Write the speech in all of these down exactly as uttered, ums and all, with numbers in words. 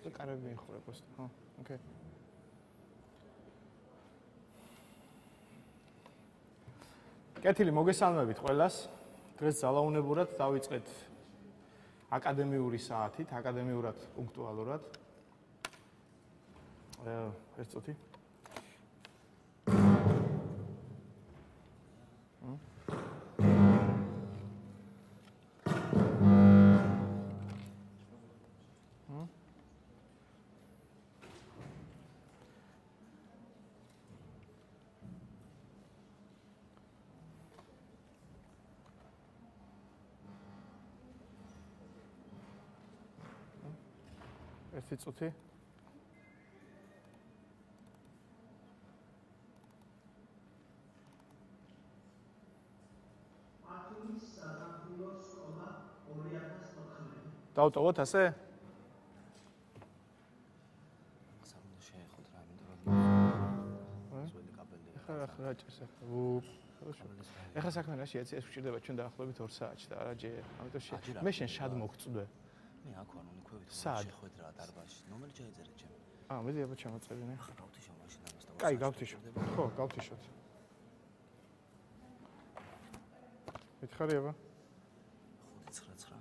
კარები მიხურე просто. ხო, ოკეი. კეთილი მოგესალმებით ყველას. დღეს ძალაუნებურად დავიწყეთ აკადემიური საათით, აკადემიურად პუნქტუალურად. ეს წუთი. ერთი წუთი. ათონის სასამართლო სკოლა ორი ათას ოთხმოცდაოთხი. დავტოვოთ ასე? სამუდო შეეხოთ რა მინდა რომ ზველი კაბელი. ახლა ახლა ჭირს ახლა. უ хорошо. ახლა საქმე რა შეიძლება ეს გვჭირდება ჩვენ დაახლოებით ორ საათში და არა ჯერ. ამიტომ შე მე შენ შად მოგწვდე. მე აქ ვარ უნიქვევით შეხვედრა დარბაზში. ნომერი ჩაიწერე ჩემ. აა მე აბა ჩამოწერინე. ხა გავთიშო მაშინ ამას და. კაი, გავთიშო. ხო, გავთიშოთ. მითხარი აბა. ხუთი ცხრა ცხრა.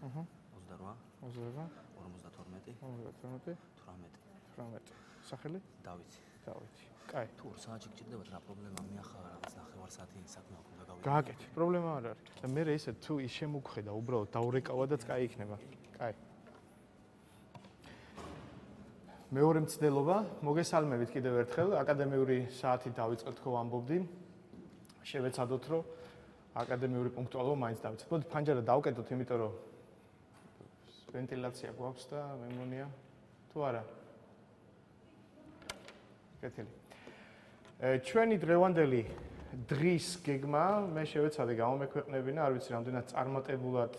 აჰა. ოცდაოთხ. ოცდაოთხ. ორმოცდათორმეტი. ორმოცდათორმეტი. თვრამეტი. თვრამეტი. სახელი? დავითი. დავითი. კაი. თუ ორ საათში გჭირდებათ რა პრობლემა მე ახლა რაღაც ნახევარ საათი საქმე აქვს და გავიგე. გააკეთე. პრობლემა არ არის. და მე ესე თუ ის შემოგხედა უბრალოდ დაურეკავადაც კაი იქნება. კაი. მეორე მცდელობა, მოგესალმებით კიდევ ერთხელ, აკადემიური საათი დავიწყეთ ხო ვამბობდი. შევეცადოთ რომ აკადემიური პუნქტუალობა მაინც დავიწყოთ. მოდი ფანჯარა დავკეტოთ, იმიტომ რომ ვენტილაცია გვაქვს და მე მგონია თუ არა. კეთილი. ჩვენი დღევანდელი დღის გეგმა მე შევეცადე გამომექვეყნებინა, არ ვიცი რამდენად წარმატებულად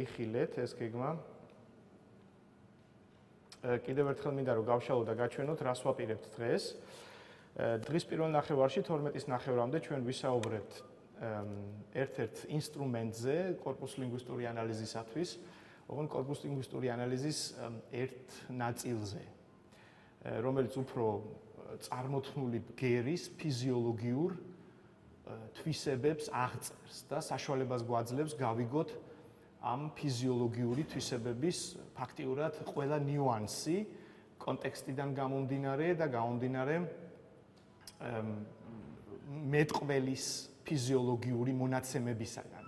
იხილეთ ეს გეგმა. კიდევ ერთხელ მინდა რომ გავშალო და გაჩვენოთ რას ვაპირებთ დღეს. დღის პირველ ნახევარში თორმეტის ნახევრამდე ჩვენ ვისაუბრებთ ერთ-ერთ ინსტრუმენტზე კორპუს ლინგვისტური ანალიზისათვის, ოღონდ კორპუს ლინგვისტური ანალიზის ერთ ნაწილზე, რომელიც უფრო წარმოთქმული ბგერის ფიზიოლოგიურ თვისებებს აღწერს და საშუალებას გვაძლევს გავიგოთ ამ ფიზიოლოგიური თვისებების ფაქტიურად ყველა ნიუანსი კონტექსტიდან გამომდინარე და გამომდინარე მეტყველის ფიზიოლოგიური მონაცემებისაგან.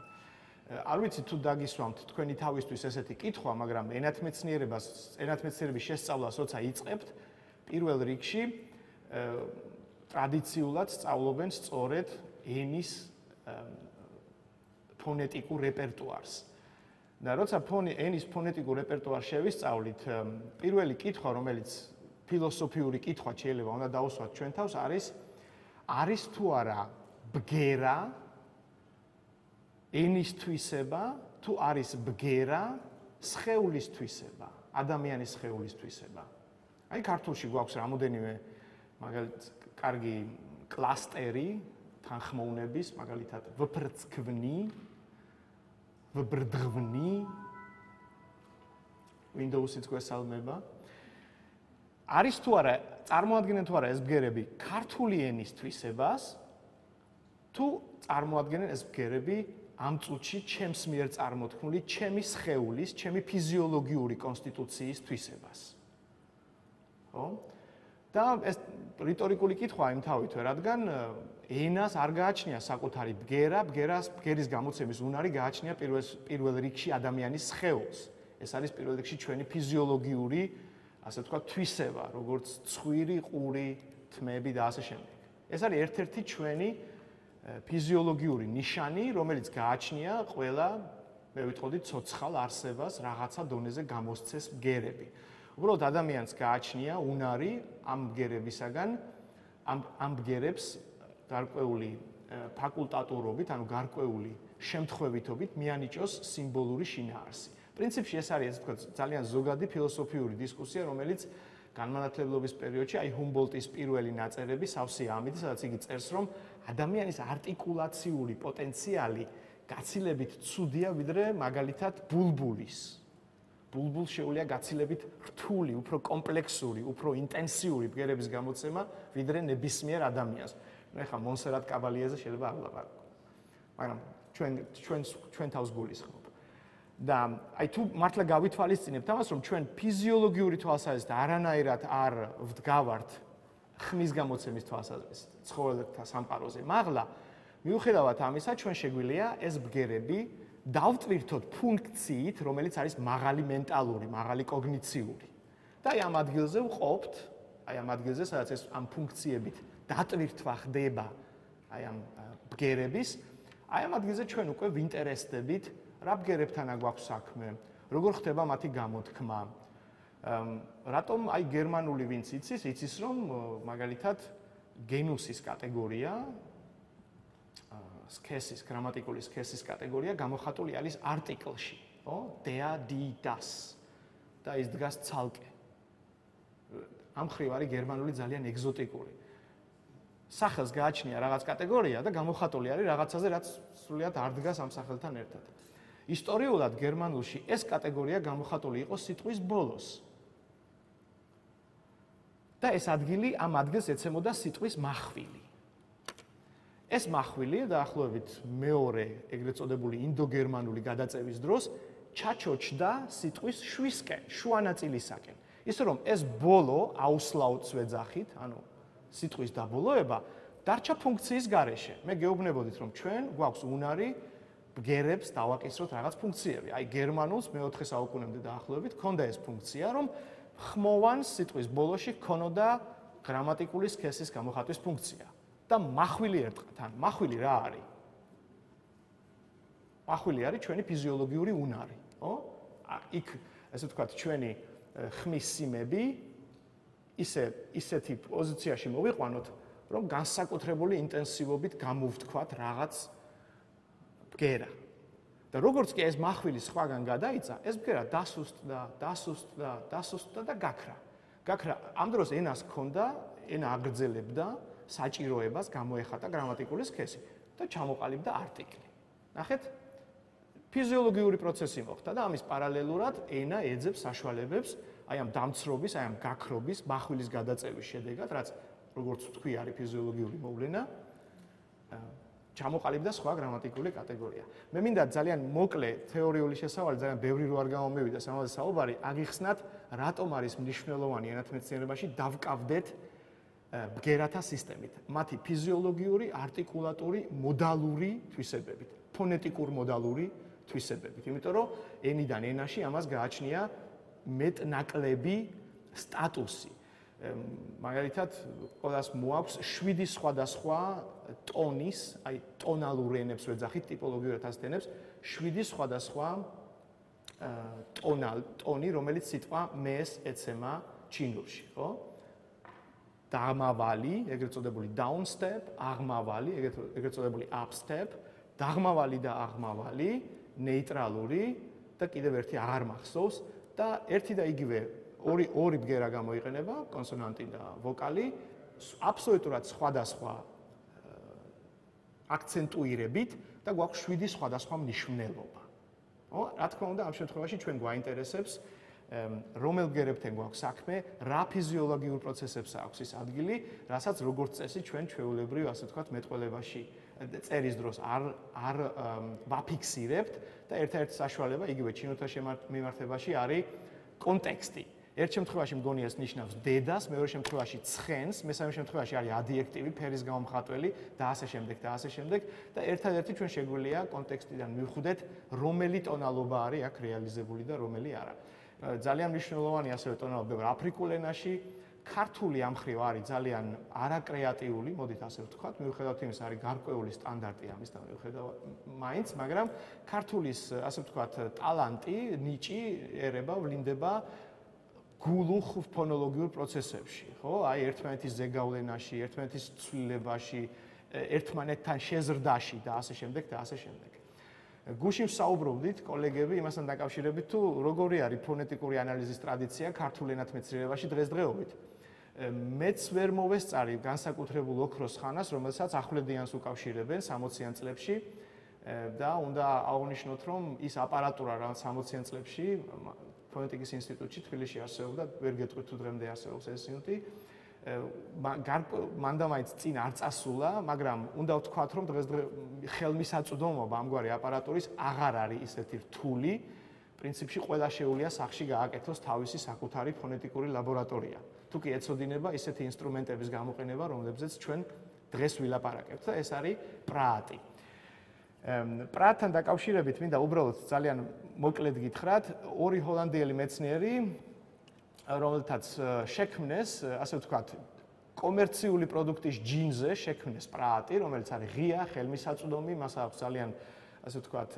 არ ვიცი თუ დაგისვამთ თქვენი თავისთვის ესეთი კითხვა, მაგრამ ენათმეცნიერებას, ენათმეცნიერების შესწავლას როცა იწყებთ, პირველ რიგში ტრადიციულად სწავლობენ სწორედ ენის ფონეტიკურ რეპერტუარს. და როცა ფონი ენის ფონეტიკურ რეპერტუარს შევისწავლით, პირველი კითხვა, რომელიც ფილოსოფიური კითხვა შეიძლება უნდა დაუსვათ ჩვენ თავს, არის არის თუ არა ბგერა ენის თვისება, თუ არის ბგერა სხეულის თვისება, ადამიანის სხეულის თვისება. აი ქართულში გვაქვს რამოდენიმე მაგალითად კარგი კლასტერი თანხმოვნების, მაგალითად ვფრცქვნი, ვბრდღვნი, Windows-იც გვესალმება. არის თუ არა, წარმოადგენენ თუ არა ეს ბგერები ქართული ენის თვისებას, თუ წარმოადგენენ ეს ბგერები ამ წუთში ჩემს მიერ წარმოთქმული ჩემი სხეულის, ჩემი ფიზიოლოგიური კონსტიტუციის თვისებას. ხო? და ეს რიტორიკული კითხვაა იმთავითვე, რადგან ენას არ გააჩნია საკუთარი ბგერა, ბგერას ბგერის გამოცემის უნარი გააჩნია პირველ პირველ რიგში ადამიანის სხეულს. ეს არის პირველ რიგში ჩვენი ფიზიოლოგიური, ასე ვთქვათ, თვისება, როგორც ცხვირი, ყური, თმები და ასე შემდეგ. ეს არის ერთ-ერთი ჩვენი ფიზიოლოგიური ნიშანი, რომელიც გააჩნია ყველა, მე ვიტყოდი, ცოცხალ არსებას რაღაცა დონეზე გამოსცეს ბგერები. უბრალოდ ადამიანს გააჩნია უნარი ამ ბგერებისაგან, ამ ამ ბგერებს გარკვეული ფაკულტატურობით, ანუ გარკვეული შემთხვევითობით მიანიჭოს სიმბოლური შინაარსი. პრინციპში ეს არის, ასე ვთქვათ, ძალიან ზოგადი ფილოსოფიური დისკუსია, რომელიც განმანათლებლობის პერიოდში აი ჰუმბოლტის პირველი ნაწერები სავსეა ამით, სადაც იგი წერს, რომ ადამიანის არტიკულაციული პოტენციალი გაცილებით ცუდია, ვიდრე მაგალითად ბულბულის. ბულბულ შეუძლია გაცილებით რთული, უფრო კომპლექსური, უფრო ინტენსიური ბგერების გამოცემა, ვიდრე ნებისმიერ ადამიანს. ნუ ეხლა მონსერატ კაბალიეზე შეიძლება არ ვლაპარაკო. მაგრამ ჩვენ ჩვენ ჩვენ თავს გულისხმობ. და აი თუ მართლა გავითვალისწინებთ ამას, რომ ჩვენ ფიზიოლოგიური თვალსაზრისით არანაირად არ ვდგავართ ხმის გამოცემის თვალსაზრისით ცხოველთა სამყაროზე, მაღლა მიუხედავად ამისა, ჩვენ შეგვიძლია ეს ბგერები დავტვირთოთ ფუნქციით, რომელიც არის მაღალი მენტალური, მაღალი კოგნიციური. და აი ამ ადგილზე ვყოფთ, აი ამ ადგილზე, სადაც ეს ამ ფუნქციებით დატვირთვა ხდება, აი ამ ბგერების, აი ამ ადგილზე ჩვენ უკვე ვინტერესდებით, რა ბგერებთანა გვაქვს საქმე, როგორ ხდება მათი გამოთქმა. რატომ აი გერმანული ვინც იცის, იცის რომ მაგალითად გენუსის კატეგორია სქესის, გრამატიკული სქესის კატეგორია გამოხატული არის არტიკლში, ხო? der, die, das. და ის დგას ცალკე. ამ ხრივ არის გერმანული ძალიან ეგზოტიკური. სახელს გააჩნია რაღაც კატეგორია და გამოხატული არის რაღაცაზე, რაც სრულიად არ დგას ამ სახელთან ერთად. ისტორიულად გერმანულში ეს კატეგორია გამოხატული იყო სიტყვის ბოლოს. და ეს ადგილი ამ ადგილს ეცემოდა სიტყვის მახვილი. ეს მახვილი დაახლოებით მეორე ეგრეთ წოდებული ინდოგერმანული გადაწევის დროს ჩაჩოჩდა სიტყვის შვისკენ, შუა ნაწილისაკენ. ისე რომ ეს ბოლო აუსლაუც ვეძახით, ანუ სიტყვის დაბოლოება დარჩა ფუნქციის გარეშე. მე გეუბნებოდით რომ ჩვენ გვაქვს უნარი ბგერებს დავაკისროთ რაღაც ფუნქციები. აი გერმანულს მეოთხე საუკუნემდე დაახლოებით ჰქონდა ეს ფუნქცია, რომ ხმოვან სიტყვის ბოლოში ჰქონოდა გრამატიკული სქესის გამოხატვის ფუნქცია. და მახვილი ერტყათ, ან მახვილი რა არის? მახვილი არის ჩვენი ფიზიოლოგიური უნარი, ხო? იქ ესე ვთქვათ, ჩვენი ხმის სიმები ისე ისეთი პოზიციაში მოვიყვანოთ, რომ განსაკუთრებული ინტენსივობით გამოვთქვათ რაღაც ბგერა. და როგორც კი ეს მახვილი სხვაგან გადაიცა, ეს ბგერა დასუსტდა, დასუსტდა, დასუსტდა და გაქრა. გაქრა ამ დროს ენას ჰქონდა, ენა აგრძელებდა საჭიროებას გამოეხატა გრამატიკული სქესი და ჩამოყალიბდა არტიკლი. ნახეთ? ფიზიოლოგიური პროცესი მოხდა და ამის პარალელურად ენა ეძებს საშუალებებს აი ამ დამცრობის, აი ამ გაქრობის, მახვილის გადაწევის შედეგად, რაც როგორც ვთქვი, არის ფიზიოლოგიური მოვლენა, ჩამოყალიბდა სხვა გრამატიკული კატეგორია. მე მინდა ძალიან მოკლე თეორიული შესავალი, ძალიან ბევრი რო არ გამომივიდეს ამაზე საუბარი, აგიხსნათ, რატომ არის მნიშვნელოვანი ენათმეცნიერებაში დავკავდეთ ბგერათა სისტემით, მათი ფიზიოლოგიური, არტიკულატური, მოდალური თვისებებით, ფონეტიკურ-მოდალური თვისებებით. იმიტომ რომ ენიდან ენაში ამას გააჩნია მეტნაკლები სტატუსი. მაგალითად, ყველას მოაქვს შვიდი სხვადასხვა ტონის, აი ტონალურ ენებს ვეძახით, ტიპოლოგიურად ასეთ ენებს, შვიდი სხვადასხვა ტონალ, ტონი, რომელიც სიტყვა მეს ეცემა ჩინურში, ხო? დაღმავალი, ეგრეთ წოდებული down step, აღმავალი, ეგრეთ წოდებული up step, დაღმავალი და აღმავალი, ნეიტრალური და კიდევ ერთი აღარ მახსოვს და ერთი და იგივე ორი ორი ბგერა გამოიყენება, კონსონანტი და ვოკალი, აბსოლუტურად სხვადასხვა აქცენტუირებით და გვაქვს შვიდი სხვადასხვა მნიშვნელობა. ხო? რა თქმა უნდა, ამ შემთხვევაში ჩვენ გვაინტერესებს რომელ ბგერებთან გვაქვს საქმე, რა ფიზიოლოგიურ პროცესებს აქვს ის ადგილი, რასაც როგორც წესი ჩვენ ჩვეულებრივ, ასე ვთქვათ, მეტყველებაში წერის დროს არ არ ვაფიქსირებთ და ერთ-ერთი საშუალება იგივე ჩინოთა მიმართებაში არის კონტექსტი. ერთ შემთხვევაში მგონი ეს ნიშნავს დედას, მეორე შემთხვევაში ცხენს, მესამე შემთხვევაში არის ადიექტივი, ფერის გამომხატველი და ასე შემდეგ და ასე შემდეგ და ერთადერთი ჩვენ შეგვიძლია კონტექსტიდან მივხვდეთ, რომელი ტონალობა არის აქ რეალიზებული და რომელი არა. ძალიან მნიშვნელოვანი ასევე ტონალობა აფრიკულ ენაში, ქართული ამ ხრივ არის ძალიან არაკრეატიული, მოდით ასე ვთქვათ, მიუხედავად იმისა, არის გარკვეული სტანდარტი ამის და მიუხედავად მაინც, მაგრამ ქართულის, ასე ვთქვათ, ტალანტი, ნიჭი ერება, ვლინდება გულუხ ფონოლოგიურ პროცესებში, ხო? აი ერთმანეთის ზეგავლენაში, ერთმანეთის ცვლილებაში, ერთმანეთთან შეზრდაში და ასე შემდეგ და ასე შემდეგ. გუშინ ვსაუბრობდით კოლეგები იმასთან დაკავშირებით, თუ როგორი არის ფონეტიკური ანალიზის ტრადიცია ქართულ ენათმეცნიერებაში დღესდღეობით. მეც ვერ მოვესწარი განსაკუთრებულ ოქროს ხანას, რომელსაც ახვლედიანს უკავშირებენ სამოციან წლებში და უნდა აღვნიშნოთ, რომ ის აპარატურა, რაც სამოციან წლებში ფონეტიკის ინსტიტუტში თბილისში არსებობდა, ვერ გეტყვით თუ დღემდე არსებობს ეს ინსტიტუტი. მანდა მაინც წინ არ წასულა, მაგრამ უნდა ვთქვათ, რომ დღესდღე ხელმისაწვდომობა ამგვარი აპარატურის აღარ არის ისეთი რთული. პრინციპში ყველა შეუძლია სახში გააკეთოს თავისი საკუთარი ფონეტიკური ლაბორატორია. თუ კი ეცოდინება ისეთი ინსტრუმენტების გამოყენება, რომლებზეც ჩვენ დღეს ვილაპარაკებთ და ეს არის პრაატი. პრაატთან დაკავშირებით მინდა უბრალოდ ძალიან მოკლედ გითხრათ, ორი ჰოლანდიელი მეცნიერი, რომელთაც შექმნეს, ასე ვთქვათ, კომერციული პროდუქტის ჯინზე შექმნეს პრაატი, რომელიც არის ღია, ხელმისაწვდომი, მას აქვს ძალიან, ასე ვთქვათ,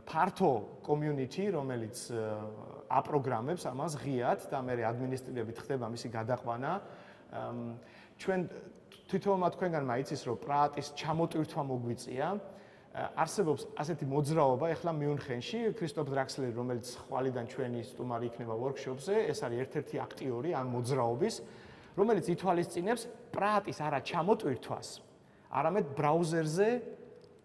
ფართო community, რომელიც აპროგრამებს ამას ღიად და მე ადმინისტრირებით ხდება მისი გადაყვანა. ჩვენ თვითონმა თქვენგანმა იცის, რომ პრაატის ჩამოტვირთვა მოგვიწია. არსებობს ასეთი მოძრაობა ახლა მიუნხენში, ქრისტოფ დრაქსლერი, რომელიც ხვალიდან ჩვენი სტუმარი იქნება workshop-ზე, ეს არის ერთ-ერთი აქტიორი ამ მოძრაობის, რომელიც ითვალისწინებს პრაატის არა ჩამოტვირთვას, არამედ ბრაუზერზე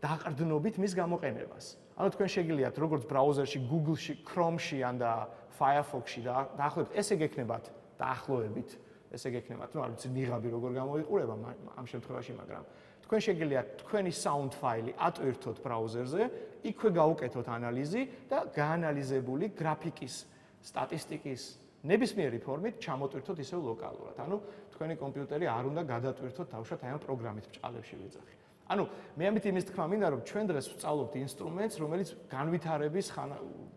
დაყრდნობით მის გამოყენებას. ანუ თქვენ შეგიძლიათ როგორც ბრაუზერში, Google-ში, Chrome-ში ან და Firefox-ში დაახლოებით ესე გექნებათ დაახლოებით, ესე გექნებათ, ну, არ ვიცი, ნიღაბი როგორ გამოიყურება ამ შემთხვევაში, მაგრამ თქვენ შეგიძლიათ თქვენი sound ფაილი ატვირთოთ ბრაუზერზე, იქვე გაუკეთოთ ანალიზი და გაანალიზებული გრაფიკის, სტატისტიკის ნებისმიერი ფორმით ჩამოტვირთოთ ისევ ლოკალურად. ანუ თქვენი კომპიუტერი არ უნდა გადატვირთოთ თავშოთ აი ამ პროგრამით ბჭყალებში ვიძახი. ანუ მე ამით იმის თქმა მინდა, რომ ჩვენ დღეს ვსწავლობთ ინსტრუმენტს, რომელიც განვითარების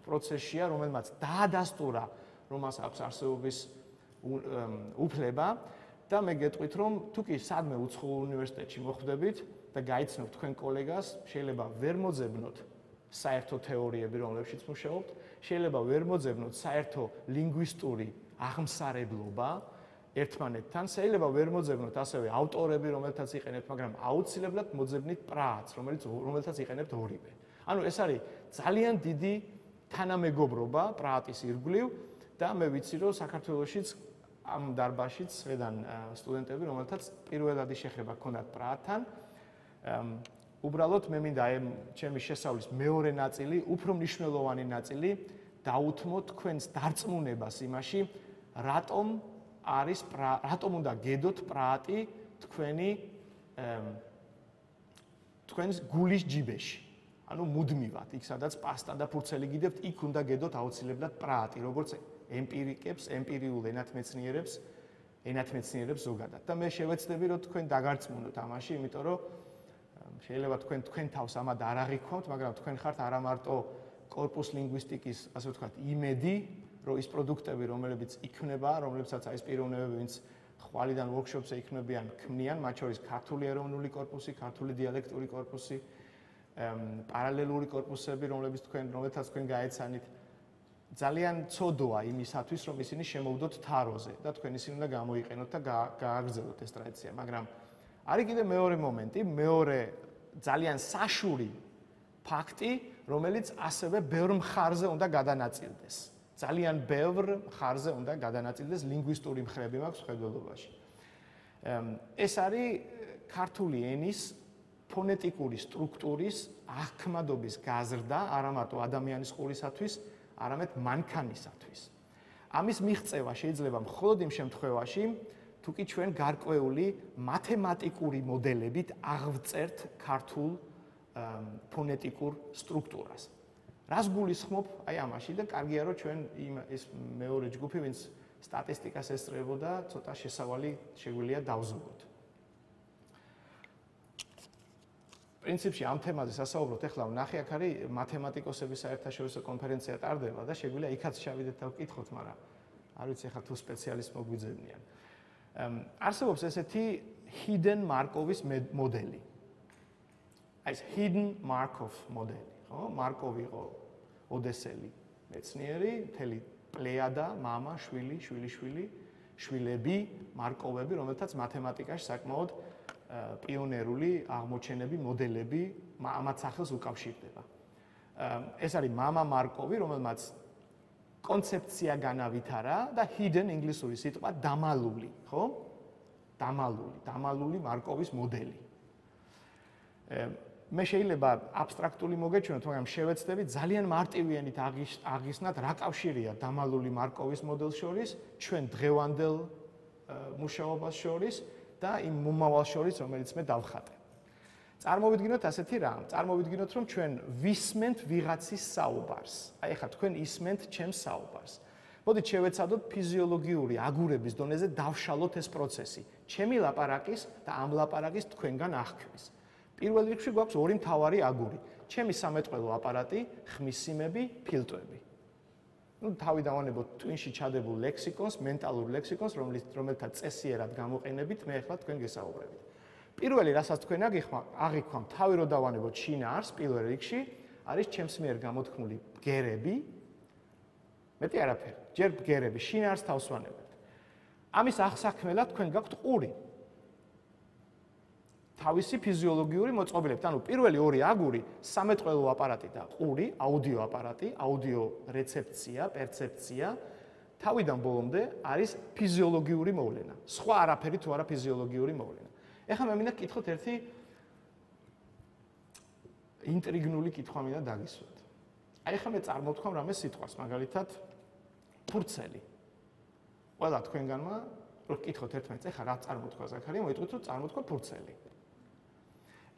პროცესშია, რომელმაც დაადასტურა, რომ მას აქვს არსებობის უფლება და მე გეტყვით, რომ თუ კი სადმე უცხოურ უნივერსიტეტში მოხვდებით და გაიცნობთ თქვენ კოლეგას, შეიძლება ვერ მოძებნოთ საერთო თეორიები, რომლებშიც მუშაობთ, შეიძლება ვერ მოძებნოთ საერთო ლინგვისტური აღმსარებლობა ერთმანეთთან, შეიძლება ვერ მოძებნოთ ასევე ავტორები, რომელთაც იყენებთ, მაგრამ აუცილებლად მოძებნით პრაატს, რომელიც რომელთაც იყენებთ ორივე. ანუ ეს არის ძალიან დიდი თანამეგობრობა პრაატის ირგვლივ და მე ვიცი, რომ საქართველოშიც ამ დარბაზშიც ხედან სტუდენტები, რომელთაც პირველადი შეხება ჰქონდათ პრაატთან. უბრალოდ მე მინდა აი ჩემი შესავლის მეორე ნაწილი, უფრო მნიშვნელოვანი ნაწილი დაუთმოთ თქვენს დარწმუნებას იმაში, რატომ არის რატომ უნდა გედოთ პრაატი თქვენი თქვენს გულის ჯიბეში. ანუ მუდმივად, იქ სადაც პასტა და ფურცელი გიდებთ, იქ უნდა გედოთ აუცილებლად პრაატი, როგორც ემპირიკებს, ემპირიულ ენათმეცნიერებს, ენათმეცნიერებს ზოგადად. და მე შევეცდები, რომ თქვენ დაგარწმუნოთ ამაში, იმიტომ რომ შეიძლება თქვენ თქვენ თავს ამად არ აღიქვამთ, მაგრამ თქვენ ხართ არა მარტო კორპუს ლინგვისტიკის, ასე ვთქვათ, იმედი, რომ ის პროდუქტები, რომლებიც იქნება, რომლებსაც აი ეს პიროვნებები, ვინც ხვალიდან workshop-ზე იქნებიან, ქმნიან, მათ შორის ქართული ეროვნული კორპუსი, ქართული დიალექტური კორპუსი, პარალელური კორპუსები, რომლებიც თქვენ, რომელთაც თქვენ გაეცანით, ძალიან ცოდოა იმისათვის, რომ ისინი შემოვდოთ თაროზე და თქვენ ისინი უნდა გამოიყენოთ და გააგრძელოთ ეს ტრადიცია, მაგრამ არის კიდე მეორე მომენტი, მეორე ძალიან საშური ფაქტი, რომელიც ასევე ბევრ მხარზე უნდა გადანაწილდეს. ძალიან ბევრ მხარზე უნდა გადანაწილდეს ლინგვისტური მხრები მაქვს ხედველობაში. ეს არის ქართული ენის ფონეტიკური სტრუქტურის აღქმადობის გაზრდა, არა მარტო ადამიანის ყურისათვის, არამედ მანქანისათვის. ამის მიღწევა შეიძლება მხოლოდ იმ შემთხვევაში, თუ კი ჩვენ გარკვეული მათემატიკური მოდელებით აღვწერთ ქართულ ფონეტიკურ სტრუქტურას. რას გულისხმობ აი ამაში და კარგია რომ ჩვენ იმ ეს მეორე ჯგუფი, ვინც სტატისტიკას ესწრებოდა, ცოტა შესავალი შეგვიძლია დავზოგოთ. პრინციპში ამ თემაზე სასაუბროთ, ეხლა ვნახე, აქ არის მათემატიკოსების საერთაშორისო კონფერენცია ტარდება და შეგვიძლია იქაც შევიდეთ და ვკითხოთ, მაგრამ არ ვიცი ახლა თუ სპეციალისტ მოგვიძებნიან. არსებობს ესეთი hidden Markov-ის მოდელი. აი ეს hidden Markov მოდელი, ხო? მარკოვი იყო ოდესელი მეცნიერი, მთელი პლეიადა, მამა, შვილი, შვილიშვილი, შვილები, მარკოვები, რომელთაც მათემატიკაში საკმაოდ პიონერული აღმოჩენები, მოდელები ამათ სახელს უკავშირდება. ეს არის მამა მარკოვი, რომელმაც კონცეფცია განავითარა და hidden ინგლისური სიტყვა დამალული, ხო? დამალული, დამალული მარკოვის მოდელი. მე შეიძლება აბსტრაქტული მოგეჩვენოთ, მაგრამ შევეცდები ძალიან მარტივიანით აღიხსნათ რა კავშირია დამალული მარკოვის მოდელს შორის, ჩვენ დღევანდელ მუშაობას შორის და იმ მომავალ შორის, რომელიც მე დავხატე. წარმოვიდგინოთ ასეთი რამ, წარმოვიდგინოთ, რომ ჩვენ ვისმენთ ვიღაცის საუბარს. აი ახლა თქვენ ისმენთ ჩემს საუბარს. მოდით შევეცადოთ ფიზიოლოგიური აგურების დონეზე დავშალოთ ეს პროცესი. ჩემი ლაპარაკის და ამ ლაპარაკის თქვენგან აღქმის. პირველ რიგში გვაქვს ორი მთავარი აგური. ჩემი სამეტყველო აპარატი, ხმისიმები, ფილტვები. ნუ თავი დავანებოთ ტვინში ჩადებულ ლექსიკონს, მენტალურ ლექსიკონს, რომელიც რომელთა წესიერად გამოყენებით მე ახლა თქვენ გესაუბრებით. პირველი, რასაც თქვენ აღიქვამთ, თავი რო დავანებოთ შინაარს პირველ რიგში, არის ჩემს მიერ გამოთქმული ბგერები. მეტი არაფერი, ჯერ ბგერები, შინაარს თავს ვანებებთ. ამის აღსაქმელად თქვენ გაქვთ ყური. თავისი ფიზიოლოგიური მოწყობილებით. ანუ პირველი ორი აგური, სამეტყველო აპარატი და ყური, აუდიო აპარატი, აუდიო რეცეფცია, პერცეფცია, თავიდან ბოლომდე არის ფიზიოლოგიური მოვლენა. სხვა არაფერი თუ არა ფიზიოლოგიური მოვლენა. ეხლა მე მინდა გკითხოთ ერთი ინტრიგნული კითხვა მინდა დაგისვათ. აი ახლა მე წარმოვთქვამ რამე სიტყვას, მაგალითად ფურცელი. ყველა თქვენგანმა რო გკითხოთ ერთმანეთს, ეხლა რა წარმოთქვა ზაქარია, მოიტყვით რომ წარმოთქვა ფურცელი.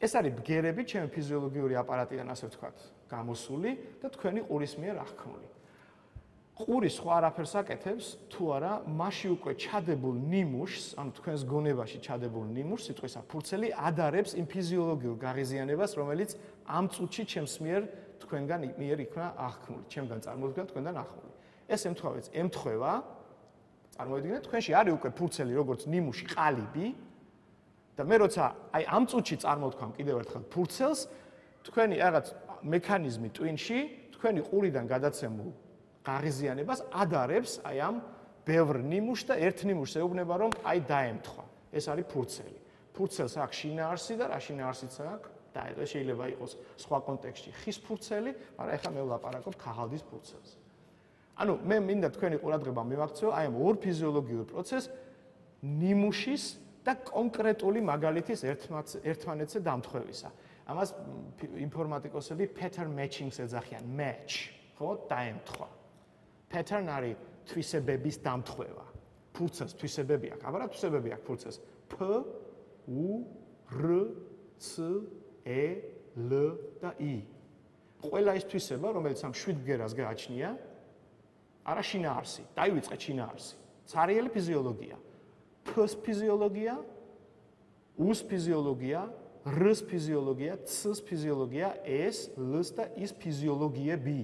ეს არის ბგერები, ჩემი ფიზიოლოგიური აპარატიდან ასე ვთქვათ, გამოსული და თქვენი ყურის მიერ აღქმული. ყური სხვა არაფერს აკეთებს, თუ არა, მასში უკვე ჩადებულ ნიმუშს, ანუ თქვენს გონებაში ჩადებულ ნიმუშს, სიტყვისა ფურცელი ადარებს იმ ფიზიოლოგიურ გაღიზიანებას, რომელიც ამ წუთში ჩემს მიერ თქვენგან მიერ იქნა აღქმული, ჩემგან წარმოდგა თქვენგან აღქმული. ეს ემთხვევას, ემთხვევა, წარმოვიდგინეთ, თქვენში არის უკვე ფურცელი, როგორც ნიმუში, ყალიბი. და მე როცა აი ამ წუთში წარმოთქვამ კიდევ ერთხელ ფურცელს, თქვენი რაღაც მექანიზმი ტვინში, თქვენი ყურიდან გადაცემულ გაღიზიანებას ადარებს აი ამ ბევრ ნიმუშს და ერთ ნიმუშს ეუბნება რომ აი დაემთხვა. ეს არის ფურცელი. ფურცელს აქვს შინაარსი და რა შინაარსიც აქვს? და ეს შეიძლება იყოს სხვა კონტექსტში ხის ფურცელი, მაგრამ ეხლა მე ვლაპარაკობ ქაღალდის ფურცელს. ანუ მე მინდა თქვენი ყურადღება მივაქცეო აი ამ ორ ფიზიოლოგიურ პროცესს ნიმუშის და კონკრეტული მაგალითის ერთმანეთზე დამთხვევისა. ამას ინფორმატიკოსები pattern matching-ს ეძახიან, match, ხო, დაემთხვა. pattern არის თვისებების დამთხვევა. ფურცელს თვისებები აქვს, აბა რა თვისებები აქვს ფურცელს? P, U, R, C, E, L და I. ყველა ეს თვისება, რომელიც ამ შვიდ ბგერას გააჩნია, არა შინაარსი, დაივიწყეთ შინაარსი. ცარიელი ფიზიოლოგია. P-ს ფიზიოლოგია, U-ს ფიზიოლოგია, R-ს ფიზიოლოგია, C-ს ფიზიოლოგია, E-ს, L-ს და I-ს ფიზიოლოგიები.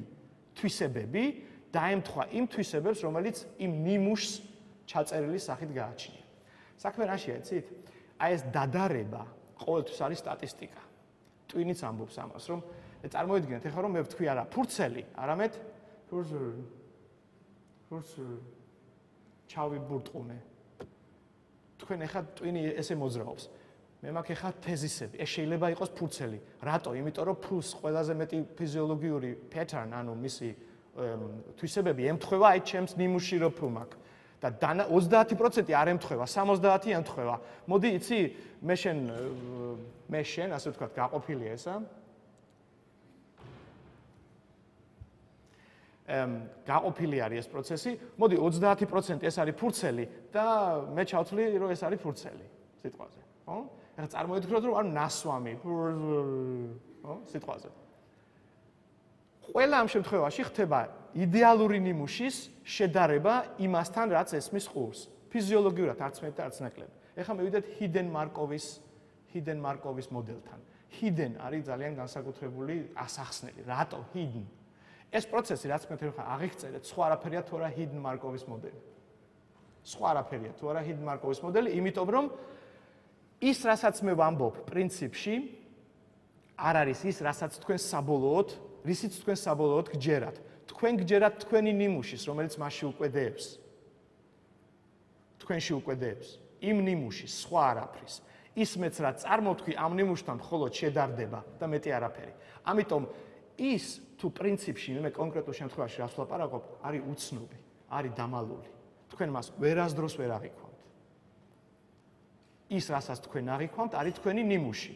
თვისებები დაემთხვა იმ თვისებებს, რომელიც იმ ნიმუშს ჩაწერილი სახით გააჩნია. საქმე რაშია, იცით? აი ეს დადარება ყოველთვის არის სტატისტიკა. ტვინიც ამბობს ამას, რომ წარმოვიდგინეთ, ეხლა რომ მე ვთქვი არა ფურცელი, არამედ ფურცელი. ფურცელი. ჩავიბურტყუნე. თქვენ ეხლა ტვინი ესე მოძრაობს. მე მაქვს ეხლა თეზისები. ეს შეიძლება იყოს ფურცელი. რატო? იმიტომ რომ ფულს ყველაზე მეტი ფიზიოლოგიური pattern, ანუ მისი თვისებები ემთხვევა აი ჩემს ნიმუშში რო ფულ მაქვს. და ოცდაათი პროცენტი არ ემთხვევა, სამოცდაათი ემთხვევა. მოდი, იცი, მე შენ მე შენ, ასე ვთქვათ, გაყოფილია ესა. ემ გაყოფილი არის ეს პროცესი. მოდი, ოცდაათი პროცენტი ეს არის ფურცელი და მე ჩავთვლი, რომ ეს არის ფურცელი სიტყვაზე, ხო? ეხლა წარმოვიდგინოთ, რომ არის ნასვამი, ხო, სიტყვაზე. ყველა ამ შემთხვევაში ხდება იდეალური ნიმუშის შედარება იმასთან, რაც ესმის ყურს. ფიზიოლოგიურად არც მეტი და არც ნაკლები. ეხლა მივიდეთ ჰიდენ მარკოვის ჰიდენ მარკოვის მოდელთან. ჰიდენ არის ძალიან განსაკუთრებული ასახსნელი. რატო ჰიდენ? ეს პროცესი, რაც მე თქვენ აღიხწერეთ, სხვა არაფერია თუ არა ჰიდენ მარკოვის მოდელი. სხვა არაფერია თუ არა ჰიდენ მარკოვის მოდელი, იმიტომ რომ ის, რასაც მე ვამბობ, პრინციპში არ არის ის, რასაც თქვენ საბოლოოდ რისიც თქვენ საბოლოოდ გჯერათ. თქვენ გჯერათ თქვენი ნიმუშის, რომელიც მასში უკვედეებს. თქვენში უკვედეებს. იმ ნიმუშის, სხვა არაფრის. ის მეც რა წარმოთქვი ამ ნიმუშთან მხოლოდ შედარდება და მეტი არაფერი. ამიტომ ის თუ პრინციპში მე კონკრეტულ შემთხვევაში რას ვლაპარაკობ, არის უცნობი, არის დამალული. თქვენ მას ვერასდროს ვერ აღიქვამთ. ის, რასაც თქვენ აღიქვამთ, არის თქვენი ნიმუში.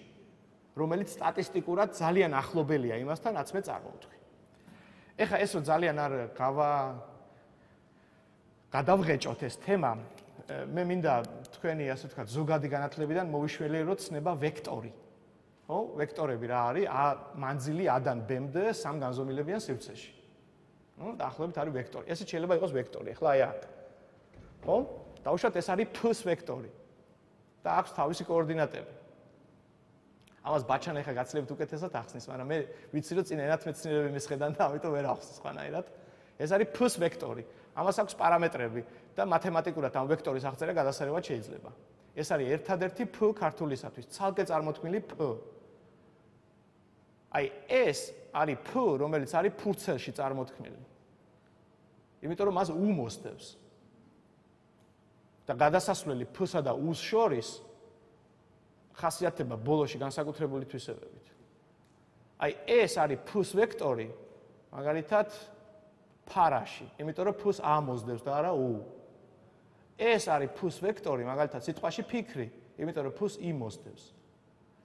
რომელიც სტატისტიკურად ძალიან ახლობელია იმასთან, რაც მე წარმოვთქვი. ეხლა ეს რომ ძალიან არ გავა გადავღეჭოთ ეს თემა, მე მინდა თქვენი ასე ვთქვათ ზოგადი განათლებიდან მოვიშველიეროთ ცნება ვექტორი. ხო? ვექტორები რა არის? a მანძილი a-დან b-მდე სამ განზომილებიან სივრცეში. ნუ დაახლოებით არის ვექტორი. ესე შეიძლება იყოს ვექტორი. ეხლა აი აქ. ხო? დავუშვათ ეს არის p-ს ვექტორი. და აქვს თავისი კოორდინატები. ამას ბაჩანა ეხლა გაცლებთ უკეთესად ახსნის, მაგრამ მე ვიცი რომ წინ ენათმეცნიერები მისხედან და ამიტომ ვერ ახსნის სხვანაირად. ეს არის p-ს ვექტორი. ამას აქვს პარამეტრები და მათემატიკურად ამ ვექტორის აღწერა გადასარევად შეიძლება. ეს არის ერთადერთი p ქართულისათვის, ცალკე წარმოქმნილი p. აი ეს არის p, რომელიც არის ფურცელში წარმოქმნილი. იმიტომ რომ მას u მოსდევს. და გადასასვლელი p-სა და u-ს შორის ხასიათდება ბოლოში განსაკუთრებული თვისებებით. აი ეს არის p-ს ვექტორი, მაგალითად ფარაში, იმიტომ რომ p-ს a მოსდევს და არა u. ეს არის p-ს ვექტორი, მაგალითად სიტყვაში ფიქრი, იმიტომ რომ p-ს i მოსდევს.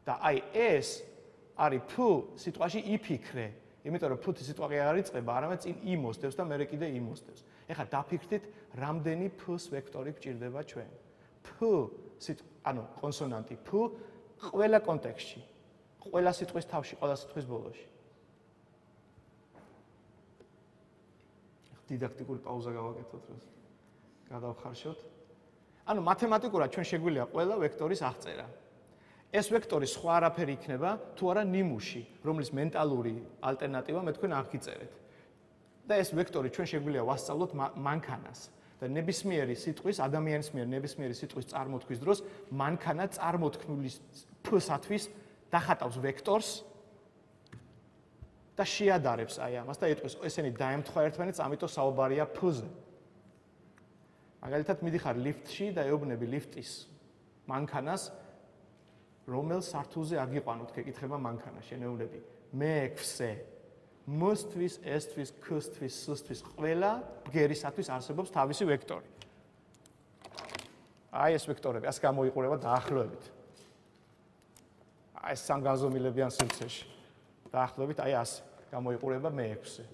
და აი ეს არის p სიტყვაში იფიქრე, იმიტომ რომ p-ი სიტყვა კი არ იწყება, არამედ წინ i მოსდევს და მერე კიდე i მოსდევს. ეხლა დაფიქრდით, რამდენი p-ს ვექტორი გჭირდება ჩვენ. p ანუ კონსონანტი p ყველა კონტექსტში, ყველა სიტყვის თავში, ყველა სიტყვის ბოლოში. დიდაქტიკური პაუზა გავაკეთოთ, რომ გადავხარშოთ. ანუ მათემატიკურად ჩვენ შეგვიძლია ყველა ვექტორის აღწერა. ეს ვექტორი სხვა არაფერი იქნება, თუ არა ნიმუში, რომლის მენტალური ალტერნატივა მე თქვენ აღგიწერეთ. და ეს ვექტორი ჩვენ შეგვიძლია ვასწავლოთ მანქანას. და ნებისმიერი სიტყვის, ადამიანის მიერ ნებისმიერი სიტყვის წარმოთქმის დროს მანქანა წარმოთქმული p-სათვის დახატავს ვექტორს და შეადარებს აი ამას და ეტყვის ესენი დაემთხვა ერთმანეთს, ამიტომ საუბარია p-ზე. მაგალითად მიდიხარ ლიფტში და ეუბნები ლიფტის მანქანას, რომელ სართულზე აგიყვანოთ, გეკითხება მანქანა, შენეულები. მეექვსე. m-თვის, s-თვის, k-თვის, s-თვის ყველა ბგერისათვის არსებობს თავისი ვექტორი. აი ეს ვექტორები, ასე გამოიყურება დაახლოებით. აი ეს სამ განზომილებიან სივრცეში. დაახლოებით აი ასე გამოიყურება მეექვსე.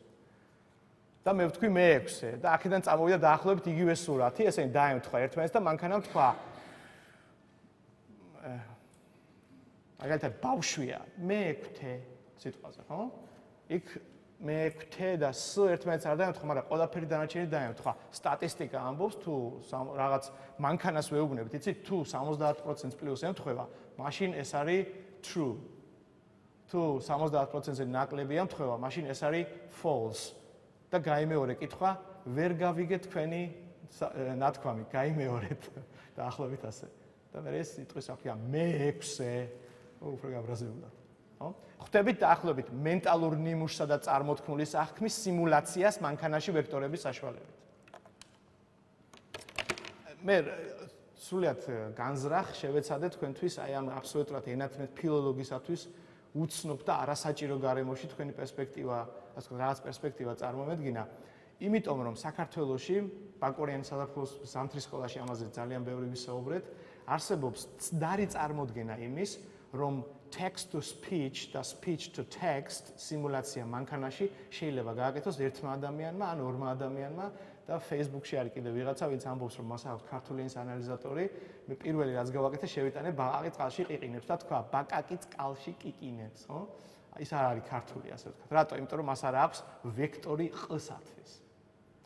და მე ვთქვი მეექვსე და აქედან წამოვიდა დაახლოებით იგივე სურათი, ესენი დაემთხვა ერთმანეთს და მანქანამ თქვა მაგალითად ბავშვია, მეექვთე სიტყვაზე, ხო? იქ მეექვთე და s ერთმანეთს არ დაემთხვა, მაგრამ ყველაფერი დანარჩენი დაემთხვა. სტატისტიკა ამბობს, თუ რაღაც მანქანას ვეუბნებით, იცით, თუ სამოცდაათ პროცენტს პლუს ემთხვევა, მაშინ ეს არის true. თუ სამოცდაათ პროცენტზე ნაკლები ემთხვევა, მაშინ ეს არის false. და გაიმეორე კითხვა, ვერ გავიგეთ თქვენი ნათქვამი, გაიმეორეთ დაახლოებით ასე. და მე ეს სიტყვის ახია მეექვსე, უფრო გაბრაზებულად. ხო? ხვდებით დაახლოებით მენტალურ ნიმუშსა და წარმოთქმული აღქმის სიმულაციას მანქანაში ვექტორების საშუალებით. მე სულიად განზრახ შევეცადე თქვენთვის აი ამ აბსოლუტურად ენათმეთ ფილოლოგისათვის უცნობ და არასაჭირო გარემოში თქვენი პერსპექტივა, ასე ვთქვათ, რაღაც პერსპექტივა წარმომედგინა. იმიტომ რომ საქართველოში ბაკურიანის საზაფხულოს ზამთრის სკოლაში ამაზე ძალიან ბევრი ვისაუბრეთ, არსებობს ცდარი წარმოდგენა იმის, რომ text to speech და speech to text სიმულაცია მანქანაში შეიძლება გააკეთოს ერთმა ადამიანმა ან ორმა ადამიანმა და Facebook-ში არის კიდე ვიღაცა, ვინც ამბობს, რომ მას აქვს ქართული ენის ანალიზატორი, მე პირველი რაც გავაკეთე, შევიტანე ბაყაყი წყალში ყიყინებს და თქვა, ბაკაკი წყალში ყიყინებს, ხო? ის არ არის ქართული, ასე ვთქვათ. რატო? იმიტომ რომ მას არ აქვს ვექტორი ყ-სათვის.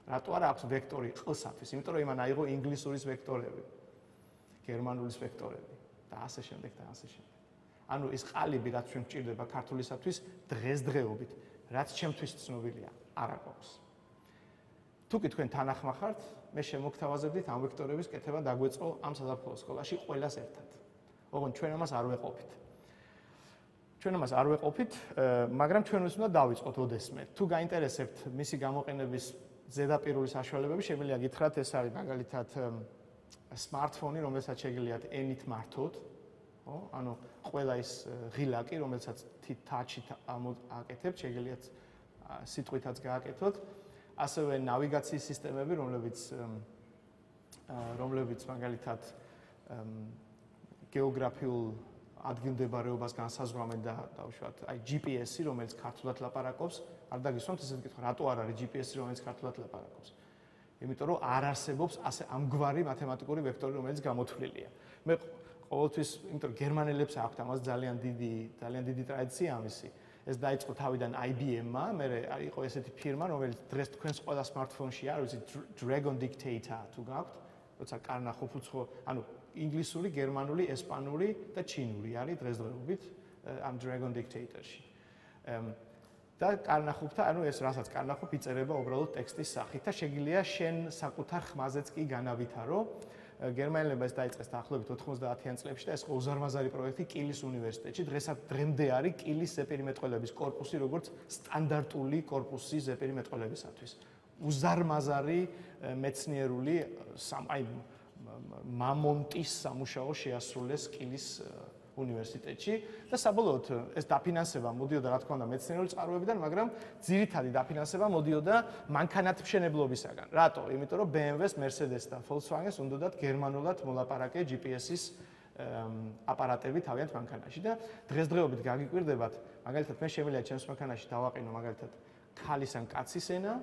რატო არ აქვს ვექტორი ყ-სათვის? იმიტომ რომ იმან აიღო ინგლისურის ვექტორები, გერმანულის ვექტორები და ასე შემდეგ და ასე შემდეგ. ანუ ეს ყალიბი, რაც ჩვენ გვჭირდება ქართულისათვის დღესდღეობით, რაც ჩემთვის ცნობილია, არ აქვს. თუ კი თქვენ თანახმა ხართ, მე შემოგთავაზებდით ამ ვექტორების კეთება დაგვეწყო ამ საზაფხულო სკოლაში ყველას ერთად. ოღონდ ჩვენ ამას არ ვეყოფით. ჩვენ ამას არ ვეყოფით, მაგრამ ჩვენ უნდა დავიწყოთ ოდესმე. თუ გაინტერესებთ მისი გამოყენების ზედაპირული საშუალებები, შეგვიძლია გითხრათ, ეს არის მაგალითად smartphone-ი, რომელსაც შეგიძლიათ ენით მართოთ, ხო? ანუ ყველა ის ღილაკი, რომელსაც touch-ით აკეთებთ, შეგიძლიათ სიტყვითაც გააკეთოთ. ასევე ნავიგაციის სისტემები, რომლებიც რომლებიც მაგალითად გეოგრაფიულ ადგილმდებარეობას განსაზღვრავენ და დავუშვათ აი ჯი პი ესი, რომელიც ქართულად ლაპარაკობს, არ დაგისვამთ ესეთი კითხვა, რატო არ არის ჯი პი ესი, რომელიც ქართულად ლაპარაკობს? იმიტომ რომ არ არსებობს ასე ამგვარი მათემატიკური ვექტორი, რომელიც გამოთვლილია. მე ყოველთვის, იმიტომ რომ გერმანელებს აქვთ ამას ძალიან დიდი, ძალიან დიდი ტრადიცია ამისი. ეს დაიწყო თავიდან აი ბი ემ-მა, მე იყო ესეთი ფირმა, რომელიც დღეს თქვენს ყველა smartphone-ში არის, Dragon Dictator თუ გაქვთ, როცა კარნახობ უცხო, ანუ ინგლისური, გერმანული, ესპანური და ჩინური არის დღესდღეობით ამ Dragon Dictator-ში. და კარნახობთან, ანუ ეს რასაც კარნახობ, იწერება უბრალოდ ტექსტის სახით და შეგიძლია შენ საკუთარ ხმაზეც კი განავითარო. გერმანელებმა ეს დაიწყეს დაახლოებით ოთხმოცდაათიან წლებში და ეს უზარმაზარი პროექტი კილის უნივერსიტეტში. დღესაც დღემდე არის კილის ზეპირიმეტყველების კორპუსი, როგორც სტანდარტული კორპუსი ზეპირიმეტყველებისათვის. უზარმაზარი მეცნიერული აი მამონტის სამუშაო შეასრულეს კილის უნივერსიტეტში და საბოლოოდ ეს დაფინანსება მოდიოდა რა თქმა უნდა მეცნიერული წყაროებიდან, მაგრამ ძირითადი დაფინანსება მოდიოდა მანქანათმშენებლობისაგან. რატო? იმიტომ რომ ბი ემ ვეს, Mercedes და Volkswagen-ს უნდათ გერმანულად მოლაპარაკე ჯი პი ეს-ის აპარატები თავიანთ მანქანაში და დღესდღეობით გაგიკვირდებათ, მაგალითად მე შემიძლია ჩემს მანქანაში დავაყენო მაგალითად ქალის ან კაცის ენა,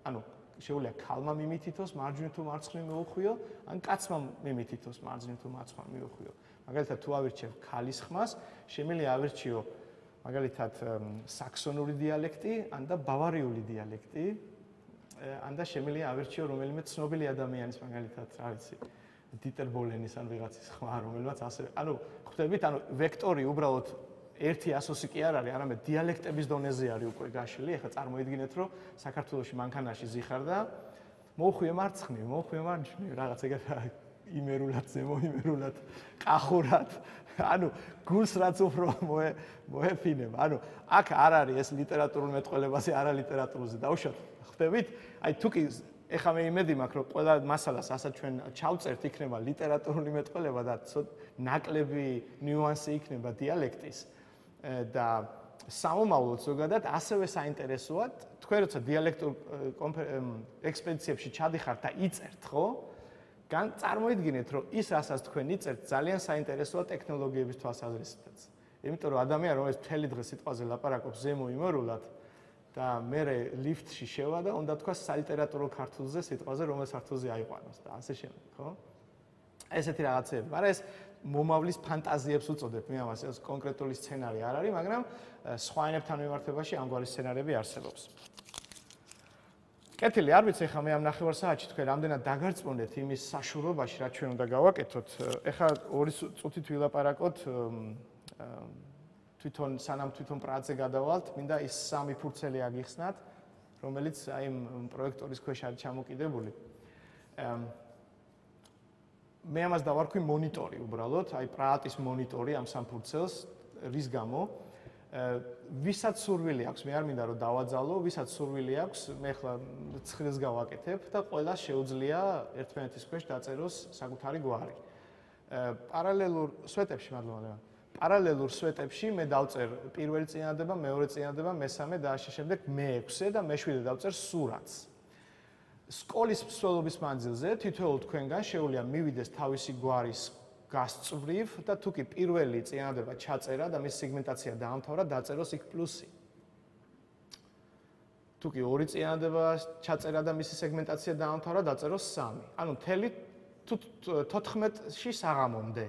ანუ შეუძლია ქალმა მიმითითოს, მარჯვნივ თუ მარცხნივ მიუხვიო, ან კაცმა მიმითითოს, მარჯვნივ თუ მარცხნივ მიუხვიო. მაგალითად თუ ავირჩევ ქალის ხმას, შემიძლია ავირჩიო მაგალითად საქსონური დიალექტი, ან და ბავარიული დიალექტი, ან და შემიძლია ავირჩიო რომელიმე ცნობილი ადამიანის მაგალითად, რა ვიცი, დიტერ ბოლენის ან ვიღაცის ხმა, რომელმაც ასე, ანუ ხვდებით, ანუ ვექტორი უბრალოდ ერთი ასოსი კი არ არის, არამედ დიალექტების დონეზე არის უკვე გაშლილი. ეხლა წარმოიდგინეთ, რომ საქართველოში მანქანაში ზიხარ და მოუხვიე მარცხნივ, მოუხვიე მარჯვნივ, რაღაც ეგეთ იმერულად, ზემოიმერულად, ყახურად. ანუ გულს რაც უფრო მოეფინება. ანუ აქ არ არის ეს ლიტერატურულ მეტყველებაზე, არა ლიტერატურაზე. დაუშვათ, ხვდებით? აი თუ კი ეხლა მე იმედი მაქვს, რომ ყველა მასალას ასაც ჩვენ ჩავწერთ, იქნება ლიტერატურული მეტყველება და ნაკლები ნიუანსი იქნება დიალექტის და სამომავლოდ ზოგადად ასევე საინტერესოა, თქვენ როცა დიალექტურ ექსპედიციებში ჩადიხართ და იწერთ, ხო? გან წარმოიდგინეთ, რომ ის რასაც თქვენ იწერთ, ძალიან საინტერესოა ტექნოლოგიების თვალსაზრისითაც. იმიტომ რომ ადამიანი, რომელიც მთელი დღე სიტყვაზე ლაპარაკობს ზემოიმერულად და მე ლიფტში შევა და უნდა თქვა სალიტერატურო ქართულზე სიტყვაზე, რომელ ქართულზე აიყვანოს და ასე შემდეგ, ხო? ესეთი რაღაცები. მაგრამ ეს მომავლის ფანტაზიებს უწოდებ, მე ამას ეს კონკრეტული სცენარი არ არის, მაგრამ სხვა ენებთან მიმართებაში ამგვარი სცენარები არსებობს. კეთილი, არ ვიცი ხა მე ამ ნახევარსაათში თქვენ რამდენად დაგარწმუნდეთ იმის საშუალობაში, რაც ჩვენ უნდა გავაკეთოთ. ეხლა ორი წუთით ვილაპარაკოთ თვითონ სანამ თვითონ პრაძე გადავალთ, მინდა ის სამი ფურცელი აგიხსნათ, რომელიც აი იმ პროექტორის ქვეშ არის ჩამოკიდებული. მე ამას დავარქვი მონიტორი უბრალოდ, აი პრაატის მონიტორი ამ სამ ფურცელს, რის გამო ვისაც სურვილი აქვს, მე არ მინდა რომ დავაძალო, ვისაც სურვილი აქვს, მე ახლა ცხრილს გავაკეთებ და ყველას შეუძლია ერთმანეთის ქვეშ დაწეროს საკუთარი გვარი. პარალელურ სვეტებში, მადლობა. პარალელურ სვეტებში მე დავწერ პირველი წინადადება, მეორე წინადადება, მესამე და ასე შემდეგ მეექვსე და მეშვიდე დავწერ სურათს. სკოლის მსვლელობის მანძილზე თითოეულ თქვენგან შეუძლია მივიდეს თავისი გვარის გასწვრივ და თუ კი პირველი წინადადება ჩაწერა და მის სეგმენტაცია დაამთავრა, დაწეროს იქ პლუსი. თუ კი ორი წინადადება ჩაწერა და მისი სეგმენტაცია დაამთავრა, დაწეროს სამი. ანუ მთელი თოთხმეტში საღამომდე.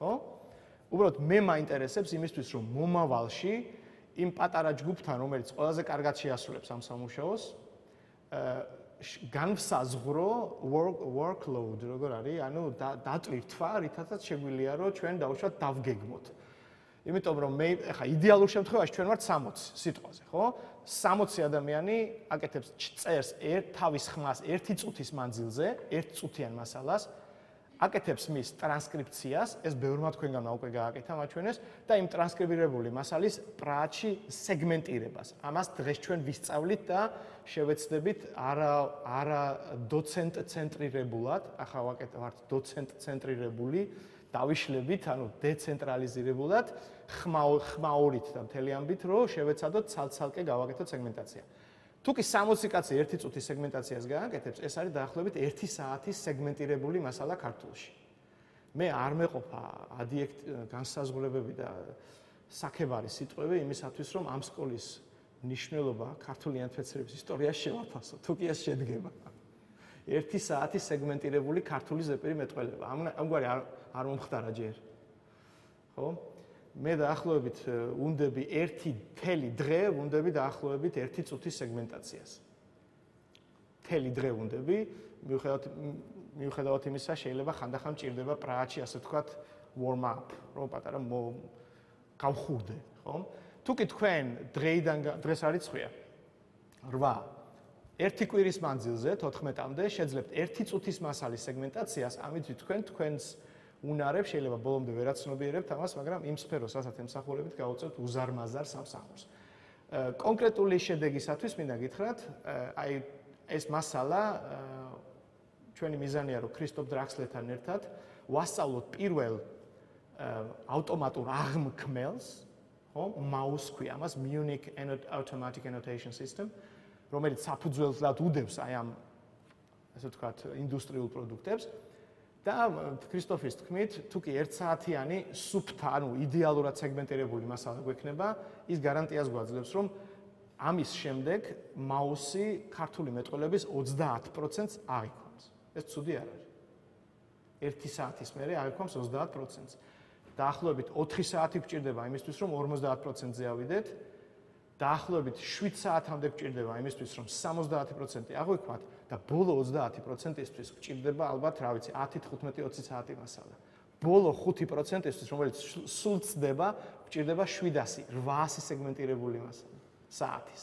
ხო? უბრალოდ მე მაინტერესებს იმისთვის, რომ მომავალში იმ პატარა ჯგუფთან, რომელიც ყველაზე კარგად შეასრულებს ამ სამუშაოს, განვსაზღვრო workload, როგორ არის, ანუ დატვირთვა, რითაც შეგვიძლია, რომ ჩვენ დავუშვათ დავგეგმოთ. იმიტომ რომ მე ახლა იდეალურ შემთხვევაში ჩვენ ვართ სამოცი სიტყვაზე, ხო? სამოცი ადამიანი აკეთებს წერს ერთ თავის ხმას ერთი წუთის მანძილზე, ერთ წუთიან მასალას, აკეთებს მის ტრანსკრიფციას, ეს ბევრმა თქვენგან უკვე გააკეთა მაჩვენეს და იმ ტრანსკრიბირებული მასალის პრაატში სეგმენტირებას. ამას დღეს ჩვენ ვისწავლით და შევეცდებით არა არა დოცენტ ცენტრირებულად, ახლა ვაკეთებთ დოცენტ ცენტრირებული, დავიშლებით, ანუ დეცენტრალიზირებულად, ხმაურით და მთელი ამბით, რომ შევეცადოთ ცალ-ცალკე გავაკეთოთ სეგმენტაცია. თუ კი სამოცი კაცი ერთი წუთის სეგმენტაციას გააკეთებს, ეს არის დაახლოებით ერთი საათის სეგმენტირებული მასალა ქართულში. მე არ მეყოფა ადიექტ განსაზღვრებები და საქებარი სიტყვები იმისათვის, რომ ამ სკოლის ნიშნულობა ქართული ენათმეცნიერების ისტორიაში შევაფასო, თუ კი ეს შედგება. ერთი საათი სეგმენტირებული ქართული ზეპირი მეტყველება. ამგვარი არ არ მომხდარა ჯერ. ხო? მე დაახლოებით უნდები ერთი მთელი დღე, უნდები დაახლოებით ერთი წუთის სეგმენტაციას. მთელი დღე უნდები, მიუხედავად მიუხედავად იმისა, შეიძლება ხანდახან მჭირდება პრააში, ასე ვთქვათ, warm up, რომ პატარა გავხურდე, ხო? თუ კი თქვენ დღეიდან დღეს არის ცხრა. რვა. ერთი კვირის მანძილზე თოთხმეტამდე შეძლებთ ერთი წუთის მასალის სეგმენტაციას, ამით თქვენ თქვენს უნარებს შეიძლება ბოლომდე ვერაცნობიერებთ ამას, მაგრამ იმ სფეროს, რასაც ემსახურებით, გავუწევთ უზარმაზარ სამსახურს. კონკრეტული შედეგისათვის მინდა გითხრათ, აი ეს მასალა ჩვენი მიზანია, რომ ქრისტოფ დრაქსლერთან ერთად ვასწავლოთ პირველ ავტომატურ აღმქმელს, ხო, მაუს ქვია ამას, Munich Automatic Annotation System, რომელიც საფუძველად უდევს აი ამ, ასე ვთქვათ, ინდუსტრიულ პროდუქტებს. და ქრისტოფის თქმით, თუ კი ერთ საათიანი სუფთა, ანუ იდეალურად სეგმენტირებული მასალა გვექნება, ის გარანტიას გვაძლევს, რომ ამის შემდეგ მაუსი ქართული მეტყველების ოცდაათ პროცენტს აღიქვამს. ეს ცუდი არ არის. ერთი საათის მერე აღიქვამს ოცდაათ პროცენტს. დაახლოებით ოთხი საათი გვჭირდება იმისთვის, რომ ორმოცდაათ პროცენტზე ავიდეთ. დაახლოებით შვიდ საათამდე გვჭირდება იმისთვის, რომ სამოცდაათი პროცენტი აღვიქვათ და ბოლო ოცდაათი პროცენტისთვის გვჭირდება ალბათ, რა ვიცი, ათი, თხუთმეტი, ოცი საათი მასალა. ბოლო ხუთი პროცენტისთვის, რომელიც სულ ცდება, გვჭირდება შვიდასი, რვაასი სეგმენტირებული მასალა საათის.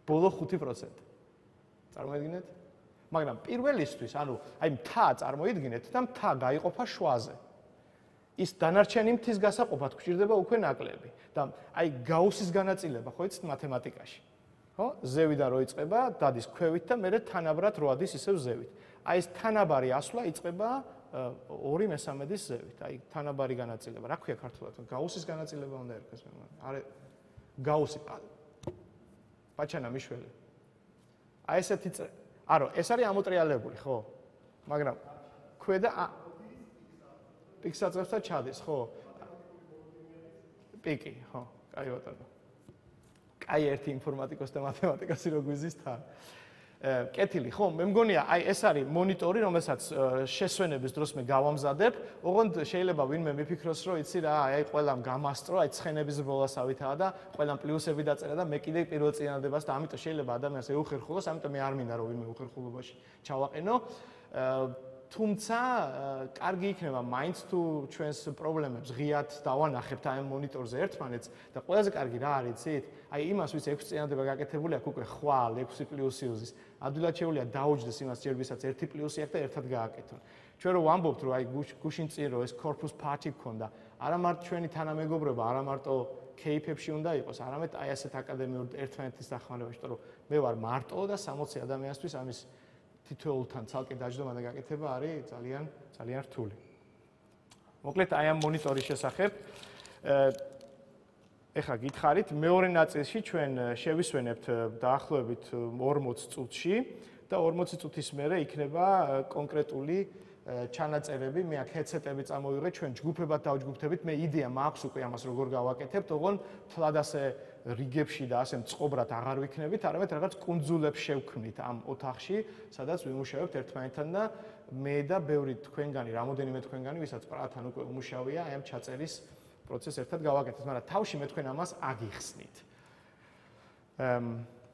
ბოლო ხუთი პროცენტი. წარმოიდგინეთ? მაგრამ პირველისთვის, ანუ აი მთა წარმოიდგინეთ და მთა გაიყოფა შვაზე. ის დანარჩენი მთის გასაყოფად გვჭირდება უკვე ნაკლები და აი გაუსის განაწილება ხო იცით მათემატიკაში ხო ზევიდან რო იწყება დადის ქვევით და მერე თანაბრად რო ადის ისევ ზევით აი ეს თანაბარი ასვლა იწყება ორი მესამედის ზევით აი თანაბარი განაწილება რა ქვია ქართულად გაუსის განაწილება უნდა ერქოს მე არა გაუსი პაჩანა მიშველი აი ესეთი არო ეს არის ამოტრიალებული ხო მაგრამ ქვედა პიქსაწერს და ჩადის, ხო? პიკი, ხო, კაი ბატონო. კაი ერთი ინფორმატიკოს და მათემატიკოსი რო გვიზის თან. კეთილი, ხო, მე მგონია, აი ეს არის მონიტორი, რომელსაც შესვენების დროს მე გავამზადებ, ოღონდ შეიძლება ვინმე მიფიქროს, რომ იცი რა, აი ყველამ გამასწრო, აი ცხენების ბოლასავითაა და ყველამ პლუსები დაწერა და მე კიდე პირველ წინადადებას და ამიტომ შეიძლება ადამიანს ეუხერხულოს, ამიტომ მე არ მინდა რომ ვინმე უხერხულობაში ჩავაყენო. თუმცა კარგი იქნება მაინც თუ ჩვენს პრობლემებს ღიად დავანახებთ აი ამ მონიტორზე ერთმანეთს და ყველაზე კარგი რა არის იცით? აი იმას ვის ექვსი წინადადება გაკეთებული აქვს უკვე ხვალ ექვსი პლუსი იზის. ადვილად შეუძლია დაუჯდეს იმას ჯერ ვისაც ერთი პლუსი აქვს და ერთად გააკეთონ. ჩვენ რო ვამბობთ რომ აი გუშინ წინ რო ეს corpus party გქონდა, არა მარტო ჩვენი თანამეგობრობა, არა მარტო კეიფებში უნდა იყოს, არამედ აი ასეთ აკადემიურ ერთმანეთის დახმარებაში, იმიტომ რომ მე ვარ მარტო და სამოცი ადამიანისთვის ამის თითოეულთან ცალკე დაждობა და გაკეთება არის ძალიან ძალიან რთული. მოკლედ აი ამ მონიტორის შესახებ ეხლა გითხარით მეორე ნაწილში ჩვენ შევისვენებთ დაახლოებით ორმოც წუთში და ორმოცი წუთის მერე იქნება კონკრეტული ჩანაწერები, მე აქ ჰედსეტები წამოვიღე, ჩვენ ჯგუფებად დავჯგუფდებით, მე იდეა მაქვს უკვე ამას როგორ გავაკეთებთ, ოღონდ თლად ასე რიგებში და ასე მწყობრად აღარ ვიქნებით, არამედ რაღაც კუნძულებს შევქმნით ამ ოთახში, სადაც ვიმუშავებთ ერთმანეთთან და მე და ბევრი თქვენგანი, რამოდენიმე თქვენგანი, ვისაც პრათან უკვე უმუშავია, აი ამ ჩაწერის პროცესს ერთად გავაკეთეთ, მაგრამ თავში მე თქვენ ამას აგიხსნით.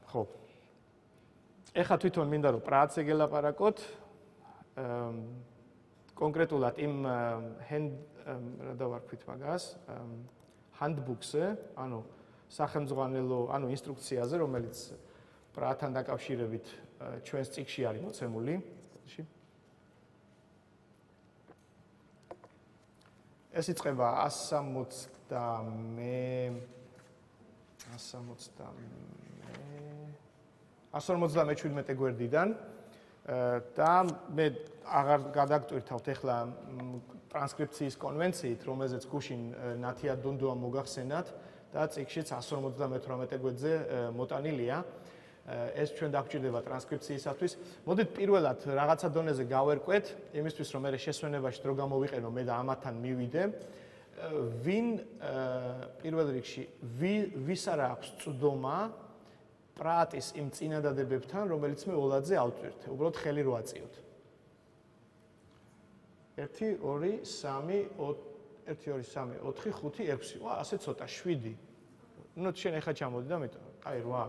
ხო. ეხლა თვითონ მინდა რომ პრაათზე გელაპარაკოთ. კონკრეტულად იმ hand რა დავარქვით მაგას handbook-ზე, ანუ სახელმძღვანელო, ანუ ინსტრუქციაზე, რომელიც პრაათთან დაკავშირებით ჩვენს წიგნში არის მოცემული. ეს იწყება ასი ორმოცდამეჩვიდმეტე გვერდიდან და მე აღარ გადაგტვირთავთ ახლა ტრანსკრიფციის კონვენციით, რომელზეც გუშინ ნათია დუნდუამ მოგახსენათ და წიგნშიც ასი ორმოცდამეთვრამეტე გვერდზე მოტანილია. ეს ჩვენ დაგვჭირდება ტრანსკრიფციისათვის. მოდით პირველად რაღაცა დონეზე გავერკვეთ, იმისთვის რომ მე შესვენებაში დრო გამოვიყენო მე და ამათთან მივიდე. ვინ პირველ რიგში ვის არა აქვს წვდომა პრატის იმ წინადადებებთან, რომელიც მე ოლადზე ავწვირთე. უბრალოდ ხელი რო აწიოთ. ერთი, ორი, სამი, ერთი, ორი, სამი, ოთხი, ხუთი, ექვსი. ვა, ასე ცოტა, შვიდი. ნუ შენ ახლა ჩამოდი და მეტო. აი, რვა.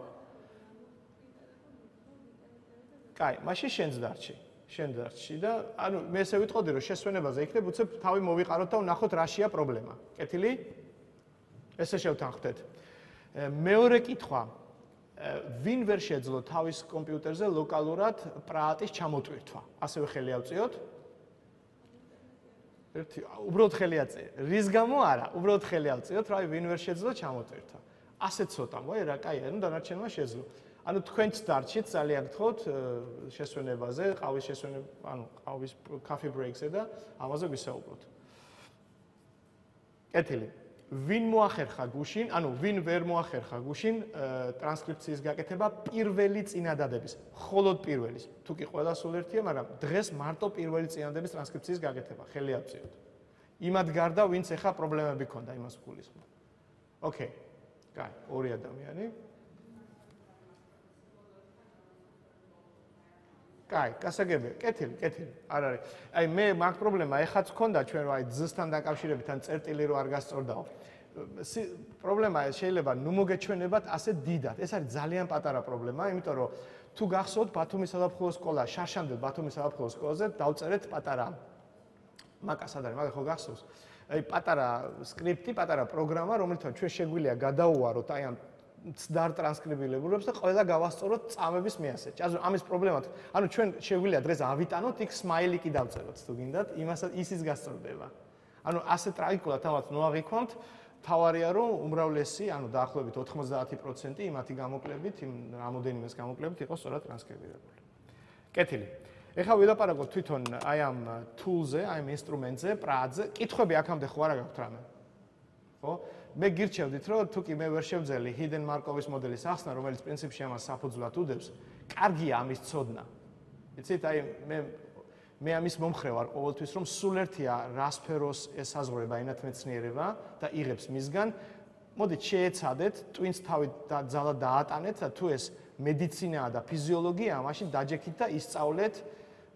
კაი, მაშინ შენც დარჩი. შენ დარჩი და ანუ მე ესე ვიტყოდი რომ შესვენებაზე იქნებ უცებ თავი მოვიყაროთ და ვნახოთ რაშია პრობლემა. კეთილი? ესე შევთანხმდეთ. მეორე კითხვა. ვინ ვერ შეძლო თავის კომპიუტერზე ლოკალურად პრაატის ჩამოტვირთვა? ასევე ხელი ავწიოთ. ერთი, უბრალოდ ხელი აწიე. რის გამო არა? უბრალოდ ხელი ავწიოთ, რა ვინ ვერ შეძლო ჩამოტვირთვა. ასე ცოტა, მოი რა, კაია, ნუ დანარჩენმა შეძლო. ანუ თქვენც დარჩით ძალიან გთხოვთ შესვენებაზე, ყავის შესვენება, ანუ ყავის coffee breaks-ზე და ამაზე ვისაუბროთ. კეთილი. ვინ მოახერხა გუშინ, ანუ ვინ ვერ მოახერხა გუშინ ტრანსკრიფციის გაკეთება პირველი წინადადების, მხოლოდ პირველის. თუ კი ყველა სულ ერთია, მაგრამ დღეს მარტო პირველი წინადადების ტრანსკრიფციის გაკეთება, ხელი აწიოთ. იმად გარდა, ვინც ეხა პრობლემები ქონდა, იმას გულისხმობ. ოკეი. კაი, ორი ადამიანი. კაი, გასაგებია, კეთილი, კეთილი, არ არის. აი მე მაგ პრობლემა ეხაც ქონდა ჩვენ რა, აი ძსთან დაკავშირებით ან წერტილი რო არ გასწორდაო. პრობლემა შეიძლება ნუ მოგეჩვენებათ ასე დიდად. ეს არის ძალიან პატარა პრობლემა, იმიტომ რომ თუ გახსოვთ ბათუმის საფრთხო სკოლა, შარშანდელ ბათუმის საფრთხო სკოლაზე დავწერეთ პატარა მაკას არ არის, მაგ ხო გახსოვს? აი პატარა სკრიპტი, პატარა პროგრამა, რომელთან ჩვენ შეგვიძლია გადაუვაროთ აი ამ ცდარ ტრანსკრიბილებულებს და ყველა გავასწოროთ წამების მეასეჯი. ანუ ამის პრობლემა, ანუ ჩვენ შეგვიძლია დღეს ავიტანოთ იქ სმაილიკი დავწეროთ თუ გინდათ, იმასაც ისიც გასწორდება. ანუ ასე ტრაგიკულად თამაც ნოაღიქვამთ, თავარია რომ უმრავლესი, ანუ დაახლოებით ოთხმოცდაათი პროცენტი იმათი გამოკლებით, იმ რამოდენიმეს გამოკლებით იყოს სწორად ტრანსკრიბირებული. კეთილი. ეხლა ვილაპარაკოთ თვითონ აი ამ tool-ზე, აი ამ ინსტრუმენტზე, პრაატზე. კითხვები აქამდე ხო არა გაქვთ რამე? ხო? მე გირჩევდით, რომ თუ კი მე ვერ შევძელი hidden Markov-ის მოდელის ახსნა, რომელიც პრინციპში ამას საფუძვლად უდევს, კარგია ამის ცოდნა. იცით, აი მე მე ამის მომხრე ვარ ყოველთვის, რომ სულ ერთია რა სფეროს ესაზღვრება ენათმეცნიერება და იღებს მისგან. მოდით შეეცადეთ, twins თავი ძალად დაატანეთ და თუ ეს მედიცინაა და ფიზიოლოგია, მაშინ დაჯექით და ისწავლეთ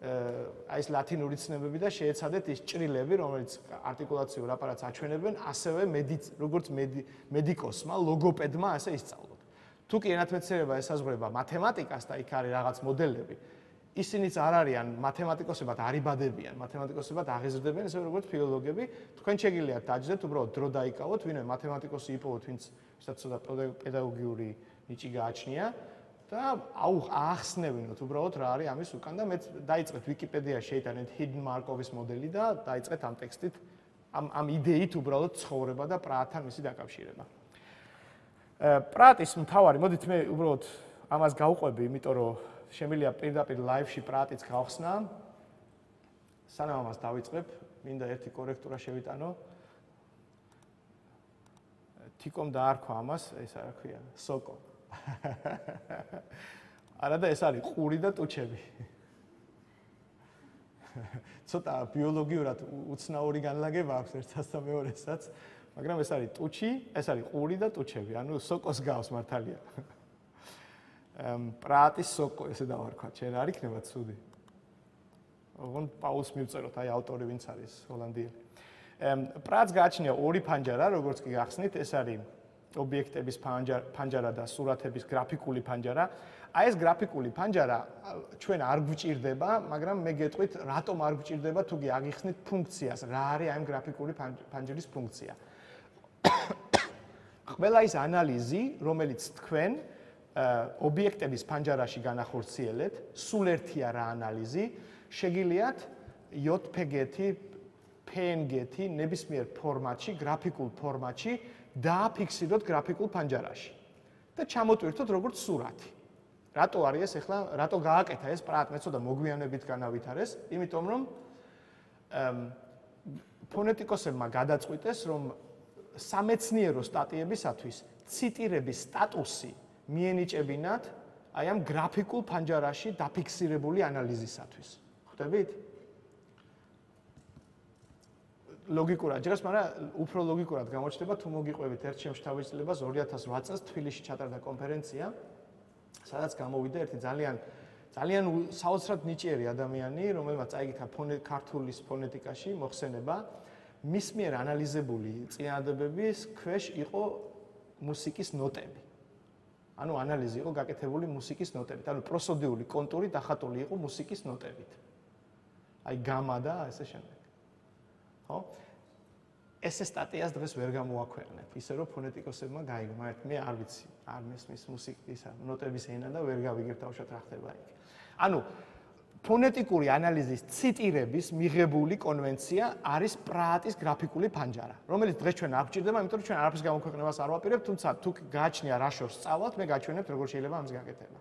აი ეს ლათინური ცნებები და შეეცადეთ ის ჭრილები, რომელიც არტიკულაციურ აპარატს აჩვენებენ, ასევე როგორც მედიკოსმა, ლოგოპედმა ასე ისწავლოთ. თუ კი ენათმეცნიერება ესაზღვრება მათემატიკას და იქ არის რაღაც მოდელები, ისინიც არ არიან მათემატიკოსებად არიბადებიან, მათემატიკოსებად აღიზრდებიან, ესე როგორც ფილოლოგები, თქვენ შეგიძლიათ დაჯდეთ, უბრალოდ დრო დაიკავოთ, ვინმე მათემატიკოსი იპოვოთ, ვინც ვისაც ცოტა პედაგოგიური ნიჭი გააჩნია. და აახსნევინოთ უბრალოდ რა არის ამის უკან და მეც დაიწყეთ ვიკიპედიაში შეიტანეთ hidden Markov-ის მოდელი და დაიწყეთ ამ ტექსტით ამ ამ იდეით უბრალოდ ცხოვრება და პრაატთან მისი დაკავშირება. პრაატის მთავარი, მოდით მე უბრალოდ ამას გავყვები, იმიტომ რომ შემიძლია პირდაპირ live-ში პრაატიც გავხსნა. სანამ ამას დავიწყებ, მინდა ერთი კორექტურა შევიტანო. თიკომ დაარქვა ამას, ეს რა ქვია, სოკო. არა და ეს არის ყური და ტუჩები. ცოტა ბიოლოგიურად უცნაური განლაგება აქვს ერთსაც და მეორესაც, მაგრამ ეს არის ტუჩი, ეს არის ყური და ტუჩები, ანუ სოკოს გავს მართალია. პრაატის სოკო ესე დავარქვათ, შენ არ იქნება ცუდი. ოღონდ პაულს მივწეროთ, აი ავტორი ვინც არის ჰოლანდიელი. პრაატს გააჩნია ორი ფანჯარა, როგორც კი გახსნით, ეს არის ობიექტების ფანჯარა და სურათების გრაფიკული ფანჯარა. აი ეს გრაფიკული ფანჯარა ჩვენ არ გვჭირდება, მაგრამ მე გეტყვით, რატომ არ გვჭირდება, თუ კი აგიხსნით ფუნქციას, რა არის აი ამ გრაფიკული ფანჯრის ფუნქცია. ყველა ის ანალიზი, რომელიც თქვენ ობიექტების ფანჯარაში განახორციელეთ, სულ ერთია რა ანალიზი, შეგიძლიათ J P G-ი, P N G-ი ნებისმიერ ფორმატში, გრაფიკულ ფორმატში დააფიქსიროთ გრაფიკულ ფანჯარაში და ჩამოტვირთოთ როგორც სურათი. რატო არის ეს ახლა, რატო გააკეთა ეს პრაატ, მე ცოტა მოგვიანებით განავითარეს, იმიტომ რომ ფონეტიკოსებმა გადაწყვიტეს, რომ სამეცნიერო სტატიებისათვის ციტირების სტატუსი მიენიჭებინათ აი ამ გრაფიკულ ფანჯარაში დაფიქსირებული ანალიზისათვის. ხვდებით? ლოგიკურად ჯერს, მაგრამ უფრო ლოგიკურად გამოჩნდება თუ მოგიყვებით ერთ შემშთავისწლებას ორი ათას ოთხ წელს თბილისში ჩატარდა კონფერენცია, სადაც გამოვიდა ერთი ძალიან ძალიან საოცრად ნიჭიერი ადამიანი, რომელმაც წაიკითხა ქართულის ფონეტიკაში მოხსენება, მის მიერ ანალიზებული წინადადებების ქვეშ იყო მუსიკის ნოტები. ანუ ანალიზი იყო გაკეთებული მუსიკის ნოტებით, ანუ პროსოდიული კონტური დახატული იყო მუსიკის ნოტებით. აი გამა და ესე შემდეგ. ხო? ესე სტატიას დღეს ვერ გამოაქვეყნებ, ისე რომ ფონეტიკოსებმა გაიგო, მაგრამ მე არ ვიცი, არ მესმის მუსიკის ნოტების ენა და ვერ გავიგებ თავშად რა ხდება იქ. ანუ ფონეტიკური ანალიზის ციტირების მიღებული კონვენცია არის პრაატის გრაფიკული ფანჯარა, რომელიც დღეს ჩვენ არ გვჭირდება, იმიტომ რომ ჩვენ არაფრის გამოქვეყნებას არ ვაპირებთ, თუმცა თუ გააჩნია რა შორს სწავლავთ, მე გაჩვენებთ როგორ შეიძლება ამის გაკეთება.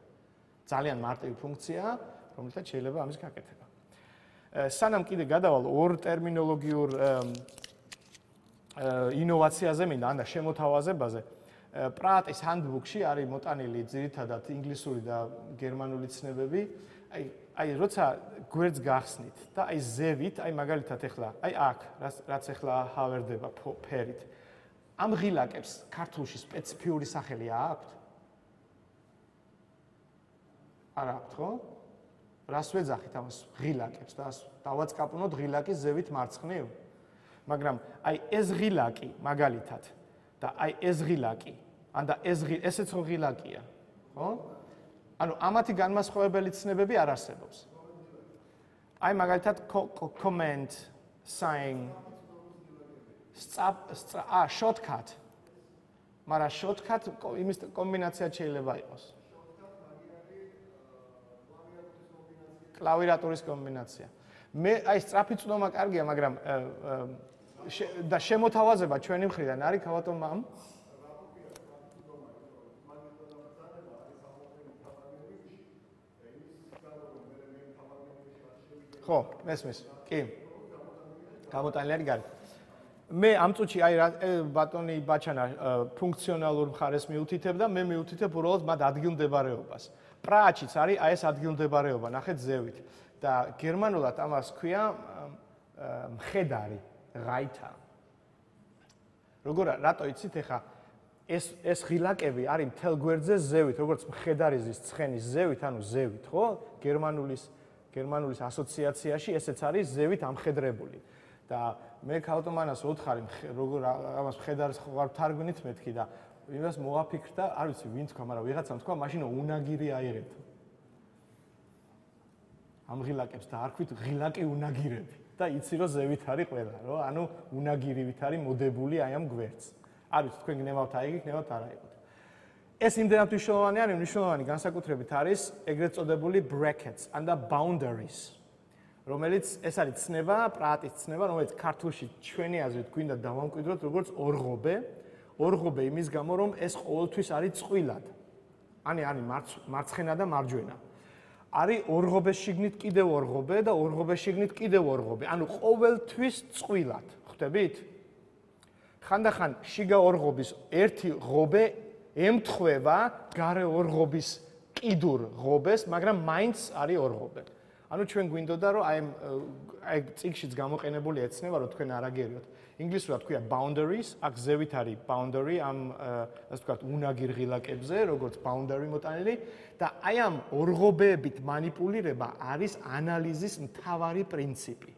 ძალიან მარტივი ფუნქციაა, რომელთაც შეიძლება ამის გაკეთება. სანამ კიდე გადავალ ორ ტერმინოლოგიურ ინოვაციაზე მინდა, ან შემოთავაზებაზე, პრაატის ჰანდბუქში არის მოტანილი ძირითადად ინგლისური და გერმანული ცნებები. აი, აი, როცა გვერდს გახსნით და აი ზევით, აი მაგალითად ეხლა, აი აქ, რაც ეხლა ჰავერდება ფერით. ამ ღილაკებს ქართულში სპეციფიური სახელი აქვთ? არ აქვთ, ხო? რას ვეძახით ამას ღილაკებს და დავაწყაპნოთ ღილაკის ზევით მარცხნივ? მაგრამ აი ეს ღილაკი მაგალითად და აი ეს ღილაკი, ან და ეს ესეც ღილაკია, ხო? ანუ ამათი განმასხვავებელი ცნებები არ არსებობს. აი მაგალითად comment, sign, а shortcut. მაგრამ shortcut იმის კომბინაცია შეიძლება იყოს. კლავიატურის კომბინაცია. მე აი სწრაფი წვდომა კარგია, მაგრამ და შემოთავაზება ჩვენი მხრიდან არის ქავატო მამ. ხო, მესმის. კი. გამოტანილი არის გარეთ. მე ამ წუთში აი ბატონი ბაჩანა ფუნქციონალურ მხარეს მიუთითებ და მე მიუთითებ უბრალოდ მათ ადგილმდებარეობას. პრაატშიც არის აი ეს ადგილმდებარეობა, ნახეთ ზევით. და გერმანულად ამას ქვია მხედარი, ღაითა. როგორ რატო იცით ახლა ეს ეს ღილაკები არის მთელ გვერდზე ზევით, როგორც მხედარიზის ცხენის ზევით, ანუ ზევით, ხო? გერმანულის გერმანულის ასოციაციაში ესეც არის ზევით ამხედრებული. და მე ქავტომანას ვუთხარი, როგორ ამას მხედარის ხარ თარგმნით მეთქი და იმას მოაფიქრდა, არ ვიცი ვინ თქვა, მაგრამ ვიღაცამ თქვა, მაშინ უნაგირი აიღებთ. ამ ღილაკებს დაარქვით ღილაკი უნაგირები და იცი რომ ზევით არის ყველა, რო? ანუ უნაგირივით არის მოდებული აი ამ გვერდს. არ ვიცი თქვენ გნებავთ აიღი, გნებავთ არ აიღოთ. ეს იმდენად მნიშვნელოვანი არის, მნიშვნელოვანი განსაკუთრებით არის ეგრეთ წოდებული brackets and the boundaries. რომელიც ეს არის ცნება, პრაატის ცნება, რომელიც ქართულში ჩვენი აზრით გვინდა დავამკვიდროთ როგორც ორღობე. ორღობე იმის გამო, რომ ეს ყოველთვის არის წვილად. ანი არის მარცხენა და მარჯვენა. არის ორღობეს შიგნით კიდევ ორღობე და ორღობეს შიგნით კიდევ ორღობე. ანუ ყოველთვის წვილად. ხვდებით? ხანდახან შიგა ორღობის ერთი ღობე ემთხვევა გარე ორღობის კიდურ ღობეს, მაგრამ მაინც არის ორღობე. ანუ ჩვენ გვინდოდა რომ აი აი წიგშიც გამოყენებული ეცნება რომ თქვენ არ აგერიოთ. ინგლისურად ქვია boundaries, აქ ზევით არის boundary ამ ასე ვთქვათ უნაგირ ღილაკებზე, როგორც boundary მოტანილი და აი ამ ორღობეებით манипуლირება არის ანალიზის მთავარი პრინციპი.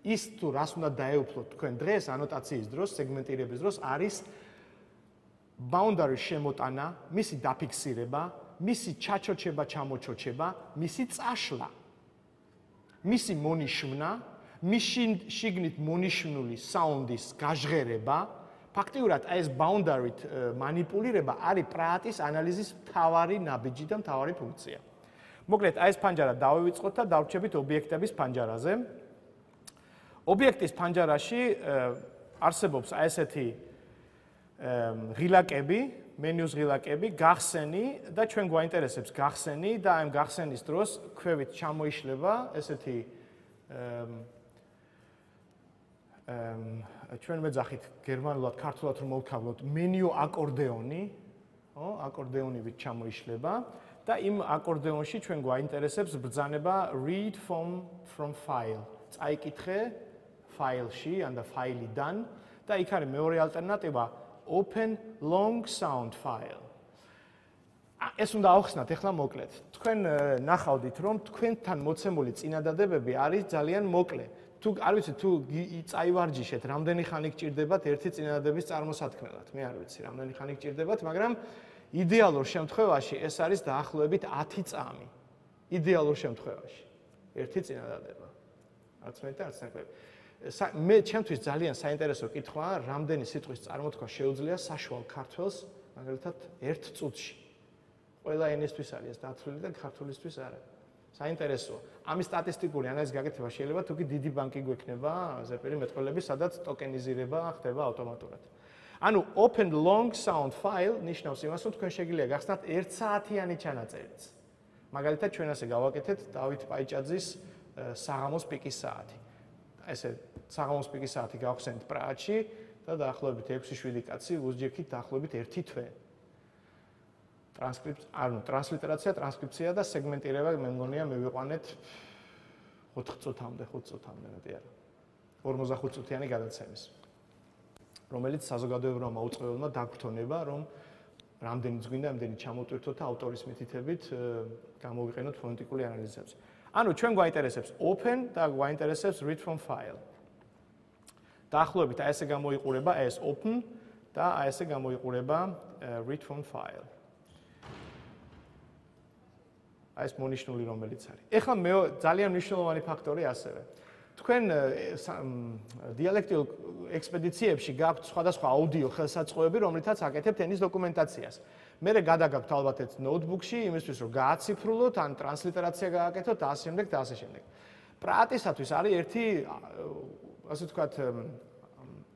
ის თუ რას უნდა დაეუფლოთ თქვენ დღეს ანოტაციის დროს, სეგმენტირების დროს არის boundary შემოტანა, მისი დაფიქსირება, მისი ჩაჩოჩება, ჩამოჩოჩება, მისი წაშლა. მისი მონიშმნა, მისი შიგნით მონიშნული საუნდის გაჟღერება, ფაქტიურად ეს boundary-ით манипуლირება არის პრაატის ანალიზის მთავარი ნაბიჯი და მთავარი ფუნქცია. მოკლედ, აი ეს ფანჯარა დავივიწყოთ და დავრჩებით ობიექტების ფანჯარაზე. ობიექტის ფანჯარაში არსებობს აი ესეთი ღილაკები, მენიუს ღილაკები, გახსენი და ჩვენ გვაინტერესებს გახსენი და ამ გახსენის დროს ქვევით ჩამოიშლება ესეთი ჩვენ მეძახით გერმანულად, ქართულად რომ მოვქავლოთ, მენიუ აკორდეონი, ხო, აკორდეონივით ჩამოიშლება და იმ აკორდეონში ჩვენ გვაინტერესებს ბრძანება read from from file. წაიკითხე ფაილში ან და ფაილიდან და იქ არის მეორე ალტერნატივა open long sound file. ეს უნდა ავხსნათ ახლა მოკლედ. თქვენ ნახავდით რომ თქვენთან მოცემული წინადადებები არის ძალიან მოკლე. თუ არ ვიცი თუ წაივარჯიშეთ, რამდენი ხანი გჭირდებათ ერთი წინადადების წარმოსათქმელად. მე არ ვიცი, რამდენი ხანი გჭირდებათ, მაგრამ იდეალურ შემთხვევაში ეს არის დაახლოებით ათი წამი. იდეალურ შემთხვევაში ერთი წინადადება. არც მე და არც ნაკლები. მე ჩემთვის ძალიან საინტერესო კითხვაა, რამდენი სიტყვის წარმოთქვა შეუძლია საშუალ ქართველს, მაგალითად, ერთ წუთში. ყველა ენისთვის არის ეს დათვლილი და ქართულისთვის არა. საინტერესოა. ამის სტატისტიკური ანალიზის გაკეთება შეიძლება თუ კი დიდი ბანკი გვექნება, ზეპირი მეტყველები, სადაც ტოკენიზირება ხდება ავტომატურად. ანუ open long sound file ნიშნავს იმას, რომ თქვენ შეგიძლია გახსნათ ერთ საათიანი ჩანაწერიც. მაგალითად, ჩვენ ასე გავაკეთეთ დავით პაიჭაძის საღამოს პიკის საათი. ესე საღამოს პიკის საათი გავხსენთ პრაჰაში და დაახლოებით ექვსი შვიდი კაცი უსჯექით დაახლოებით ერთი თვე. ტრანსკრიფცია, ანუ ტრანსლიტერაცია, ტრანსკრიფცია და სეგმენტირება მე მგონია მივიყვანეთ ოთხ წუთამდე, ხუთ წუთამდე მეტი არა. ორმოცდახუთ წუთიანი გადაცემის. რომელიც საზოგადოებრივმა მაუწყებელმა დაგვრთონება, რომ რამდენიც გვინდა, ამდენი ჩამოტვირთოთ და ავტორის მითითებით გამოვიყენოთ ფონეტიკური ანალიზებზე. ანუ ჩვენ გვაინტერესებს open და გვაინტერესებს read from file. დაახლოებით აი ესე გამოიყურება ეს open და აი ესე გამოიყურება read from file. აი ეს მონიშნული რომელიც არის. ეხლა მე ძალიან მნიშვნელოვანი ფაქტორი ასევე. თქვენ დიალექტიურ ექსპედიციებში გაქვთ სხვადასხვა აუდიო ხელსაწყოები, რომლითაც აკეთებთ ენის დოკუმენტაციას. მე გადაგაქვთ ალბათ ეს ნოუთბუქში, იმისთვის რომ გააციფრულოთ, ან ტრანსლიტერაცია გააკეთოთ და ასე შემდეგ და ასე შემდეგ. პრაატისათვის არის ერთი, ასე ვთქვათ,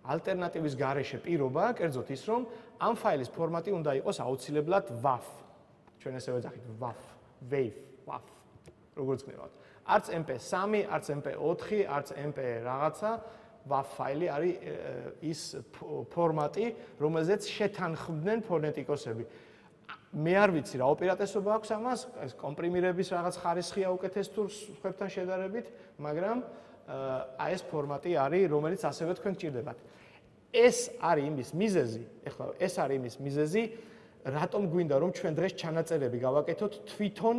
ალტერნატივის გარეშე პირობა, კერძოდ ის, რომ ამ ფაილის ფორმატი უნდა იყოს აუცილებლად WAV. ჩვენ ესე ვეძახით WAV, WAV, WAV. როგორც გნებავთ. არც ემ პი სამი, არც ემ პი ოთხი, არც ემ პი რაღაცა WAV ფაილი არის ის ფორმატი, რომელზეც შეთანხმდნენ ფონეტიკოსები. მე არ ვიცი რა ოპერატესობა აქვს ამას, ეს კომპრიმირების რაღაც ხარისხია უკეთეს თუ სხვებთან შედარებით, მაგრამ აი ეს ფორმატი არის, რომელიც ასევე თქვენ გჭირდებათ. ეს არის იმის მიზეზი, ეხლა ეს არის იმის მიზეზი, რატომ გვინდა რომ ჩვენ დღეს ჩანაწერები გავაკეთოთ თვითონ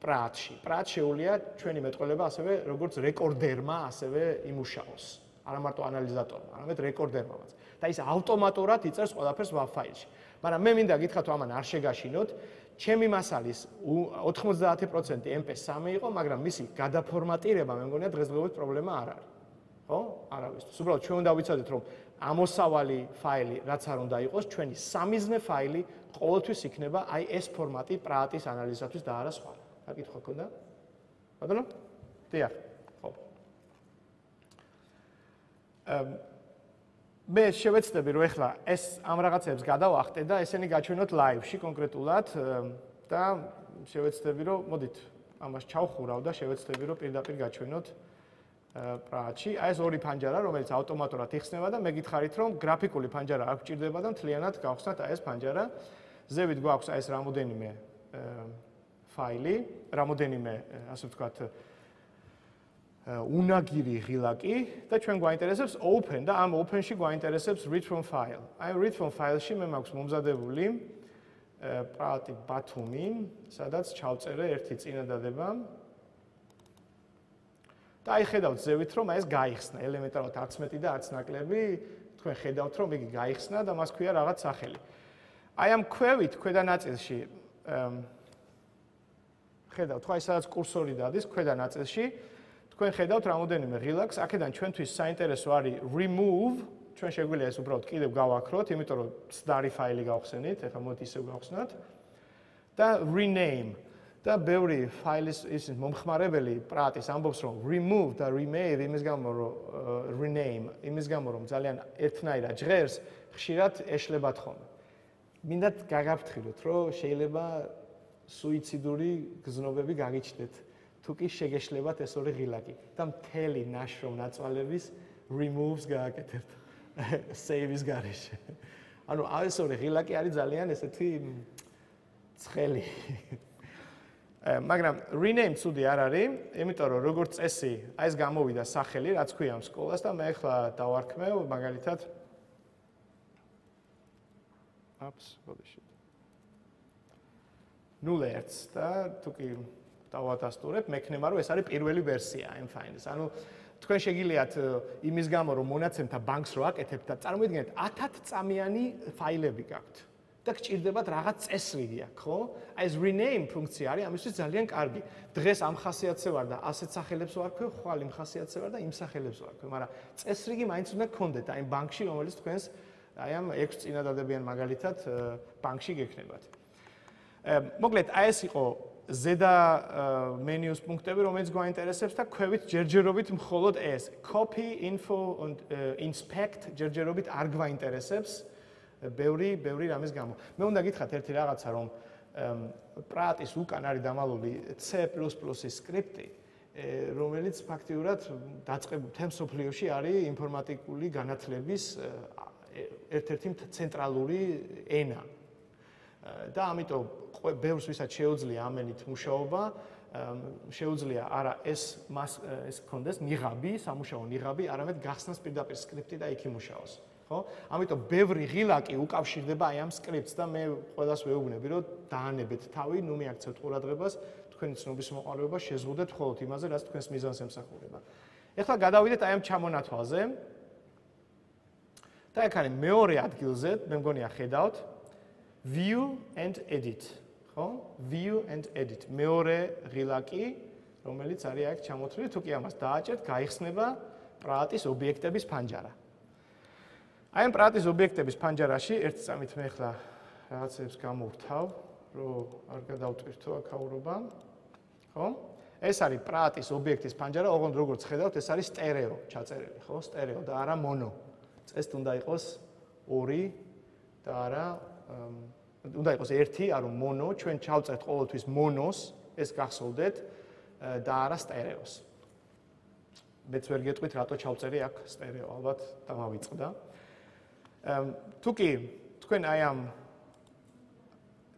პრაჰაში. პრაჰად შეუძლია ჩვენი მეტყველება ასევე როგორც რეკორდერმა ასევე იმუშაოს. არა მარტო ანალიზატორმა, არამედ რეკორდერმაც. და ის ავტომატურად იწერს ყველაფერს WAV ფაილში. მაგრამ მე მინდა გითხრათ რომ ამან არ შეგაშინოთ, ჩემი მასალის ოთხმოცდაათი პროცენტი ემ პი სამი იყო, მაგრამ მისი გადაფორმატირება მე მგონია დღესდღეობით პრობლემა არ არის. ხო? არავისთვის. უბრალოდ ჩვენ უნდა ვიცოდეთ რომ ამოსავალი ფაილი რაც არ უნდა იყოს, ჩვენი სამიზნე ფაილი ყოველთვის იქნება აი ეს ფორმატი პრაჰის ანალიზისათვის და არა სხვა. აკითხვა ქონდა? ბატონო? დიახ. ხო. მე შევეცდები რომ ეხლა ეს ამ რაღაცებს გადავახტე და ესენი გაჩვენოთ ლაივში კონკრეტულად და შევეცდები რომ მოდით ამას ჩავხურავ და შევეცდები რომ პირდაპირ გაჩვენოთ პრაჰაში. აი ეს ორი ფანჯარა რომელიც ავტომატურად იხსნება და მე გითხარით რომ გრაფიკული ფანჯარა არ გჭირდება და მთლიანად გავხსნათ აი ეს ფანჯარა. ზევით გვაქვს აი ეს რამოდენიმე ფაილი, რამოდენიმე, ასე ვთქვათ, უნაგირი ღილაკი და ჩვენ გვაინტერესებს open და ამ open-ში გვაინტერესებს read from file. აი read from file-ში მე მაქვს მომზადებული პრაჰი ბათუმი, სადაც ჩავწერე ერთი წინადადება. და აი ხედავთ ზევით რომ აი ეს გაიხსნა, ელემენტარულად არც მეტი და არც ნაკლები, თქვენ ხედავთ რომ იგი გაიხსნა და მას ქვია რაღაც სახელი. აი ამ ქვევით ქვედა ნაწილში ხედავთ, ხო, აი სადაც კურსორი დადის ქვედა ნაწილში, თქვენ ხედავთ რამოდენიმე ღილაკს, აქედან ჩვენთვის საინტერესო არის remove, ჩვენ შეგვიძლია ეს უბრალოდ კიდევ გავაქროთ, იმიტომ რომ ცდარი ფაილი გავხსენით, ეხლა მოდით ისევ გავხსნათ და rename და ბევრი ფაილის ის მომხმარებელი პრაჰის ამბობს რომ remove და remove იმის გამო რომ rename იმის გამო რომ ძალიან ერთნაირად ჟღერს, ხშირად ეშლებათ ხოლმე. მინდათ გაგაფრთხილოთ, რომ შეიძლება სუიციდური გზნობები გაგიჩნდეთ, თუ კი შეგეშლებათ ეს ორი ღილაკი და მთელი ნაშრომ ნაწვალების removes გააკეთებთ save-ის გარეშე. ანუ ეს ორი ღილაკი არის ძალიან ესეთი ცხელი. მაგრამ rename ცუდი არ არის, იმიტომ რომ როგორც წესი, აი ეს გამოვიდა სახელი, რაც ქვია ამ სკოლას და მე ახლა დავარქმევ მაგალითად Ups, ბოდიში. ნულ ერთს და თუკი დავადასტურებ, მექნება რომ ეს არის პირველი ვერსია M Finds. ანუ თქვენ შეგიძლიათ იმის გამო რომ მონაცემთა ბანკს რო აკეთებთ და წარმოიდგინეთ ათად წამიანი ფაილები გაქვთ და გჭირდებათ რაღაც წესრიგი აქვს, ხო? აი ეს rename ფუნქცია არის ამისთვის ძალიან კარგი. დღეს ამ ხასიათზე ვარ და ასეთ სახელებს ვარქვევ, ხვალ იმ ხასიათზე ვარ და იმ სახელებს ვარქვევ, მაგრამ წესრიგი მაინც უნდა გქონდეთ აი ბანკში, რომელიც თქვენს აი ამ ექვს წინადადებიან მაგალითად ბანკში გექნებათ. მოკლედ, აი ეს იყო ზედა მენიუს პუნქტები, რომელიც გვაინტერესებს და ქვევით ჯერჯერობით მხოლოდ ეს. Copy, info and inspect ჯერჯერობით არ გვაინტერესებს. ბევრი, ბევრი რამის გამო. მე უნდა გითხრათ ერთი რაღაცა, რომ პრატის უკან არის დამალული C plus plus-ის სკრიპტი, რომელიც ფაქტიურად დაწყებული მთელ მსოფლიოში არის ინფორმატიკული განათლების ერთ-ერთი ცენტრალური ენა. და ამიტომ ბევრს ვისაც შეუძლია ამენით მუშაობა, შეუძლია არა ეს ეს კონდეს ნიღაბი, სამუშაო ნიღაბი, არამედ გახსნას პირდაპირ სკრიპტი და იქ იმუშაოს. ხო? ამიტომ ბევრი ღილაკი უკავშირდება აი ამ სკრიპტს და მე ყველას ვეუბნები, რომ დაანებეთ თავი, ნუ მიაქცევთ ყურადღებას, თქვენი ცნობის მოყოლება შეზღუდეთ მხოლოდ იმაზე, რაც თქვენს მიზანს ემსახურება. ეხლა გადავიდეთ აი ამ ჩამონათვალზე. და აქ არის მეორე ადგილზე, მე მგონია ხედავთ, view and edit, ხო? View and edit. მეორე ღილაკი, რომელიც არის აქ ჩამოთვლილი, თუ კი ამას დააჭერთ, გაიხსნება პრატის ობიექტების ფანჯარა. აი ამ პრატის ობიექტების ფანჯარაში ერთ წამით მე ახლა რაღაცებს გამოვთავ, რომ არ გადავტვირთო აქაურობა. ხო? ეს არის პრატის ობიექტის ფანჯარა, ოღონდ როგორც ხედავთ, ეს არის სტერეო ჩაწერილი, ხო? სტერეო და არა მონო. წესით უნდა იყოს ორი და არა უნდა იყოს ერთი, არა მონო, ჩვენ ჩავწერთ ყოველთვის მონოს, ეს გახსოვდეთ და არა სტერეოს. მეც ვერ გეტყვით, რატო ჩავწერი აქ სტერეო, ალბათ დამავიწყდა. თუკი თქვენ აი ამ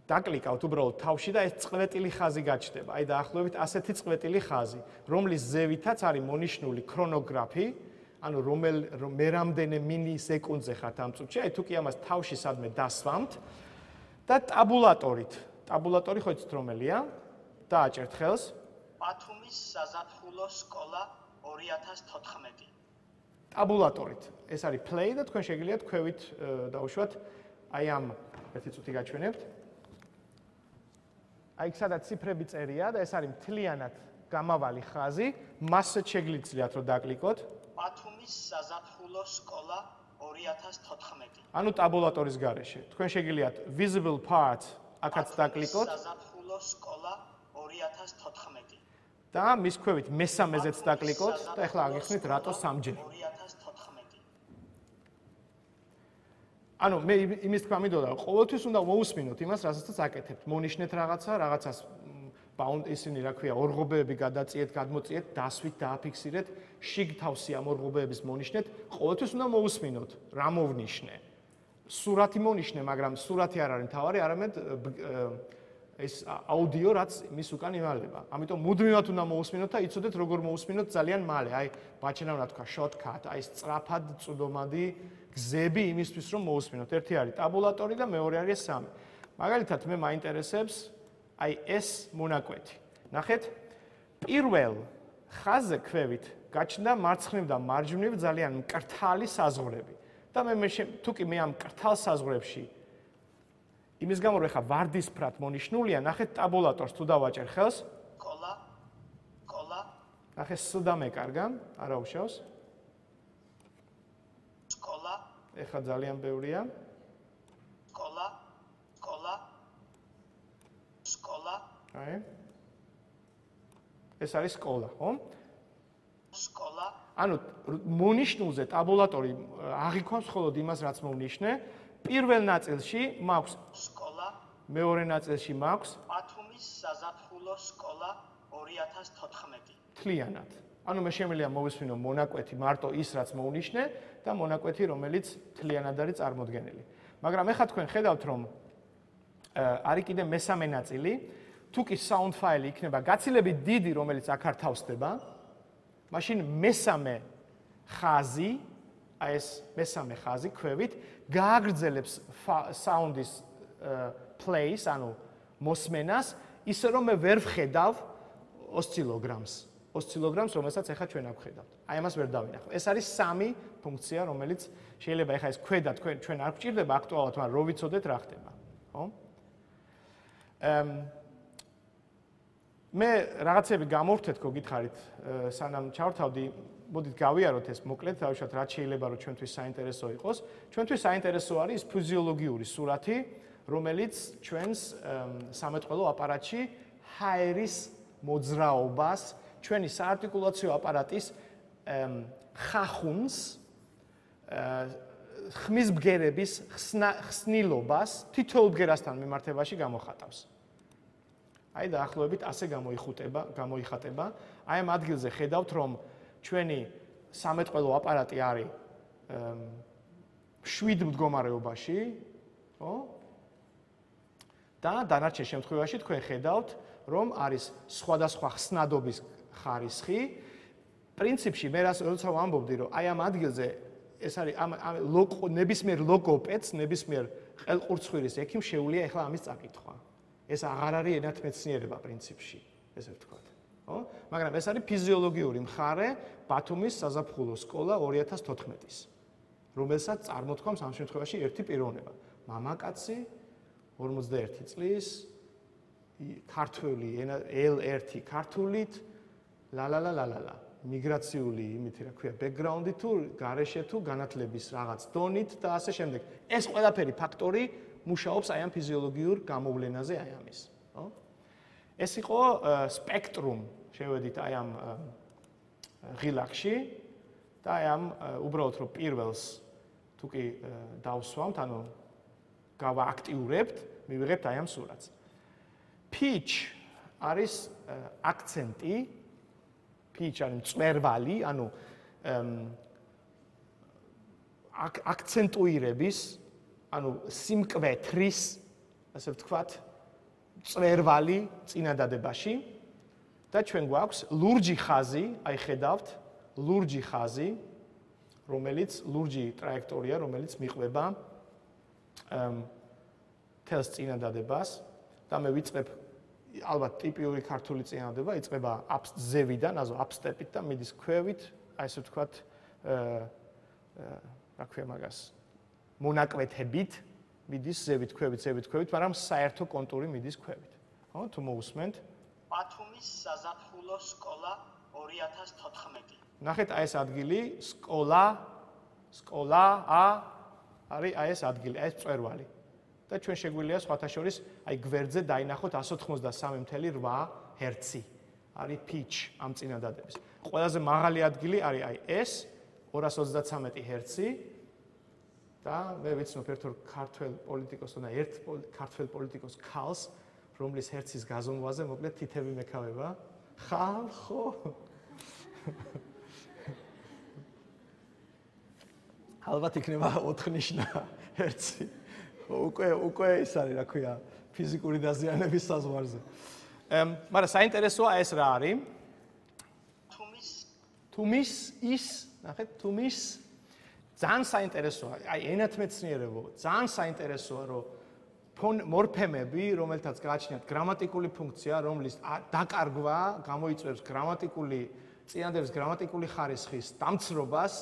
დაკლიკავთ უბრალოდ თავში და ეს წყვეტილი ხაზი გაჩნდება. აი დაახლოებით ასეთი წყვეტილი ხაზი, რომლის ზევითაც არის მონიშნული ქრონოგრაფი, ანუ რომელ მე რამდენი მილისეკუნდზე ხართ ამ წუთში, აი თუკი ამას თავში სადმე დასვამთ და ტაბულატორით. ტაბულატორი ხო იცით რომელია? დააჭერთ ხელს. ბათუმის საზაფხულო სკოლა ორი ათას თოთხმეტი. ტაბულატორით. ეს არის play და თქვენ შეგიძლიათ ქვევით დაუშვათ აი ამ ერთი წუთი გაჩვენებთ. აი სადაც ციფრები წერია და ეს არის მთლიანად გამავალი ხაზი, მასზე შეგიძლიათ რომ დაკლიკოთ. ბათუმის საზაფხულო სკოლა ორი ათას თოთხმეტი. ანუ ტაბულატორის გარეშე. თქვენ შეგიძლიათ visible part აქაც დაკლიკოთ. საზაფხულო სკოლა ორი ათას თოთხმეტი. და მის ქვევით მესამეზეც დაკლიკოთ და ახლა აგიხსნით რატო სამჯერ. ორი ათას თოთხმეტი. ანუ მე იმის თქვა მინდოდა, რომ ყოველთვის უნდა მოусმინოთ იმას, რასაც აკეთებთ. მონიშნეთ რაღაცა, რაღაცას ბაუნდ ისინი რა ქვია, ორღობეები გადაწიეთ, გადმოწიეთ, დასვით, დააფიქსირეთ, შიგ თავსი ამ ორღობეების მონიშნეთ, ყოველთვის უნდა მოусმინოთ, რა მოვნიშნე. სურათი მონიშნე, მაგრამ სურათი არ არის მთავარი, არამედ ეს აუდიო, რაც მის უკან იმალება. ამიტომ მუდმივად უნდა მოусმინოთ და იცოდეთ როგორ მოусმინოთ ძალიან მალე. აი, ბაჩენა უნდა თქვა shortcut, აი სწრაფად წვდომადი გზები იმისთვის რომ მოусმინოთ. ერთი არის ტაბულატორი და მეორე არის სამი. მაგალითად მე მაინტერესებს აი ეს მონაკვეთი. ნახეთ, პირველ ხაზზე ქვევით გაჩნდა მარცხნივ და მარჯვნივ ძალიან მკრთალი საზღვრები. და მე მე თუკი მე ამ მკრთალ საზღვრებში იმის გამო რომ ეხა ვარდისფრად მონიშნულია, ნახეთ ტაბულატორს თუ დავაჭერ ხელს. სკოლა, სკოლა. ნახეთ სუდა მეკარგა, არა უშავს. სკოლა. ეხა ძალიან ბევრია. სკოლა, სკოლა. სკოლა. აი. ეს არის სკოლა, ხო? სკოლა. ანუ მონიშნულზე ტაბულატორი აღიქვამს მხოლოდ იმას, რაც მოვნიშნე. პირველ ნაწილში მაქვს სკოლა, მეორე ნაწილში მაქვს ბათუმის საზაფხულო სკოლა ორი ათას თოთხმეტი. თლიანად. ანუ მე შემიძლია მოვისმინო მონაკვეთი მარტო ის, რაც მოვნიშნე და მონაკვეთი, რომელიც თლიანად არის წარმოდგენილი. მაგრამ ეხლა თქვენ ხედავთ, რომ არის კიდე მესამე ნაწილი, თუ კი sound file იქნება გაცილებით დიდი, რომელიც აქ არ თავსდება, მაშინ მესამე ხაზი, აი ეს მესამე ხაზი ქვევით გააგრძელებს sound-ის plays, ანუ მოსმენას, ისე რომ მე ვერ ვხედავ ოსცილოგრამს. ოსცილოგრამს, რომელსაც ახლა ჩვენ აქ ვხედავთ. აი ამას ვერ დავინახავ. ეს არის სამი ფუნქცია, რომელიც შეიძლება ახლა ეს ქვედა თქვენ ჩვენ არ გვჭირდება აქტუალურად, მაგრამ რო ვიცოდეთ რა ხდება, ხო? ემ მე რაღაცები გამოვთეთ, გოგითხარით, სანამ ჩავრთავდი, მოდით გავიაროთ ეს მოკლედ, დავუშვათ რაც შეიძლება რომ ჩვენთვის საინტერესო იყოს. ჩვენთვის საინტერესო არის ფიზიოლოგიური სურათი, რომელიც ჩვენს სამეთყველო აპარატში ჰაერის მოძრაობას, ჩვენი საარტიკულაციო აპარატის ხახუნს, ხმის ბგერების ხსნილობას თითოეულ ბგერასთან მიმართებაში გამოხატავს. აი დაახლოებით ასე გამოიხუტება, გამოიხატება. აი ამ ადგილზე ხედავთ, რომ ჩვენი სამეთყველო აპარატი არის შვიდ მდგომარეობაში, ხო? და დანარჩენ შემთხვევაში თქვენ ხედავთ, რომ არის სხვადასხვა ხსნადობის ხარისხი. პრინციპში მე როცა ვამბობდი, რომ აი ამ ადგილზე ეს არის ამ ნებისმიერ ლოგოპედს, ნებისმიერ ყელყურცხვირის ექიმს შეუძლია ახლა ამის წაკითხვა. ეს აღარ არის ენათმეცნიერება პრინციპში, ესე ვთქვათ, ხო? მაგრამ ეს არის ფიზიოლოგიური მხარე ბათუმის საზაფხულო სკოლა ორი ათას თოთხმეტის, რომელსაც წარმოთქვამს ამ შემთხვევაში ერთი პიროვნება. მამაკაცი ორმოცდაერთი წლის, ქართველი ელ ერთი ქართულით, ლალალალალალა, მიგრაციული იმითი რა ქვია, ბექგრაუნდი თუ გარეშე თუ განათლების რაღაც დონით და ასე შემდეგ. ეს ყველაფერი ფაქტორი მუშაობს აი ამ ფიზიოლოგიურ გამოვლენაზე აი ამის, ხო? ეს იყო სპექტრუმ, შევედით აი ამ ღილაკში და აი ამ უბრალოდ რომ პირველს თუ კი დავსვამთ, ანუ გავააქტიურებთ, მივიღებთ აი ამ სურათს. Pitch არის აქცენტი, pitch არის მწვერვალი, ანუ აქცენტუირების, ანუ სიმკვეთრის, ასე ვთქვათ, მწვერვალი წინადადებაში და ჩვენ გვაქვს ლურჯი ხაზი, აი ხედავთ, ლურჯი ხაზი, რომელიც ლურჯი ტრაექტორია, რომელიც მიყვება თელს წინადადებას და მე ვიწყებ ალბათ ტიპიური ქართული წინადადება იწყება ზევიდან, აზო აპსტეპით და მიდის ქვევით, აი ესე ვთქვათ, რა ქვია მაგას, მონაკვეთებით მიდის ზევით, ქვევით, ზევით, ქვევით, მაგრამ საერთო კონტური მიდის ქვევით. ხო, თუ მოусმენთ? ბათუმის საზაფხულო სკოლა ორი ათას თოთხმეტი. ნახეთ აი ეს ადგილი, სკოლა, სკოლა, ა არის აი ეს ადგილი, აი ეს მწვერვალი. და ჩვენ შეგვიძლია სხვათა შორის აი გვერდზე დაინახოთ εκατს ოცდაოთხმოცდასამი ათეული რვა ჰერცი. არის pitch ამ წინადადების. ყველაზე მაღალი ადგილი არის აი ეს ორას ოცდაცამეტი ჰერცი და მე ვიცნობ ერთ ორ ქართველ პოლიტიკოსს და ერთ ქართველ პოლიტიკოს ქალს, რომლის ჰერცის გაზომვაზე მოკლედ თითები მეკავება. ხალხო. ალბათ იქნება ოთხნიშნა ჰერცი. უკვე უკვე ის არის, რა ქვია, ფიზიკური დაზიანების საზღვარზე. ემ, მაგრამ საინტერესოა ეს რა არის? თუმის თუმის ის, ნახეთ, თუმის ძალიან საინტერესოა. აი, ენათმეცნიერებო, ძალიან საინტერესოა, რომ მორფემები, რომელთაც გააჩნიათ გრამატიკული ფუნქცია, რომლის დაკარგვა გამოიწვევს გრამატიკული წინადადების გრამატიკული ხარისხის დამცრობას,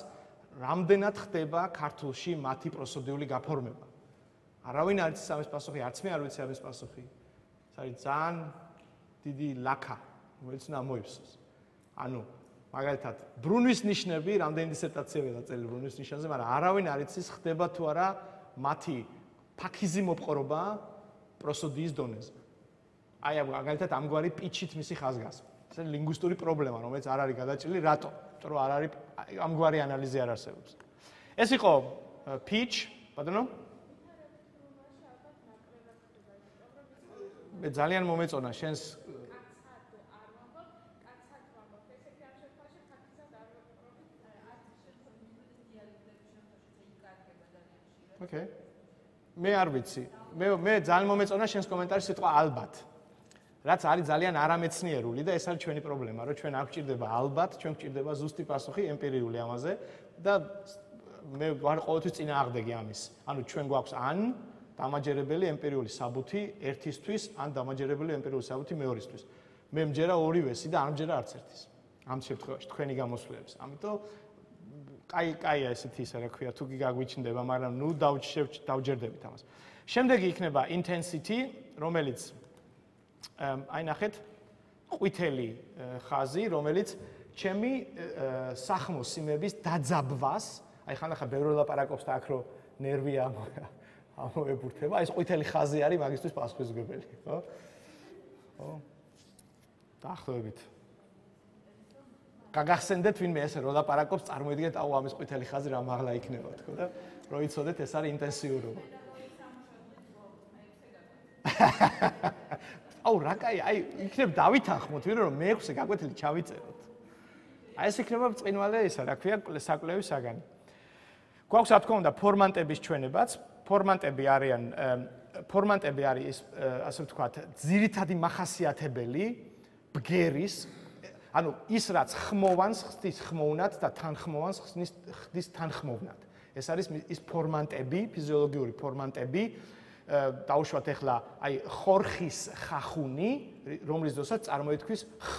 რამდენად ხდება ქართულში მათი პროსოდიული გაფორმება. არავინ არ იცის ამის პასუხი, არც მე არ ვიცი ამის პასუხი. ეს არის ძალიან დიდი ლაქა, რომელიც უნდა ამოიფსოს. ანუ, მაგალითად, ბრუნვის ნიშნები, რამდენი დისერტაციები დაწერილი ბრუნვის ნიშანზე, მაგრამ არავინ არ იცის ხდება თუ არა მათი ფაქიზი მოპყრობა პროსოდიის დონეზე. აი, მაგალითად, ამგვარი პიჩით მისი ხაზგასმა. ეს არის ლინგვისტური პრობლემა, რომელიც არ არის გადაჭრილი, რატო? იმიტომ რომ არ არის ამგვარი ანალიზი არ არსებობს. ეს იყო pitch, ბატონო? მე ძალიან მომეწონა შენს Okay. მე არ ვიცი. მე მე ძალიან მომეწონა შენს კომენტარი სიტყვა ალბათ. რაც არის ძალიან არამეცნიერული და ეს არის ჩვენი პრობლემა, რომ ჩვენ არ გვჭირდება ალბათ, ჩვენ გვჭირდება ზუსტი პასუხი ემპირიული ამაზე და მე ვარ ყოველთვის წინააღმდეგი ამის. ანუ ჩვენ გვაქვს ან დამაჯერებელი ემპირიული საბუთი ერთისთვის, ან დამაჯერებელი ემპირიული საბუთი მეორისთვის. მე მჯერა ორივესი და არ მჯერა არც ერთის. ამ შემთხვევაში თქვენი გამოსვლებს. ამიტომ კაი კაია ესეთი ისა რა ქვია, თუ კი გაგვიჩნდება, მაგრამ ნუ დავჯერდებით ამას. შემდეგი იქნება intensity, რომელიც აი ნახეთ, ყვითელი ხაზი, რომელიც ჩემი სახმოს სიმების დაძაბვას, აი ხანახა ბევრი ლაპარაკობს და აქ რო ნერვი ამოებურთება, ეს ყვითელი ხაზი არის მაგისთვის პასუხისმგებელი, ხო? ხო? დაახლოებით. გაგახსენდეთ ვინმე ესე რო ლაპარაკობს, წარმოიდგინეთ, აუ ამის ყვითელი ხაზი რა მაღლა იქნება, თქო და რო იცოდეთ, ეს არის ინტენსიურობა. აუ რა კაი, აი იქნებ დავითანხმოთ, ვინ რომ მეექვსე გაკვეთილი ჩავიწეროთ. აი ეს იქნება ბრწყინვალე ისა, რა ქვია, საკლევის საგანი. გვაქვს რა თქმა უნდა ფორმანტების ჩვენებაც, ფორმანტები არიან ფორმანტები არის ასე ვთქვათ, ძირითადი მახასიათებელი ბგერის, ანუ ის რაც ხმოვანს ხდის ხმოვნად და თანხმოვანს ხდის თანხმოვნად. ეს არის ის ფორმანტები, ფიზიოლოგიური ფორმანტები, დავუშვათ ახლა აი ხორხის ხახუნი, რომლის დროსაც წარმოითქვის ხ,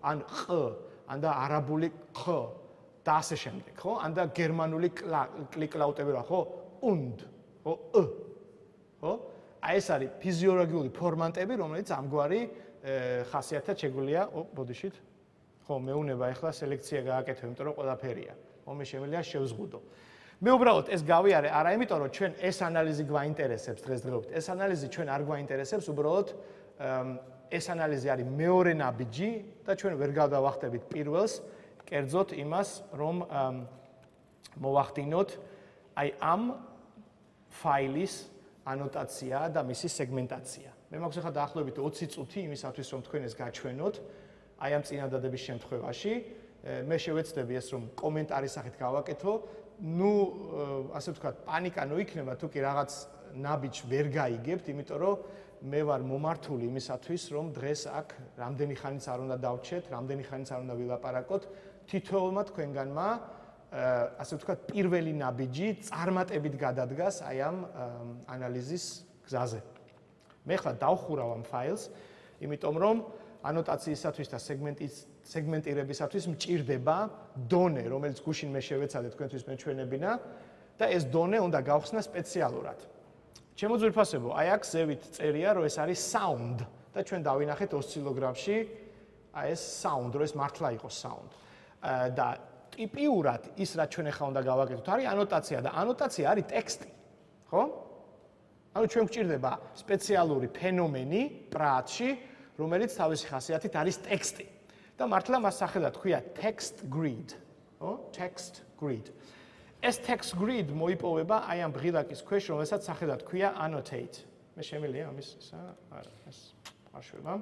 ან ყ, ან და არაბული ყ და ასე შემდეგ, ხო? ან და გერმანული კლიკლაუტები რა, ხო? und, ხო? ը, ხო? აი ეს არის ფიზიოლოგიური ფორმანტები, რომელიც ამგვარი ხასიათად შეგვიძლია, ო, ბოდიშით. ხო, მეუნება ახლა სელექცია გააკეთო, იმიტომ რომ ყველაფერია. ომე შემიძლია შევზღუდო. მე უბრალოდ ეს გავიარე არა იმიტომ რომ ჩვენ ეს ანალიზი გვაინტერესებს დღესდღეობით. ეს ანალიზი ჩვენ არ გვაინტერესებს, უბრალოდ ეს ანალიზი არის მეორე ნაბიჯი და ჩვენ ვერ გადავახტებით პირველს, კერძოდ იმას, რომ მოვახდინოთ აი ამ ფაილის ანოტაცია და მისი სეგმენტაცია. მე მაქვს ახლა დაახლოებით ოცი წუთი იმისათვის, რომ თქვენ ეს გაჩვენოთ, აი ამ წინადადების შემთხვევაში. მე შევეცდები ეს რომ კომენტარის სახით გავაკეთო. ნუ ასე ვთქვათ, პანიკა ნოიქნება, თუ კი რაღაც ნაბიჯს ვერ გაიგებთ, იმიტომ რომ მე ვარ მომართული იმისათვის, რომ დღეს აქ რამდენი ხანიც არ უნდა დავჩეთ, რამდენი ხანიც არ უნდა ვილაპარაკოთ, თითოეულმა თქვენგანმა ასე ვთქვათ, პირველი ნაბიჯი წარმატებით გადადგას აი ამ ანალიზის გზაზე. მე ხლა დავხურავ ამ ფაილს, იმიტომ რომ ანოტაციისათვის და სეგმენტის სეგმენტირებისათვის მჭირდება დონე, რომელიც გუშინ მე შევეცადე თქვენთვის მეჩვენებინა და ეს დონე უნდა გავხსნა სპეციალურად. ჩემო ძვირფასებო, აი აქ ზევით წერია, რომ ეს არის sound და ჩვენ დავინახეთ ოსცილოგრაფში, აი ეს sound, რომ ეს მართლა იყოს sound. და ტიპიურად ის რაც ჩვენ ახლა უნდა გავაკეთოთ, არის ანოტაცია და ანოტაცია არის ტექსტი, ხო? ანუ ჩვენ გვჭირდება სპეციალური ფენომენი პრაატში, რომელიც თავისი ხასიათით არის ტექსტი. და მართლა მას სახელად ქვია text grid, ხო? text grid. ეს text grid მოიპოვება აი ამ ბღილაკის ქვეშ, რომელსაც სახელად ქვია annotate. მე შემიძლია ამის ისა, არა, ეს არ შვება.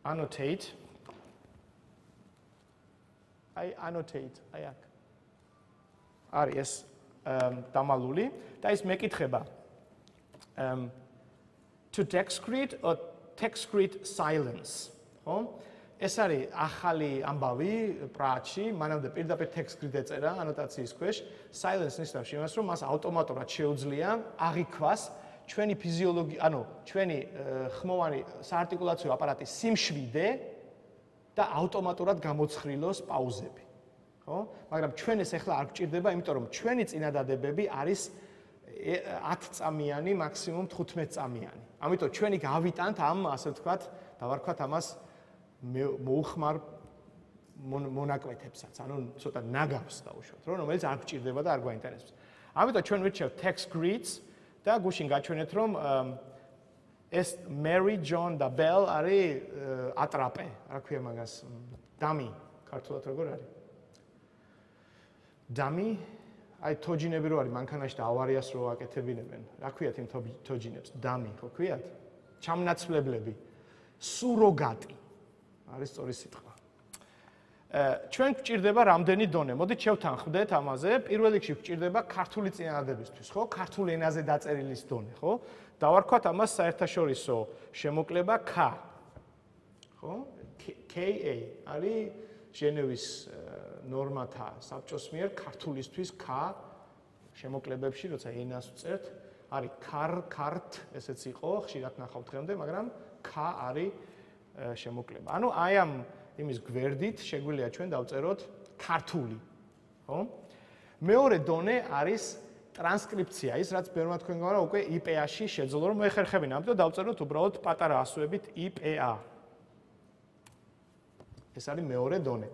annotate. აი annotate, აი აქ. არის ეს დამალული და ის მეკითხება um to text grid or text grid silence, ხო? ეს არის ახალი ამბავი პრაატში, მანამდე პირდაპირ text grid ეწერა ანოტაციის ქვეშ, silence ნიშნავს იმას, რომ მას ავტომატურად შეუძლია აღიქვას ჩვენი ფიზიოლოგი, ანუ ჩვენი ხმოვანი საარტიკულაციო აპარატის სიმშვიდე და ავტომატურად გამოცხრილოს პაუზები, ხო? მაგრამ ჩვენ ეს ახლა არ გვჭირდება, იმიტომ რომ ჩვენი წინადადებები არის ათი წამიანი, მაქსიმუმ თხუთმეტი წამიანი. ამიტომ ჩვენი გავიტანთ ამ, ასე ვთქვათ, დავარქვათ ამას მოუხმარ მონაკვეთებსაც, ანუ ცოტა ნაგავს დავუშვათ, რომ რომელიც არ გვჭირდება და არ გვაინტერესებს. ამიტომ ჩვენ ვირჩევთ text grids და გუშინ გაჩვენეთ, რომ ეს Mary, John და Bell არის ატრაპე, რა ქვია მაგას, დამი, ქართულად როგორ არის? დამი, აი თოჯინები რო არის მანქანაში და ავარიას რო აკეთებინებენ. რა ქვიათ იმ თოჯინებს? დამი, ხო ქვიათ? ჩამნაცვლებლები, სუროგატი. არის სწორი სიტყვა. ჩვენ გვჭირდება რამდენი დონე? მოდით შევთანხმდეთ ამაზე. პირველ რიგში გვჭირდება ქართული წინადადებისთვის, ხო? ქართულ ენაზე დაწერილის დონე, ხო? დავარქვათ ამას საერთაშორისო შემოკლება K. ხო? K A არის ჟენევის ნორმათა საბჭოს მიერ ქართულისთვის K შემოკლებებში, როცა ენას ვწერთ, არის ქარ, ქარტ, ესეც იყო, ხშირად ნახავთ დღემდე, მაგრამ K არის შემოკლება. ანუ აი ამ იმის გვერდით შეგვიძლია ჩვენ დავწეროთ ქართული, ხო? მეორე დონე არის ტრანსკრიფცია, ის რაც ბევრმა თქვენ გვარა უკვე I P A-ში შეძლო რომ მოეხერხებინა, ამიტომ დავწეროთ უბრალოდ პატარა ასოებით I P A. ეს არის მეორე დონე.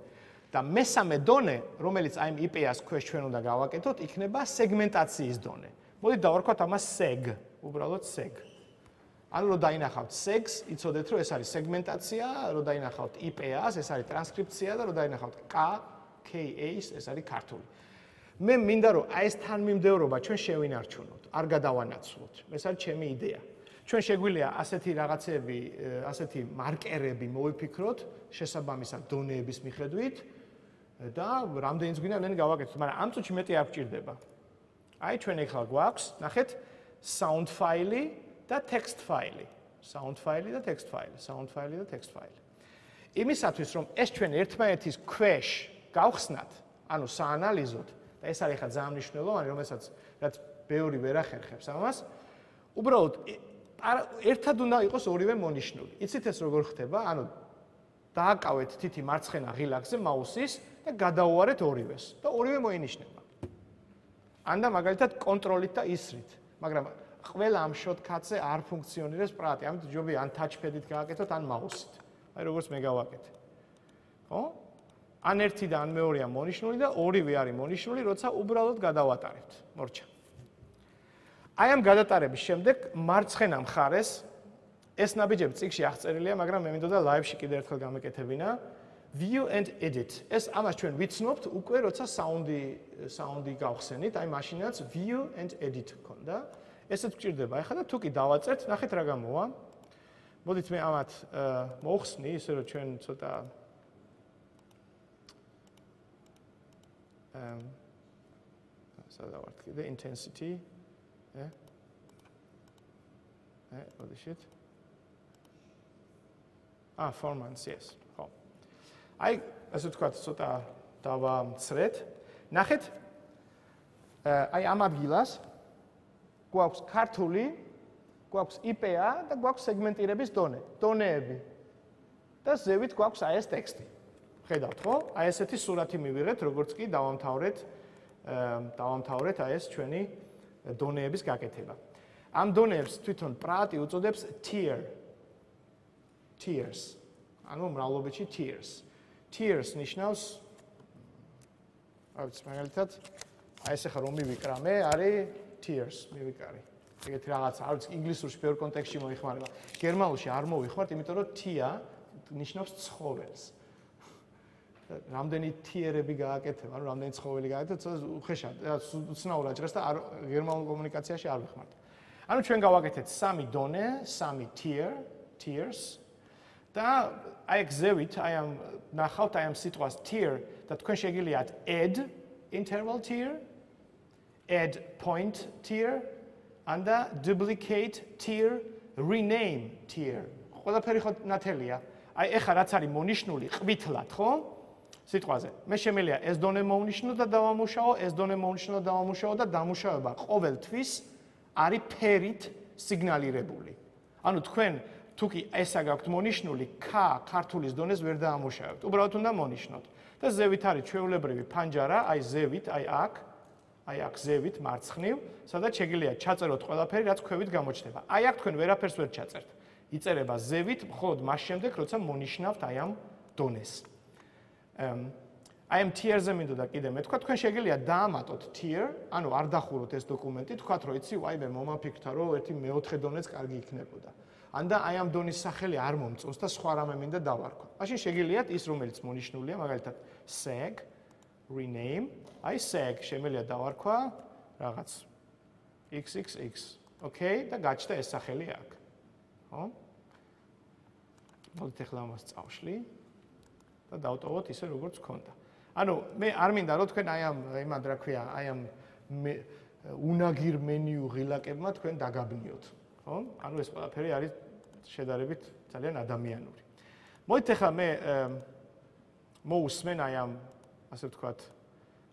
და მესამე დონე, რომელიც აი იმ I P A-ს ქვეშ ჩვენ უნდა გავაკეთოთ, იქნება სეგმენტაციის დონე. მოდით დავარქვათ ამას seg, უბრალოდ seg. ანუ რომ დაინახავთ segs, იცოდეთ რომ ეს არის სეგმენტაცია, რომ დაინახავთ I P A-ს, ეს არის ტრანსკრიფცია და რომ დაინახავთ K, K A-ს, ეს არის ქართული. მე მინდა რომ აი ეს თანმიმდევრობა ჩვენ შევინარჩუნოთ, არ გადავანაცვლოთ. ეს არის ჩემი იდეა. ჩვენ შეგვიძლია ასეთი რაღაცები, ასეთი მარკერები მოვიფიქროთ შესაბამისად დონეების მიხედვით და რამდენიც გვინდა ნენ გავაკეთოთ, მაგრამ ამ წუთში მეტი არ გვჭირდება. აი ჩვენ ეხლა გვაქვს, ნახეთ, sound file და text file. sound file და text file, sound file და text file. იმისათვის რომ ეს ჩვენ ერთმანეთის ქვეშ გავხსნათ, ანუ საანალიზოთ და ეს არის ახლა ძალიან მნიშვნელოვანი, რომელსაც რაც ბევრი ვერ ახერხებს ამას, უბრალოდ ერთად უნდა იყოს ორივე მონიშნული. იცით ეს როგორ ხდება? ანუ დააკავეთ თითი მარცხენა ღილაკზე მაუსის და გადაუარეთ ორივეს და ორივე მოინიშნება. ან და მაგალითად კონტროლით და ისრით, მაგრამ ყველა ამ შოტკატზე არ ფუნქციონირებს პრატი, ამიტომ ჯობია ან touchpad-ით გააკეთოთ, ან მაუსით. აი როგორც მე გავაკეთე. ხო? ან ერთი და ან მეორეა მონიშნული და ორივე არის მონიშნული, როცა უბრალოდ გადავატარებთ. მორჩა. აი ამ გადატარების შემდეგ მარცხენა მხარეს ეს ნაბიჯები წიგნში აღწერილია, მაგრამ მე მინდოდა live-ში კიდევ ერთხელ გამეკეთებინა. View and edit. ეს ამას ჩვენ ვიცნობთ უკვე როცა საუნდი საუნდი გავხსენით, აი მაშინაც view and edit ქონდა. ესეც გჭირდება. ეხლა და თუ კი დავაწერთ, ნახეთ რა გამოვა. მოდით მე ამათ მოვხსნი, ისე რომ ჩვენ ცოტა um სადავართ კიდე intensity. ე? ე, მოდიშით. Ah, formants, yes. ხო. აი, ასე ვთქვათ, ცოტა დავამცრეთ. ნახეთ, აი ამ ადგილას გვაქვს ქართული, გვაქვს I P A და გვაქვს სეგმენტირების დონე, დონეები. და ზევით გვაქვს აი ეს ტექსტი. ხედავთ, ხო? აი ესეთი სურათი მივიღეთ, როგორც კი დავამთავრეთ, დავამთავრეთ აი ეს ჩვენი დონეების გაკეთება. ამ დონეებს თვითონ პრატი უწოდებს tier. tiers. ანუ მრავლობითში tiers. tiers ნიშნავს აი მაგალითად აი ეს ახლა რომ მივიკრა მე არის tiers მივიკარი. ეგეთი რაღაცა, არ ვიცი ინგლისურში ბევრ კონტექსტში მოიხმარება. გერმანულში არ მოვიხმართ, იმიტომ რომ tia ნიშნავს ცხოველს. რამდენი tierები გააკეთებ, ანუ რამდენი ცხოველი გააკეთებ, უხეშად, უცნაურად ჟღერს და გერმანულ კომუნიკაციაში არ ვიხმართ. ანუ ჩვენ გავაკეთეთ სამი დონე, სამი tier, tiers და აი გზევით, აი ამ ნახავთ აი ამ სიტყვას tier და თქვენ შეგიძლიათ add interval tier, add point tier and duplicate tier, rename tier. ყველაფერი ხო ნათელია. აი ეხლა რაც არის მონიშნული ყვითლად, ხო? სიტყვაზე. მე შემიძლია ეს დონე მოვნიშნო და დავამუშაო, ეს დონე მოვნიშნო და დავამუშაო და დამუშავება ყოველთვის არის ფერით სიგნალირებული. ანუ თქვენ თუ კი ესა გაქვთ მონიშნული K ქართულის დონეს ვერ დაამუშავებთ. უბრალოდ უნდა მონიშნოთ. და ზევით არის ჩვეულებრივი ფანჯარა, აი ზევით, აი აქ, აი აქ ზევით მარცხნივ, სადაც შეგიძლიათ ჩაწეროთ ყველაფერი, რაც ქვევით გამოჩნდება. აი აქ თქვენ ვერაფერს ვერ ჩაწერთ. იწერება ზევით, მხოლოდ მას შემდეგ, როცა მონიშნავთ აი ამ დონეს. აი ამ tier-ზე მინდოდა კიდე მეთქვა, თქვენ შეგიძლიათ დაამატოთ tier, ანუ არ დახუროთ ეს დოკუმენტი, თქვათ რომ იცი, ვაიმე მომაფიქრთა რომ ერთი მეოთხე დონეც კარგი იქნებოდა. ან და აი ამ დონის სახელი არ მომწონს და სხვა რამე მინდა დავარქვა. მაშინ შეგიძლიათ ის რომელიც მონიშნულია, მაგალითად seg, rename, აი seg შემიძლია დავარქვა რაღაც X X X. Okay, და გაჩნდა ეს სახელი აქ. ხო? მოდით ახლა ამას წავშლი და დავტოვოთ ისე როგორც გქონდა. ანუ მე არ მინდა რომ თქვენ აი ამ იმად რა ქვია, აი ამ უნაგირ მენიუ ღილაკებმა თქვენ დაგაბნიოთ, ხო? ანუ ეს ყველაფერი არის შედარებით ძალიან ადამიანური. მოდით ახლა მე მოусმენ აი ამ ასე ვთქვათ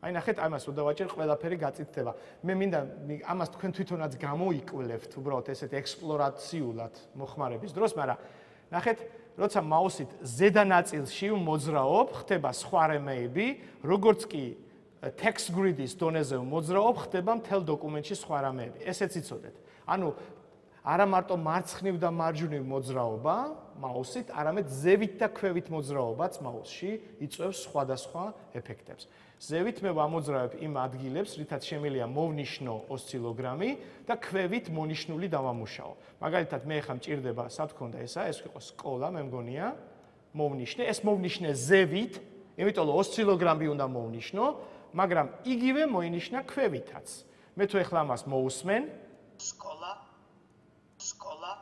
აი ნახეთ ამას უნდა ვაჭერ ყველაფერი გაწითდება. მე მინდა ამას თქვენ თვითონაც გამოიკვლევთ უბრალოდ ესეთ ექსპლორაციულად მოხმარების დროს, მაგრამ ნახეთ, როცა მაუსით ზედა ნაწილში მოძრაობ, ხდება სხვა რამეები, როგორც კი text grid-ის დონეზე მოძრაობ, ხდება მთელ დოკუმენტში სხვა რამეები. ესეც იცოდეთ. ანუ არა მარტო მარცხნივ და მარჯვნივ მოძრაობა მაუსით, არამედ ზევით და ქვევით მოძრაობაც მაუსში იწვევს სხვადასხვა ეფექტებს. ზევით მე ვამოძრავებ იმ ადგილებს, რითაც შემიძლია მოვნიშნო ოსცილოგრამი და ქვევით მონიშნული დავამუშაო. მაგალითად, მე ხა მჭირდება, სად ქონდა ესა, ეს იყო სკოლა, მე მგონია, მოვნიშნე, ეს მოვნიშნე ზევით, იმიტომ რომ ოსცილოგრამი უნდა მოვნიშნო, მაგრამ იგივე მოინიშნა ქვევითაც. მე თუ ეხლა ამას მოусმენ, სკოლა, სკოლა,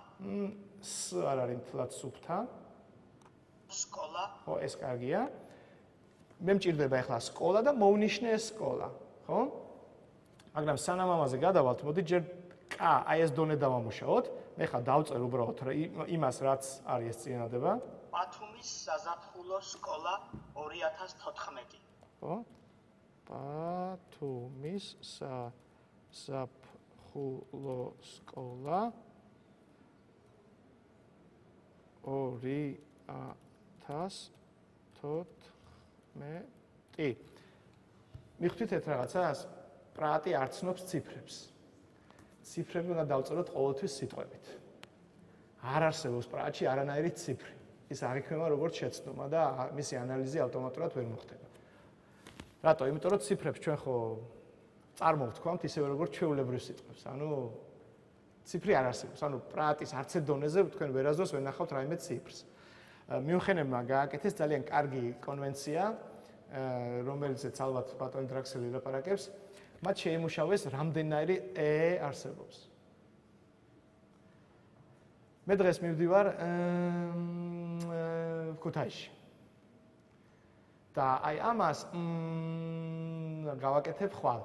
ს არ არის მთლად სუფთა. სკოლა. ხო, ეს კარგია. მე მჭირდება ახლა სკოლა და მოვნიშნე ეს სკოლა, ხო? მაგრამ სანამ ამაზე გადავალთ, მოდი ჯერ კ, აი ეს დონე დავამუშაოთ. მე ხა დავწერ უბრალოდ იმას, რაც არის ეს წინადადება. ბათუმის საზაფხულო სკოლა ორი ათას თოთხმეტი. ხო? ბათუმის საზაფხულო სკოლა ორი ათას თოთხმეტი. მიხდით ერთ რაღაცას, პრატი არ ცნობს ციფრებს. ციფრები უნდა დავწეროთ ყოველთვის სიტყვებით. არ არსებობს პრატში არანაირი ციფრი. ის არ იქნება როგორც შეცდომა და მისი ანალიზი ავტომატურად ვერ მოხდება. რატო? იმიტომ რომ ციფრებს ჩვენ ხო წარმოვთქვამთ ისევე როგორც ჩვეულებრივ სიტყვებს. ანუ ციფრი არ არსებობს. ანუ პრატის არც ერთ დონეზე თქვენ ვერასდროს ვერ ნახავთ რაიმე ციფრს. მიუნხენებმა გააკეთეს ძალიან კარგი კონვენცია, რომელზეც ალბათ ბატონი დრაქსელი ლაპარაკებს, მათ შეიმუშავეს რამდენიერი ე არსებობს. მე დღეს მივდივარ ქუთაისში. და აი ამას გავაკეთებ ხვალ.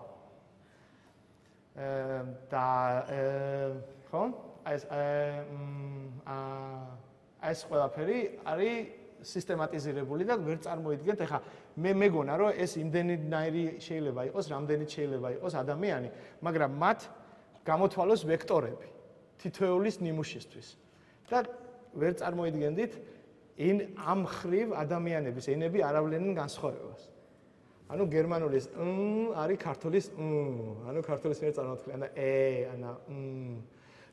და ხო? აი ეს აი ეს ყველაფერი არის სისტემატიზირებული და ვერ წარმოიდგენთ. ეხლა მე მეგონა რომ ეს იმდენიერი შეიძლება იყოს, რამდენიც შეიძლება იყოს ადამიანი, მაგრამ მათ გამოთვალოს ვექტორები თითოეულის ნიმუშისთვის. და ვერ წარმოიდგენდით ინ ამ ხრივ ადამიანების ენები არ ავლენენ განსხვავებას. ანუ გერმანულის მ არის ქართულის მ, ანუ ქართულის მიერ წარმოთქმული და ე, ანა მ.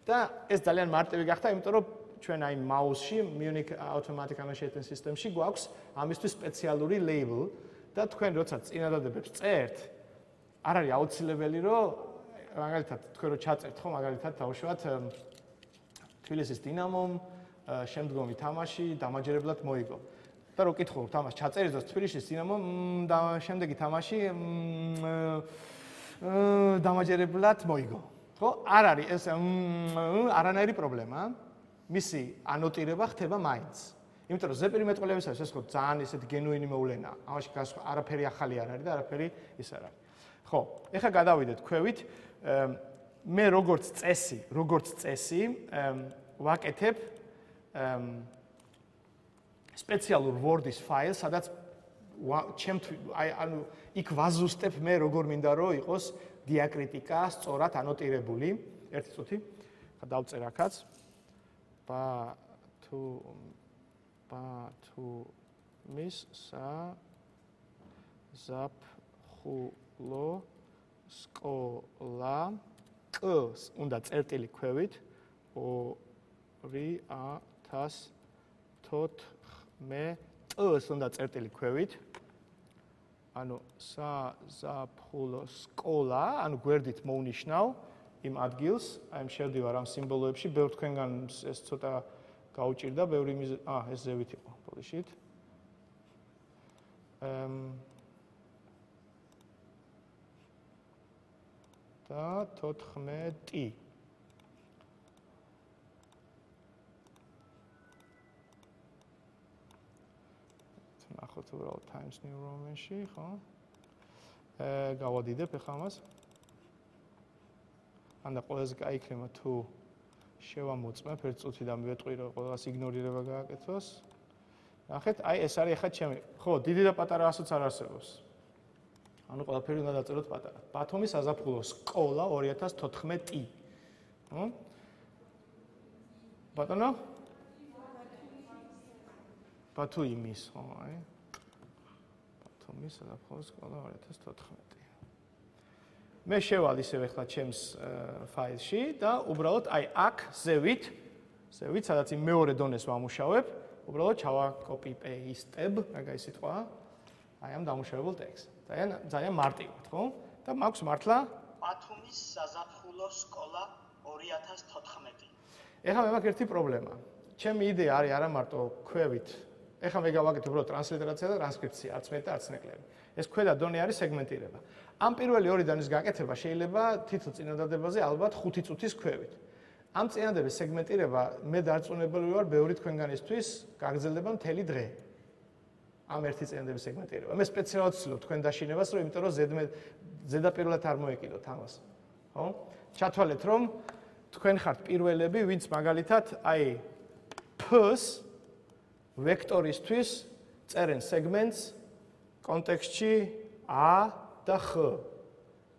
და ეს ძალიან მარტივი გახდა, იმიტომ რომ ჩვენ აი მაუსში Munich Automatic Annotation System-ში გვაქვს ამისთვის სპეციალური label და თქვენ როცა წინადადებებს წერთ, არ არის აუცილებელი რომ მაგალითად თქვენ რო ჩაწერთ ხო მაგალითად თავშევათ თბილისის დინამომ შემდგომი თამაში დამაჯერებლად მოიგო. და რო კითხულობთ ამას ჩაწერის დროს თბილისის დინამომ და შემდეგი თამაში დამაჯერებლად მოიგო. ხო? არ არის ეს არანაირი პრობლემა. მისი ანოტირება ხდება მაინც. იმიტომ რომ ზეპირი მეტყველებისას ეს ხო ძალიან ისეთი გენუინი მოვლენაა. ამაში არაფერი ახალი არ არის და არაფერი ის არ არის. ხო, ეხლა გადავიდეთ ქვევით. მე როგორც წესი, როგორც წესი, ვაკეთებ სპეციალურ Word-ის ფაილს, სადაც ჩემ აი ანუ იქ ვაზუსტებ მე როგორ მინდა რომ იყოს დიაკრიტიკა სწორად ანოტირებული. ერთი წუთი. ხა დავწერ აქაც. ბა თუ ბა თუ მის სა ზაფხულო სკოლა კ-ს უნდა წერტილი ქვევით ორი ათას თოთხმეტს უნდა წერტილი ქვევით ანუ საზაფხულო სკოლა ანუ გვერდით მოვნიშნავ იმ ადგილს აი ამ შევდივარ ამ სიმბოლოებში ბევრ თქვენგან ეს ცოტა გაუჭირდა ბევრი მიზეზი აა ეს ზევით იყო პოლიშით ემ და თოთხმეტი ნახოთ უბრალოდ Times New Roman-ში, ხო? აა გავადიდებ ახლა ამას. ანდა ყველაზე კაი იქნება თუ შევამოწმებ ერთ წუთი და მივეტყვი რომ ყველას იგნორირება გააკეთოს. ნახეთ, აი ეს არის ახლა ჩემი. ხო, დიდი და პატარა ასოც არ არსებობს. ანუ ყველაფერი უნდა დაწეროთ პატარა. ბათუმის საზაფხულო სკოლა ორი ათას თოთხმეტი. ხო? ბატონო? ბათუმის, ხო, აი. ბათუმის საზაფხულო სკოლა ორი ათას თოთხმეტი. მე შევალ ისევ ახლა ჩემს ფაილში და უბრალოდ აი აქ ზევით, ზევით, სადაც იმ მეორე დონეს ვამუშავებ, უბრალოდ ჩავა copy paste-ებ, მაგაი სიტყვა, აი ამ დამუშავებულ ტექსტს. ძალიან ძალიან მარტივად, ხო? და მაქვს მართლა ბათუმის საზაფხულო სკოლა ორი ათას თოთხმეტი. ეხლა მე მაქვს ერთი პრობლემა. ჩემი იდეა არის არა მარტო ქვევით. ეხლა მე გავაკეთე უბრალოდ ტრანსლიტერაცია და ტრანსკრიფცია, არც მეტი და არც ნაკლები. ეს ქვედა დონე არის სეგმენტირება. ამ პირველი ორი დონის გაკეთება შეიძლება თითო წინადადებაზე ალბათ ხუთი წუთის ქვევით. ამ წინადადების სეგმენტირება მე დარწმუნებული ვარ, ბევრი თქვენგანისთვის გაგრძელდება მთელი დღე. ამ ერთი წინადადების სეგმენტირება. მე სპეციალურად ვცდილობ თქვენ დაშინებას, რომ იმიტომ რომ ზედაპირულად არ მოეკიდოთ ამას. ხო? ჩათვალეთ, რომ თქვენ ხართ პირველები, ვინც მაგალითად აი P-ს ვექტორისთვის წერენ სეგმენტს კონტექსტში A და X.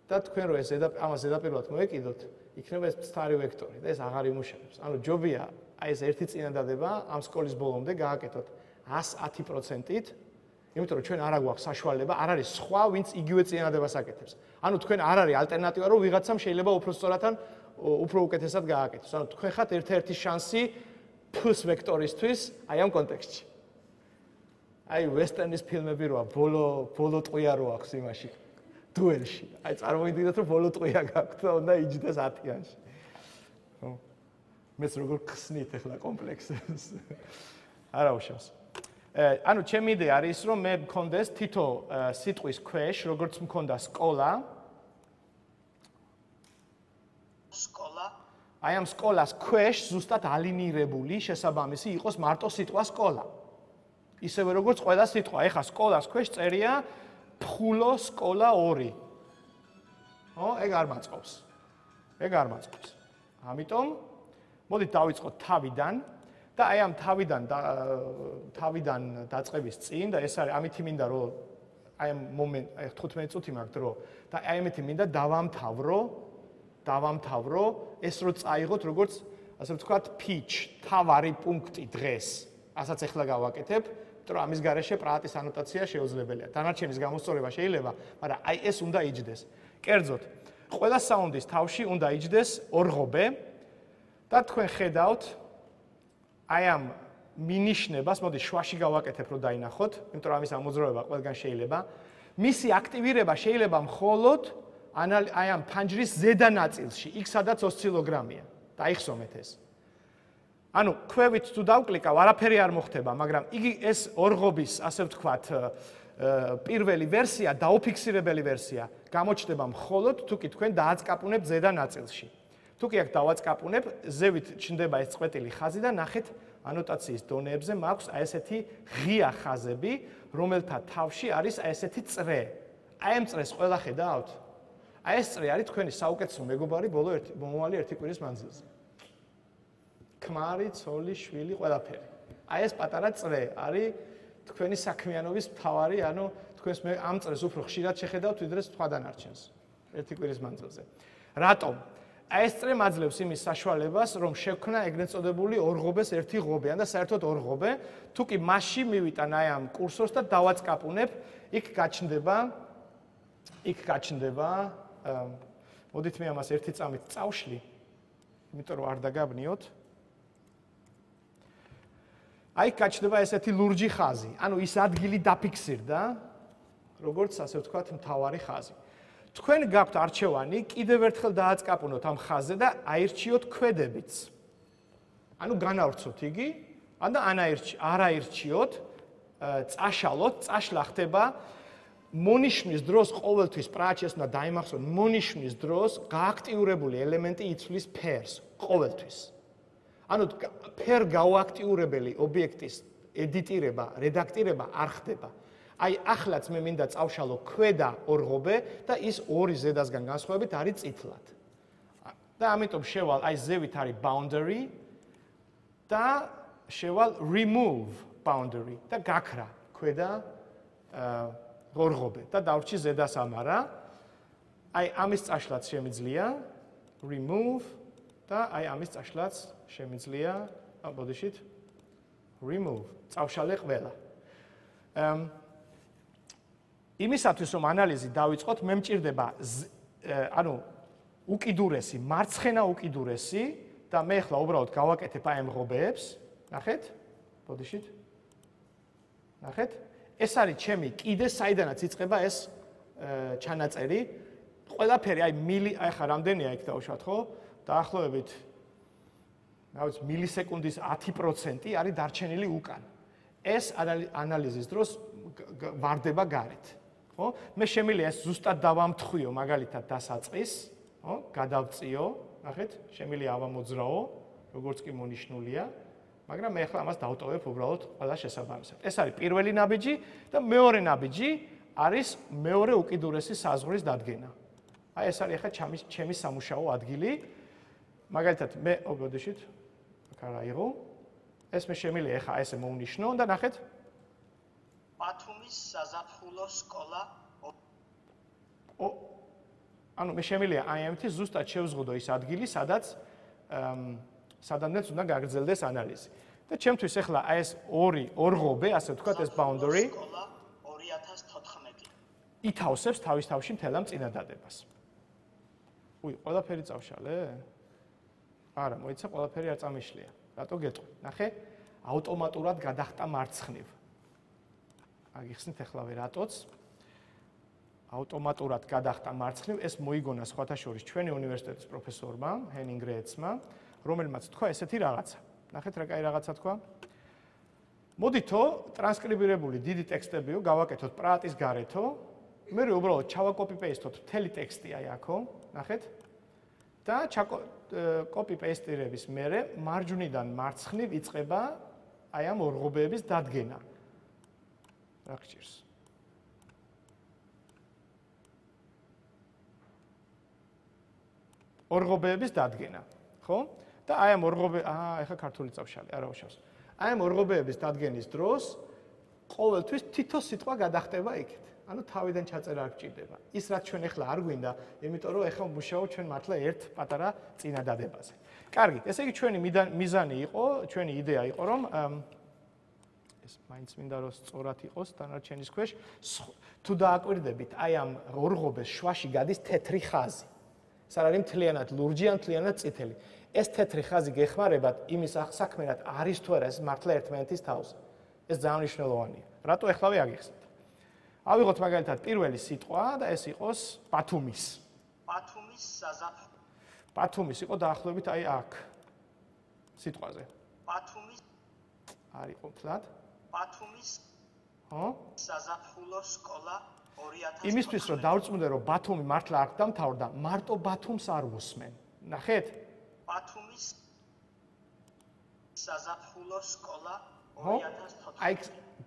და თქვენ რო ეს ამას ზედაპირულად მოეკიდოთ, იქნება ეს მცდარი ვექტორი და ეს აღარ იმუშავებს. ანუ ჯობია აი ეს ერთი წინადადება ამ სკოლის ბოლომდე გააკეთოთ ას ათი პროცენტით, იმიტომ რომ ჩვენ არ აგვაქვს საშუალება, არ არის სხვა, ვინც იგივე წინადადებას აკეთებს. ანუ თქვენ არ არის ალტერნატივა, რომ ვიღაცამ შეიძლება უფრო სწორად ან უფრო უკეთესად გააკეთოს. ანუ თქვენ ხართ ერთ-ერთი შანსი P-ს ვექტორისთვის აი ამ კონტექსტში. აი ვესტერნის ფილმები როა, ბოლო ბოლო ტყვია რო აქვს იმაში. დუელში. აი წარმოიდგინეთ, რომ ბოლო ტყვია გაქვთ და უნდა იჯდეს ათიანში. ხო. მეც როგორ ხსნით ახლა კომპლექსებს. არა უშავს. ანუ ჩემი იდეა არის, რომ მე მქონდეს თითო სიტყვის ქვეშ, როგორც მქონდა სკოლა. სკოლა. აი ამ სკოლას ქვეშ ზუსტად ალინირებული შესაბამისი იყოს მარტო სიტყვა სკოლა. ისევე როგორც ყველა სიტყვა. ეხლა სკოლას ქვეშ წერია ფხულო სკოლა ორი. ხო, ეგ არ მაწყობს. ეგ არ მაწყობს. ამიტომ მოდით დავიწყოთ თავიდან და აი ამ თავიდან თავიდან დაწყების წინ და ეს არის ამითი მინდა რომ აი ამ მომენტ აი თხუთმეტი წუთი მაქვს დრო და აი ამითი მინდა დავამთავრო დავამთავრო ეს რო წაიღოთ როგორც ასე ვთქვათ pitch თავარი პუნქტი დღეს. ასაც ახლა გავაკეთებ. რომ ამის გარეშე პრაატის ანოტაცია შეუძლებელია. დანარჩენის გამოსწორება შეიძლება, მაგრამ აი ეს უნდა იჯდეს. კერძოდ, ყველა საუნდის თავში უნდა იჯდეს ორღობე და თქვენ ხედავთ აი ამ მინიშნებას, მოდი შვაში გავაკეთებ, რომ დაინახოთ, იმიტომ რომ ამის ამოძრავება ყველგან შეიძლება. მისი აქტივირება შეიძლება მხოლოდ აი ამ ფანჯრის ზედა ნაწილში, იქ სადაც ოსცილოგრამია. დაიხსომეთ ეს. ანუ ქვევით თუ დავკლიკავ, არაფერი არ მოხდება, მაგრამ იგი ეს ორღობის, ასე ვთქვათ, პირველი ვერსია, დაუფიქსირებელი ვერსია, გამოჩნდება მხოლოდ თუ კი თქვენ დააწკაპუნებთ ზედა ნაწილში. თუ კი აქ დავაწკაპუნებ, ზევით ჩნდება ეს წყვეტილი ხაზი და ნახეთ ანოტაციის დონეებზე მაქვს აი ესეთი ღია ხაზები, რომელთა თავში არის აი ესეთი წრე. აი ამ წრეს ყველა ხედავთ? აი ეს წრე არის თქვენი საუკეთესო მეგობარი ბოლო ერთი მომავალი ერთი კვირის მანძილზე. ქმარი, ცოლი, შვილი, ყველაფერი. აი ეს პატარა წრე არის თქვენი საქმიანობის მთავარი, ანუ თქვენს მე ამ წრეს უფრო ხშირად შეხედავთ, ვიდრე სხვა დანარჩენს ერთი კვირის მანძილზე. რატომ? აი ეს წრე მაძლევს იმის საშუალებას, რომ შექმნა ეგრეთ წოდებული ორღობეს ერთი ღობე, ან და საერთოდ ორღობე, თუ კი მასში მივიტან აი ამ კურსორს და დავაწკაპუნებ, იქ გაჩნდება იქ გაჩნდება მოდით მე ამას ერთი წამით წავშლი, იმიტომ რომ არ დაგაბნიოთ. აი გაჩნდება ესეთი ლურჯი ხაზი. ანუ ის ადგილი დაფიქსირდა, როგორც ასე ვთქვათ, მთავარი ხაზი. თქვენ გაქვთ არჩევანი, კიდევ ერთხელ დააწკაპუნოთ ამ ხაზზე და აირჩიოთ ქვედებიც. ანუ განავრცოთ იგი, ან და არ აირჩიოთ, წაშალოთ, წაშლა ხდება მონიშნის დროს ყოველთვის პრაჩეს უნდა დაიმახსოვროთ, მონიშნის დროს გააქტიურებული ელემენტი იცვლის ფერს ყოველთვის. ანუ ფერ გაუაქტიურებელი ობიექტის ედიტირება, რედაქტირება არ ხდება. აი ახლაც მე მინდა წავშალო ქვედა ორღობე და ის ორი ზედასგან განსხვავებით არის წითლად. და ამიტომ შევალ აი ზევით არის boundary და შევალ remove boundary და გაქრა ქვედა ღორღობე და დავრჩი ზედა სამარა. აი ამის წაშლაც შემიძლია remove და აი ამის წაშლაც შემიძლია ბოდიშით remove წავშალე ყველა. იმისათვის რომ ანალიზი დავიწყოთ, მე მჭირდება ანუ უკიდურესი, მარცხენა უკიდურესი და მე ახლა უბრალოდ გავაკეთებ აი ამ ღობეებს, ნახეთ? ბოდიშით. ნახეთ? ეს არის ჩემი კიდე საიდანაც იწყება ეს ჩანაწერი. ყველაფერი აი მილი აი ხა რამდენია იქ დავუშვათ ხო? დაახლოებით რა ვიცი მილისეკუნდის ათი პროცენტი არის დარჩენილი უკან. ეს ანალიზის დროს ვარდება გარეთ. ხო? მე შემიძლია ეს ზუსტად დავამთხვიო მაგალითად დასაწყის, ხო? გადავწიო, ნახეთ, შემიძლია ავამოძრაო, როგორც კი მონიშნულია, მაგრამ მე ახლა ამას დავტოვებ უბრალოდ ყველა შესაბამისად. ეს არის პირველი ნაბიჯი და მეორე ნაბიჯი არის მეორე უკიდურესი საზღვრის დადგენა. აი ეს არის ახლა ჩემი ჩემი სამუშაო ადგილი. მაგალითად მე ობოდიშით აქ არა იყო. ეს მე შემიძლია ახლა ესე მოვნიშნო და ნახეთ ბათუმის საზაფხულო სკოლა ო ანუ მე შემიძლია აი ამითი ზუსტად შევზღუდო ის ადგილი, სადაც სადამდეც უნდა გაგრძელდეს ანალიზი. და ჩემთვის ახლა აი ეს ორი ორღობე, ასე ვთქვათ, ეს boundary სკოლა ორი ათას თოთხმეტი ითავსებს თავის თავში მთელ ამ წინადადებას. უი, ყველაფერი წავშალე? არა, მოიცა ყველაფერი არ წამიშლია. რატო გეტყვი? ნახე, ავტომატურად გადახტა მარცხნივ. აგიხსნით ახლა რატოც? ავტომატურად გადახტა მარცხნივ, ეს მოიგონა სხვათა შორის ჩვენი უნივერსიტეტის პროფესორმა, ჰენინგ რეცმა, რომელმაც თქვა ესეთი რაღაცა. ნახეთ რა კაი რაღაცა თქვა. მოდითო ტრანსკრიბირებული დიდი ტექსტებიო გავაკეთოთ პრაატის გარეთო, მე უბრალოდ ჩავაკოპი-პეისტოთ მთელი ტექსტი აი აქო, ნახეთ. და კოპი-პეისტირების მერე მარჯვნიდან მარცხნივ იწყება აი ამ ორღობეების დადგენა. რა გჭირს? ორღობეების დადგენა, ხო? და აი ამ ორღობე, აა, ეხა ქართული წავშალე, არა უშავს. აი ამ ორღობეების დადგენის დროს ყოველთვის თითო სიტყვა გადახტება იქით. ანუ თავიდან ჩაწერა არ გჭირდება. ის რაც ჩვენ ახლა არ გვინდა, იმიტომ რომ ახლა მუშაობთ ჩვენ მართლა ერთ პატარა წინადადებაზე. კარგი, ესე იგი ჩვენი მიზანი იყო, ჩვენი იდეა იყო, რომ ეს მაინც მინდა რომ სწორად იყოს დანარჩენის ქვეშ, თუ დააკვირდებით, აი ამ ორღობეს შვაში გადის თეთრი ხაზი. ეს არ არის მთლიანად ლურჯი ან მთლიანად წითელი. ეს თეთრი ხაზი გეხმარებათ იმის საქმერად არის თუ არა ეს მართლა ერთმანეთის თავზე. ეს ძალიან მნიშვნელოვანია. რატო ახლავე აგიხსნით? ავიღოთ მაგალითად პირველი სიტყვა და ეს იყოს ბათუმის. ბათუმის საზაფხულო. ბათუმის იყო დაახლოებით აი აქ სიტყვაზე. ბათუმის არ იყო მთლად. ბათუმის ხო? საზაფხულო სკოლა ორი ათას იმისთვის რომ დავწმუნდე რომ ბათუმი მართლა აქ დამთავრდა, მარტო ბათუმს არ უსმენ. ნახეთ? ბათუმის საზაფხულო სკოლა ორი ათას თოთხმეტი. აი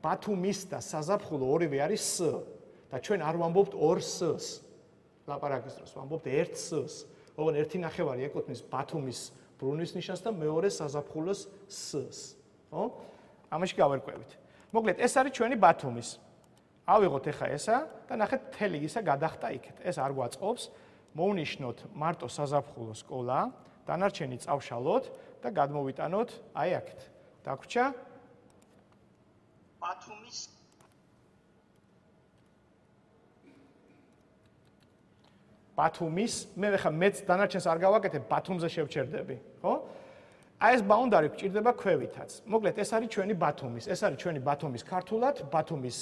ბათუმის და საზაფხულო ორივე არის S და ჩვენ არ ვამბობთ ორ S-ს. ლაპარაკის დროს ვამბობთ ერთ S-ს. ოღონდ ერთი ნახევარი ეკუთვნის ბათუმის ბრუნვის ნიშანს და მეორე საზაფხულოს S-ს. ხო? ამაში გავერკვევით. მოკლედ ეს არის ჩვენი ბათუმის. ავიღოთ ახლა ესა და ნახეთ მთელი ისა გადახტა იქეთ. ეს არ გვაწყობს. მოვნიშნოთ მარტო საზაფხულო სკოლა, დანარჩენი წავშალოთ და გადმოვიტანოთ აი აქეთ. დაგვრჩა ბათუმის ბათუმის მე ხა მეც დანარჩენს არ გავაკეთებ, ბათუმზე შევჩერდები, ხო? აი ეს ბაუნდარი გჭირდება ქვევითაც. მოკლედ ეს არის ჩვენი ბათუმის, ეს არის ჩვენი ბათუმის ქართულად, ბათუმის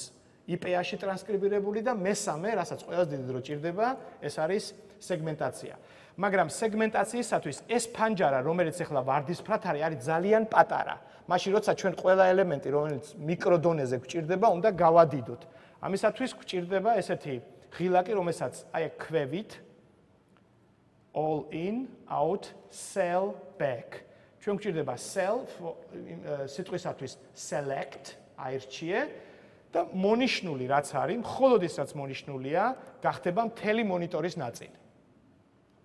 I P-ში ტრანსკრიბირებული და მესამე, რასაც ყველაზე დიდი დრო ჭირდება, ეს არის სეგმენტაცია. მაგრამ სეგმენტაციისათვის ეს ფანჯარა, რომელიც ახლა ვარდისფრად არის, არის ძალიან პატარა. მაშინ როცა ჩვენ ყველა ელემენტი, რომელიც მიკროდონეზე გვჭირდება, უნდა გავადიდოთ. ამისათვის გვჭირდება ესეთი ღილაკი, რომელსაც აი ქვევით all in, out, cell, back. ჩვენ გვჭირდება cell სიტყვისათვის select, აირჩიე და მონიშნული რაც არის, მხოლოდ ის რაც მონიშნულია, გახდება მთელი მონიტორის ნაწილი.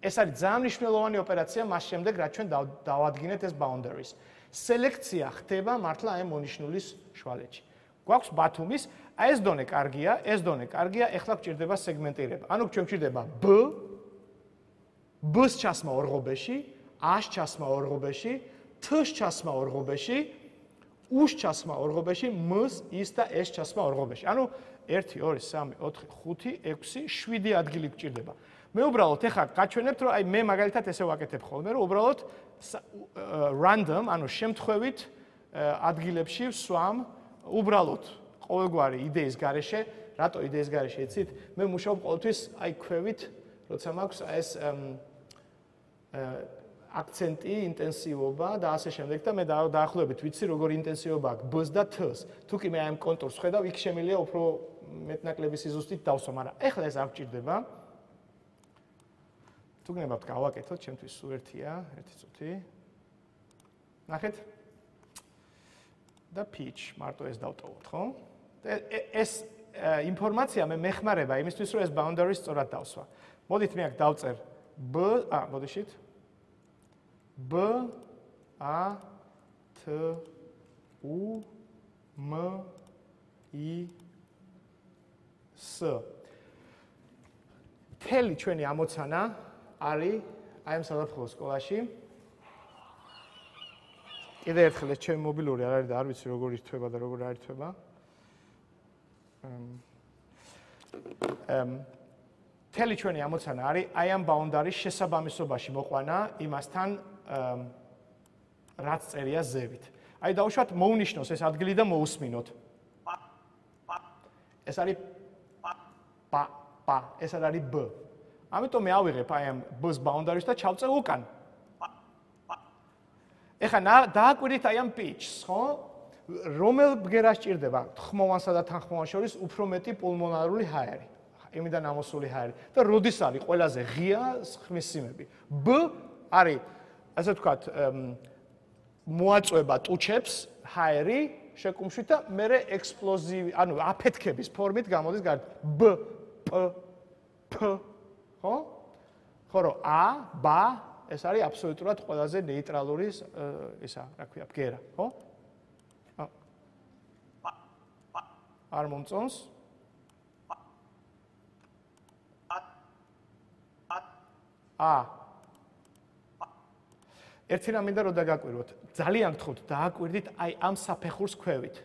ეს არის ძალიან მნიშვნელოვანი ოპერაცია მას შემდეგ, რაც ჩვენ დავადგინეთ ეს boundaries. სელექცია ხდება მართლა აი მონიშნულის შვალეთში. გვაქვს ბათუმის, აი ეს დონე კარგია, ეს დონე კარგია, ეხლა გვჭირდება სეგმენტირება. ანუ ჩვენ გვჭირდება B, B-ს ჩასმა ორღობეში, A-ს ჩასმა ორღობეში, T-ს ჩასმა ორღობეში, U-ს ჩასმა ორღობეში, M-ს, I-ს და S-ს ჩასმა ორღობეში. ანუ ერთი, ორი, სამი, ოთხი, ხუთი, ექვსი, შვიდი ადგილი გვჭირდება. მე უბრალოდ ეხლა გაჩვენებთ, რომ აი მე მაგალითად ესე ვაკეთებ ხოლმე, რომ უბრალოდ random, ანუ შემთხვევით ადგილებში ვსვამ უბრალოდ ყოველგვარი იდეის გარეშე, რატო იდეის გარეშე იცით? მე მუშაობ ყოველთვის აი ქვევით, როცა მაქვს ეს აქცენტი, ინტენსივობა და ასე შემდეგ და მე დაახლოებით ვიცი, როგორი ინტენსივობა აქვს B-ს და T-ს. თუ კი მე აი ამ კონტურს ხედავ, იქ შემიძლია უფრო მეტნაკლები სიზუსტით დავსვა, მაგრამ ეხლა ეს არ გჭირდება. თუ გნებავთ გავაკეთოთ, ჩემთვის სულ ერთია, ერთი წუთი. ნახეთ? და pitch, მარტო ეს დავტოვოთ, ხო? ეს ინფორმაცია მე მეხმარება იმისთვის, რომ ეს boundaries სწორად დავსვა. მოდით მე აქ დავწერ B, ა, მოდიშით. B, A, T, U, M, I, S. თელი ჩვენი ამოცანა არის აი ამ საზაფხულო სკოლაში. კიდე ერთხელ ეს ჩემი მობილური არ არის და არ ვიცი როგორ ირთვება და როგორ არ ირთვება. ემ თელი ჩვენი ამოცანა არის აი ამ boundary-ის შესაბამისობაში მოყვანა იმასთან რაც წერია ზევით. აი დავუშვათ მოუნიშნოს ეს ადგილი და მოусმინოთ. ეს არის პ პ ეს არის B. ამიტომ მე ავიღებ აი ამ B-ს boundary-ს და ჩავწევ უკან. ეხლა დააკვირდით აი ამ pitch-ს, ხო? რომელ ბგერას ჭირდება ხმოვანსა და თანხმოვანს შორის უფრო მეტი პულმონარული ჰაერი, იმიდან ამოსული ჰაერი და როდის არის ყველაზე ღია ხმის სიმები. B არის, ასე ვთქვათ, მოაწვება ტუჩებს ჰაერი შეკუმშვით და მერე ექსპლოზივი, ანუ აფეთქების ფორმით გამოდის გარეთ. B, P, P, ხო? ხო რომ A, B ეს არის აბსოლუტურად ყველაზე ნეიტრალური ისა, რა ქვია, ბგერა, ხო? არ მომწონს? ა. ერთი რამ მინდა რომ დაგაკვირვოთ. ძალიან გთხოვთ, დააკვირდით აი ამ საფეხურს ქვევით.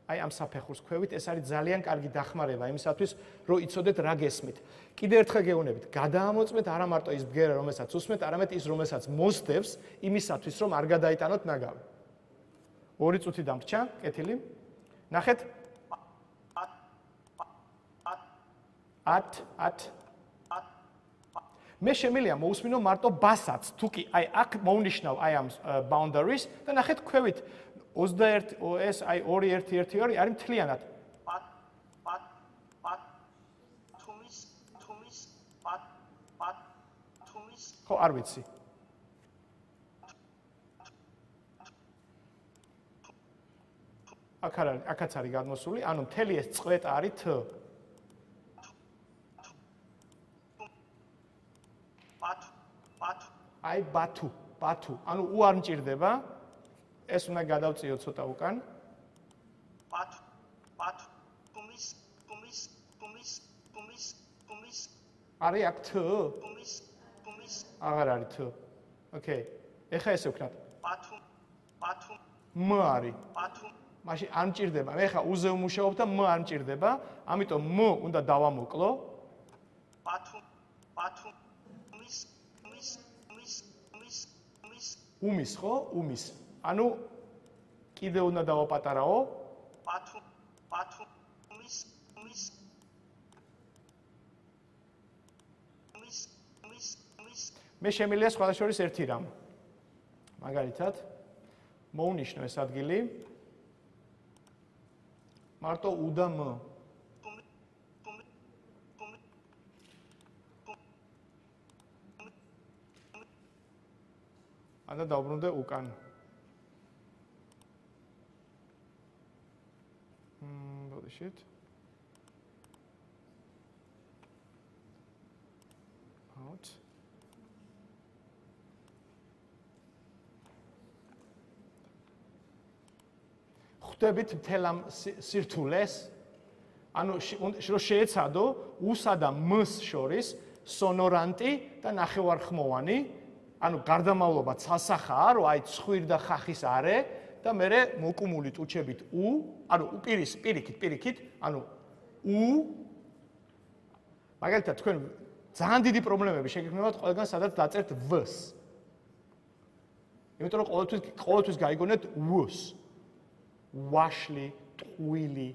აი ამ საფეხურს ქვევით, ეს არის ძალიან კარგი დახმარება იმისათვის, რომ იცოდეთ რა გესმით. კიდე ერთხელ გეუბნებით, გადაამოწმეთ არა მარტო ის ბგერა, რომელსაც უსმენთ, არამედ ის, რომელსაც მოსდევს იმისათვის, რომ არ გადაიტანოთ ნაგავი. ორი წუთი დამრჩა, კეთილი. ნახეთ? ათ, ათ. მე შემიძლია მოусმინო მარტო ბასაც, თუ კი აი აქ მოვნიშნავ აი ამ boundaries და ნახეთ ქვევით ოცდაერთი ეს აი ორი ერთი ერთი ორი არის მთლიანად. პატ პატ პატ თუმის თუმის პატ პატ თუმის ხო არ ვიცი. აქ არის აქაც არის გადმოსული, ანუ მთელი ეს წყვეტა არის T. პატ პატ აი ბათუ, ბათუ. ანუ U არ მჭირდება. ეს უნდა გადავწიოთ ცოტა უკან. პატ პატ თუმის თუმის თუმის თუმის თუმის არის აქ T? თუმის თუმის აღარ არის T. ოკეი. ეხა ესე ვქნათ. პათუ პათუ M არის. პათუ მაშინ არ მჭირდება. მე ხა U-ზე ვმუშაობ და M არ მჭირდება. ამიტომ M უნდა დავამოკლო. პათუ პათუ თუმის თუმის თუმის თუმის თუმის უმის ხო? უმის. ანუ კიდე უნდა დავაპატარაო. პათუ პათუ თუმის თუმის თუმის თუმის თუმის მე შემიძლია სხვა შორის ერთი რამ. მაგალითად, მოვნიშნო ეს ადგილი. მარტო U და M. ანა დავბრუნდე უკან. მმ, ბოდიშით. out. ხვდებით მთელ ამ სირთულეს, ანუ რომ შეეცადო უსა და მს შორის სონორანტი და ნახევარხმოვანი, ანუ გარდამავლობა ცალსახაა, რომ აი ცხვირ და ხახის არე და მე მოკუმულით უჩებით უ, ანუ უპირის პირიქით, პირიქით, ანუ უ მაგალითად თქვენ ძალიან დიდი პრობლემები შეგექმნებათ ყველგან სადაც დაწერთ ვ-ს. იმიტომ რომ ყოველთვის ყოველთვის გაიგონეთ ვ-ს. ვაშლი, ტყუილი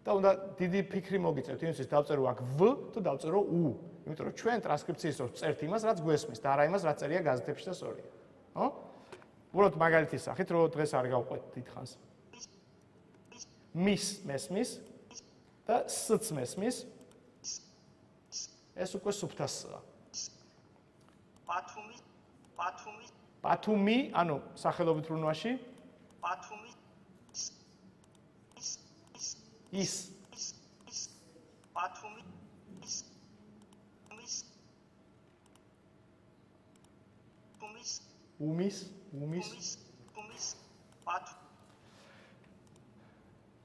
და უნდა დიდი ფიქრი მოგიწევთ იმისთვის დავწერო აქ ვ თუ დავწერო უ. იმიტომ რომ ჩვენ ტრანსკრიფციის დროს წერთ იმას, რაც გვესმის და არა იმას, რაც წერია გაზეთებში და სწორია. ხო? უბრალოდ მაგალითის სახით, რომ დღეს არ გავყვეთ დიდხანს. მის მესმის და სც მესმის. ეს უკვე სუფთასაა. ბათუმი, ბათუმი, ბათუმი, ანუ სახელობით რუნვაში ბათუმი ის ბათუმი ის უმის უმის უმის უმის უმის ბათუმი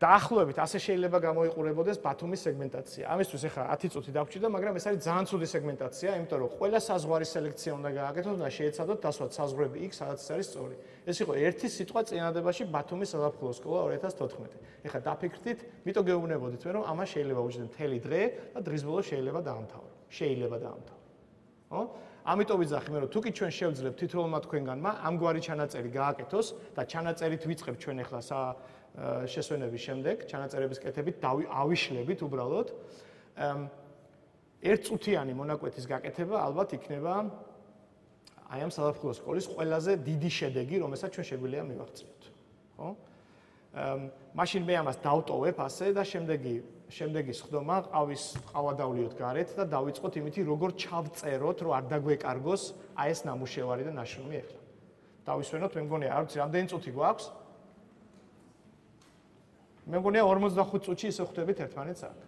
დაახლოებით ასე შეიძლება გამოიყურებოდეს ბათუმის სეგმენტაცია. ამისთვის ახლა ათი წუთი დაგვრჩა, მაგრამ ეს არის ძალიან ცუდი სეგმენტაცია, იმიტომ რომ ყველა საზღვარი სელექცია უნდა გააკეთოთ და შეეცადოთ დასვათ საზღვრები იქ, სადაც არის სწორი. ეს იყო ერთი სიტყვა წინადებაში ბათუმის საზაფხულო სკოლა ორი ათას თოთხმეტი. ახლა დაფიქრდით, მითო გეუბნებოდით მე, რომ ამას შეიძლება უჩნდეთ მთელი დღე და დღის ბოლოს შეიძლება დაამთავრო. შეიძლება დაამთავრო. ხო? ამიტომ ვიძახი მე, რომ თუ კი ჩვენ შევძლებთ თითოეულმა თქვენგანმა ამგვარი ჩანაწერი გააკეთოს და ჩანაწერით ვიწყებთ ჩვენ ახლა სა შესვენების შემდეგ, ჩანაწერების კეთებით ავიშლებით უბრალოდ. ერთწუთიანი მონაკვეთის გაკეთება ალბათ იქნება აი ამ საზაფხულო სკოლის ყველაზე დიდი შედეგი, რომელსაც ჩვენ შეგვიძლია მივაღწიოთ. ხო? მაშინ მე ამას დავტოვებ ასე და შემდეგი შემდეგი სხდომა ყავის ყავა დავლიოთ გარეთ და დავიწყოთ იმითი, როგორ ჩავწეროთ, რომ არ დაგვეკარგოს აი ეს ნამუშევარი და ნაშრომი ახლა. დავისვენოთ, მე მგონია, არ ვიცი, რამდენი წუთი გვაქვს? მე მგონია ორმოცდახუთ წუთში ისე ხვდებით ერთმანეთს აქ.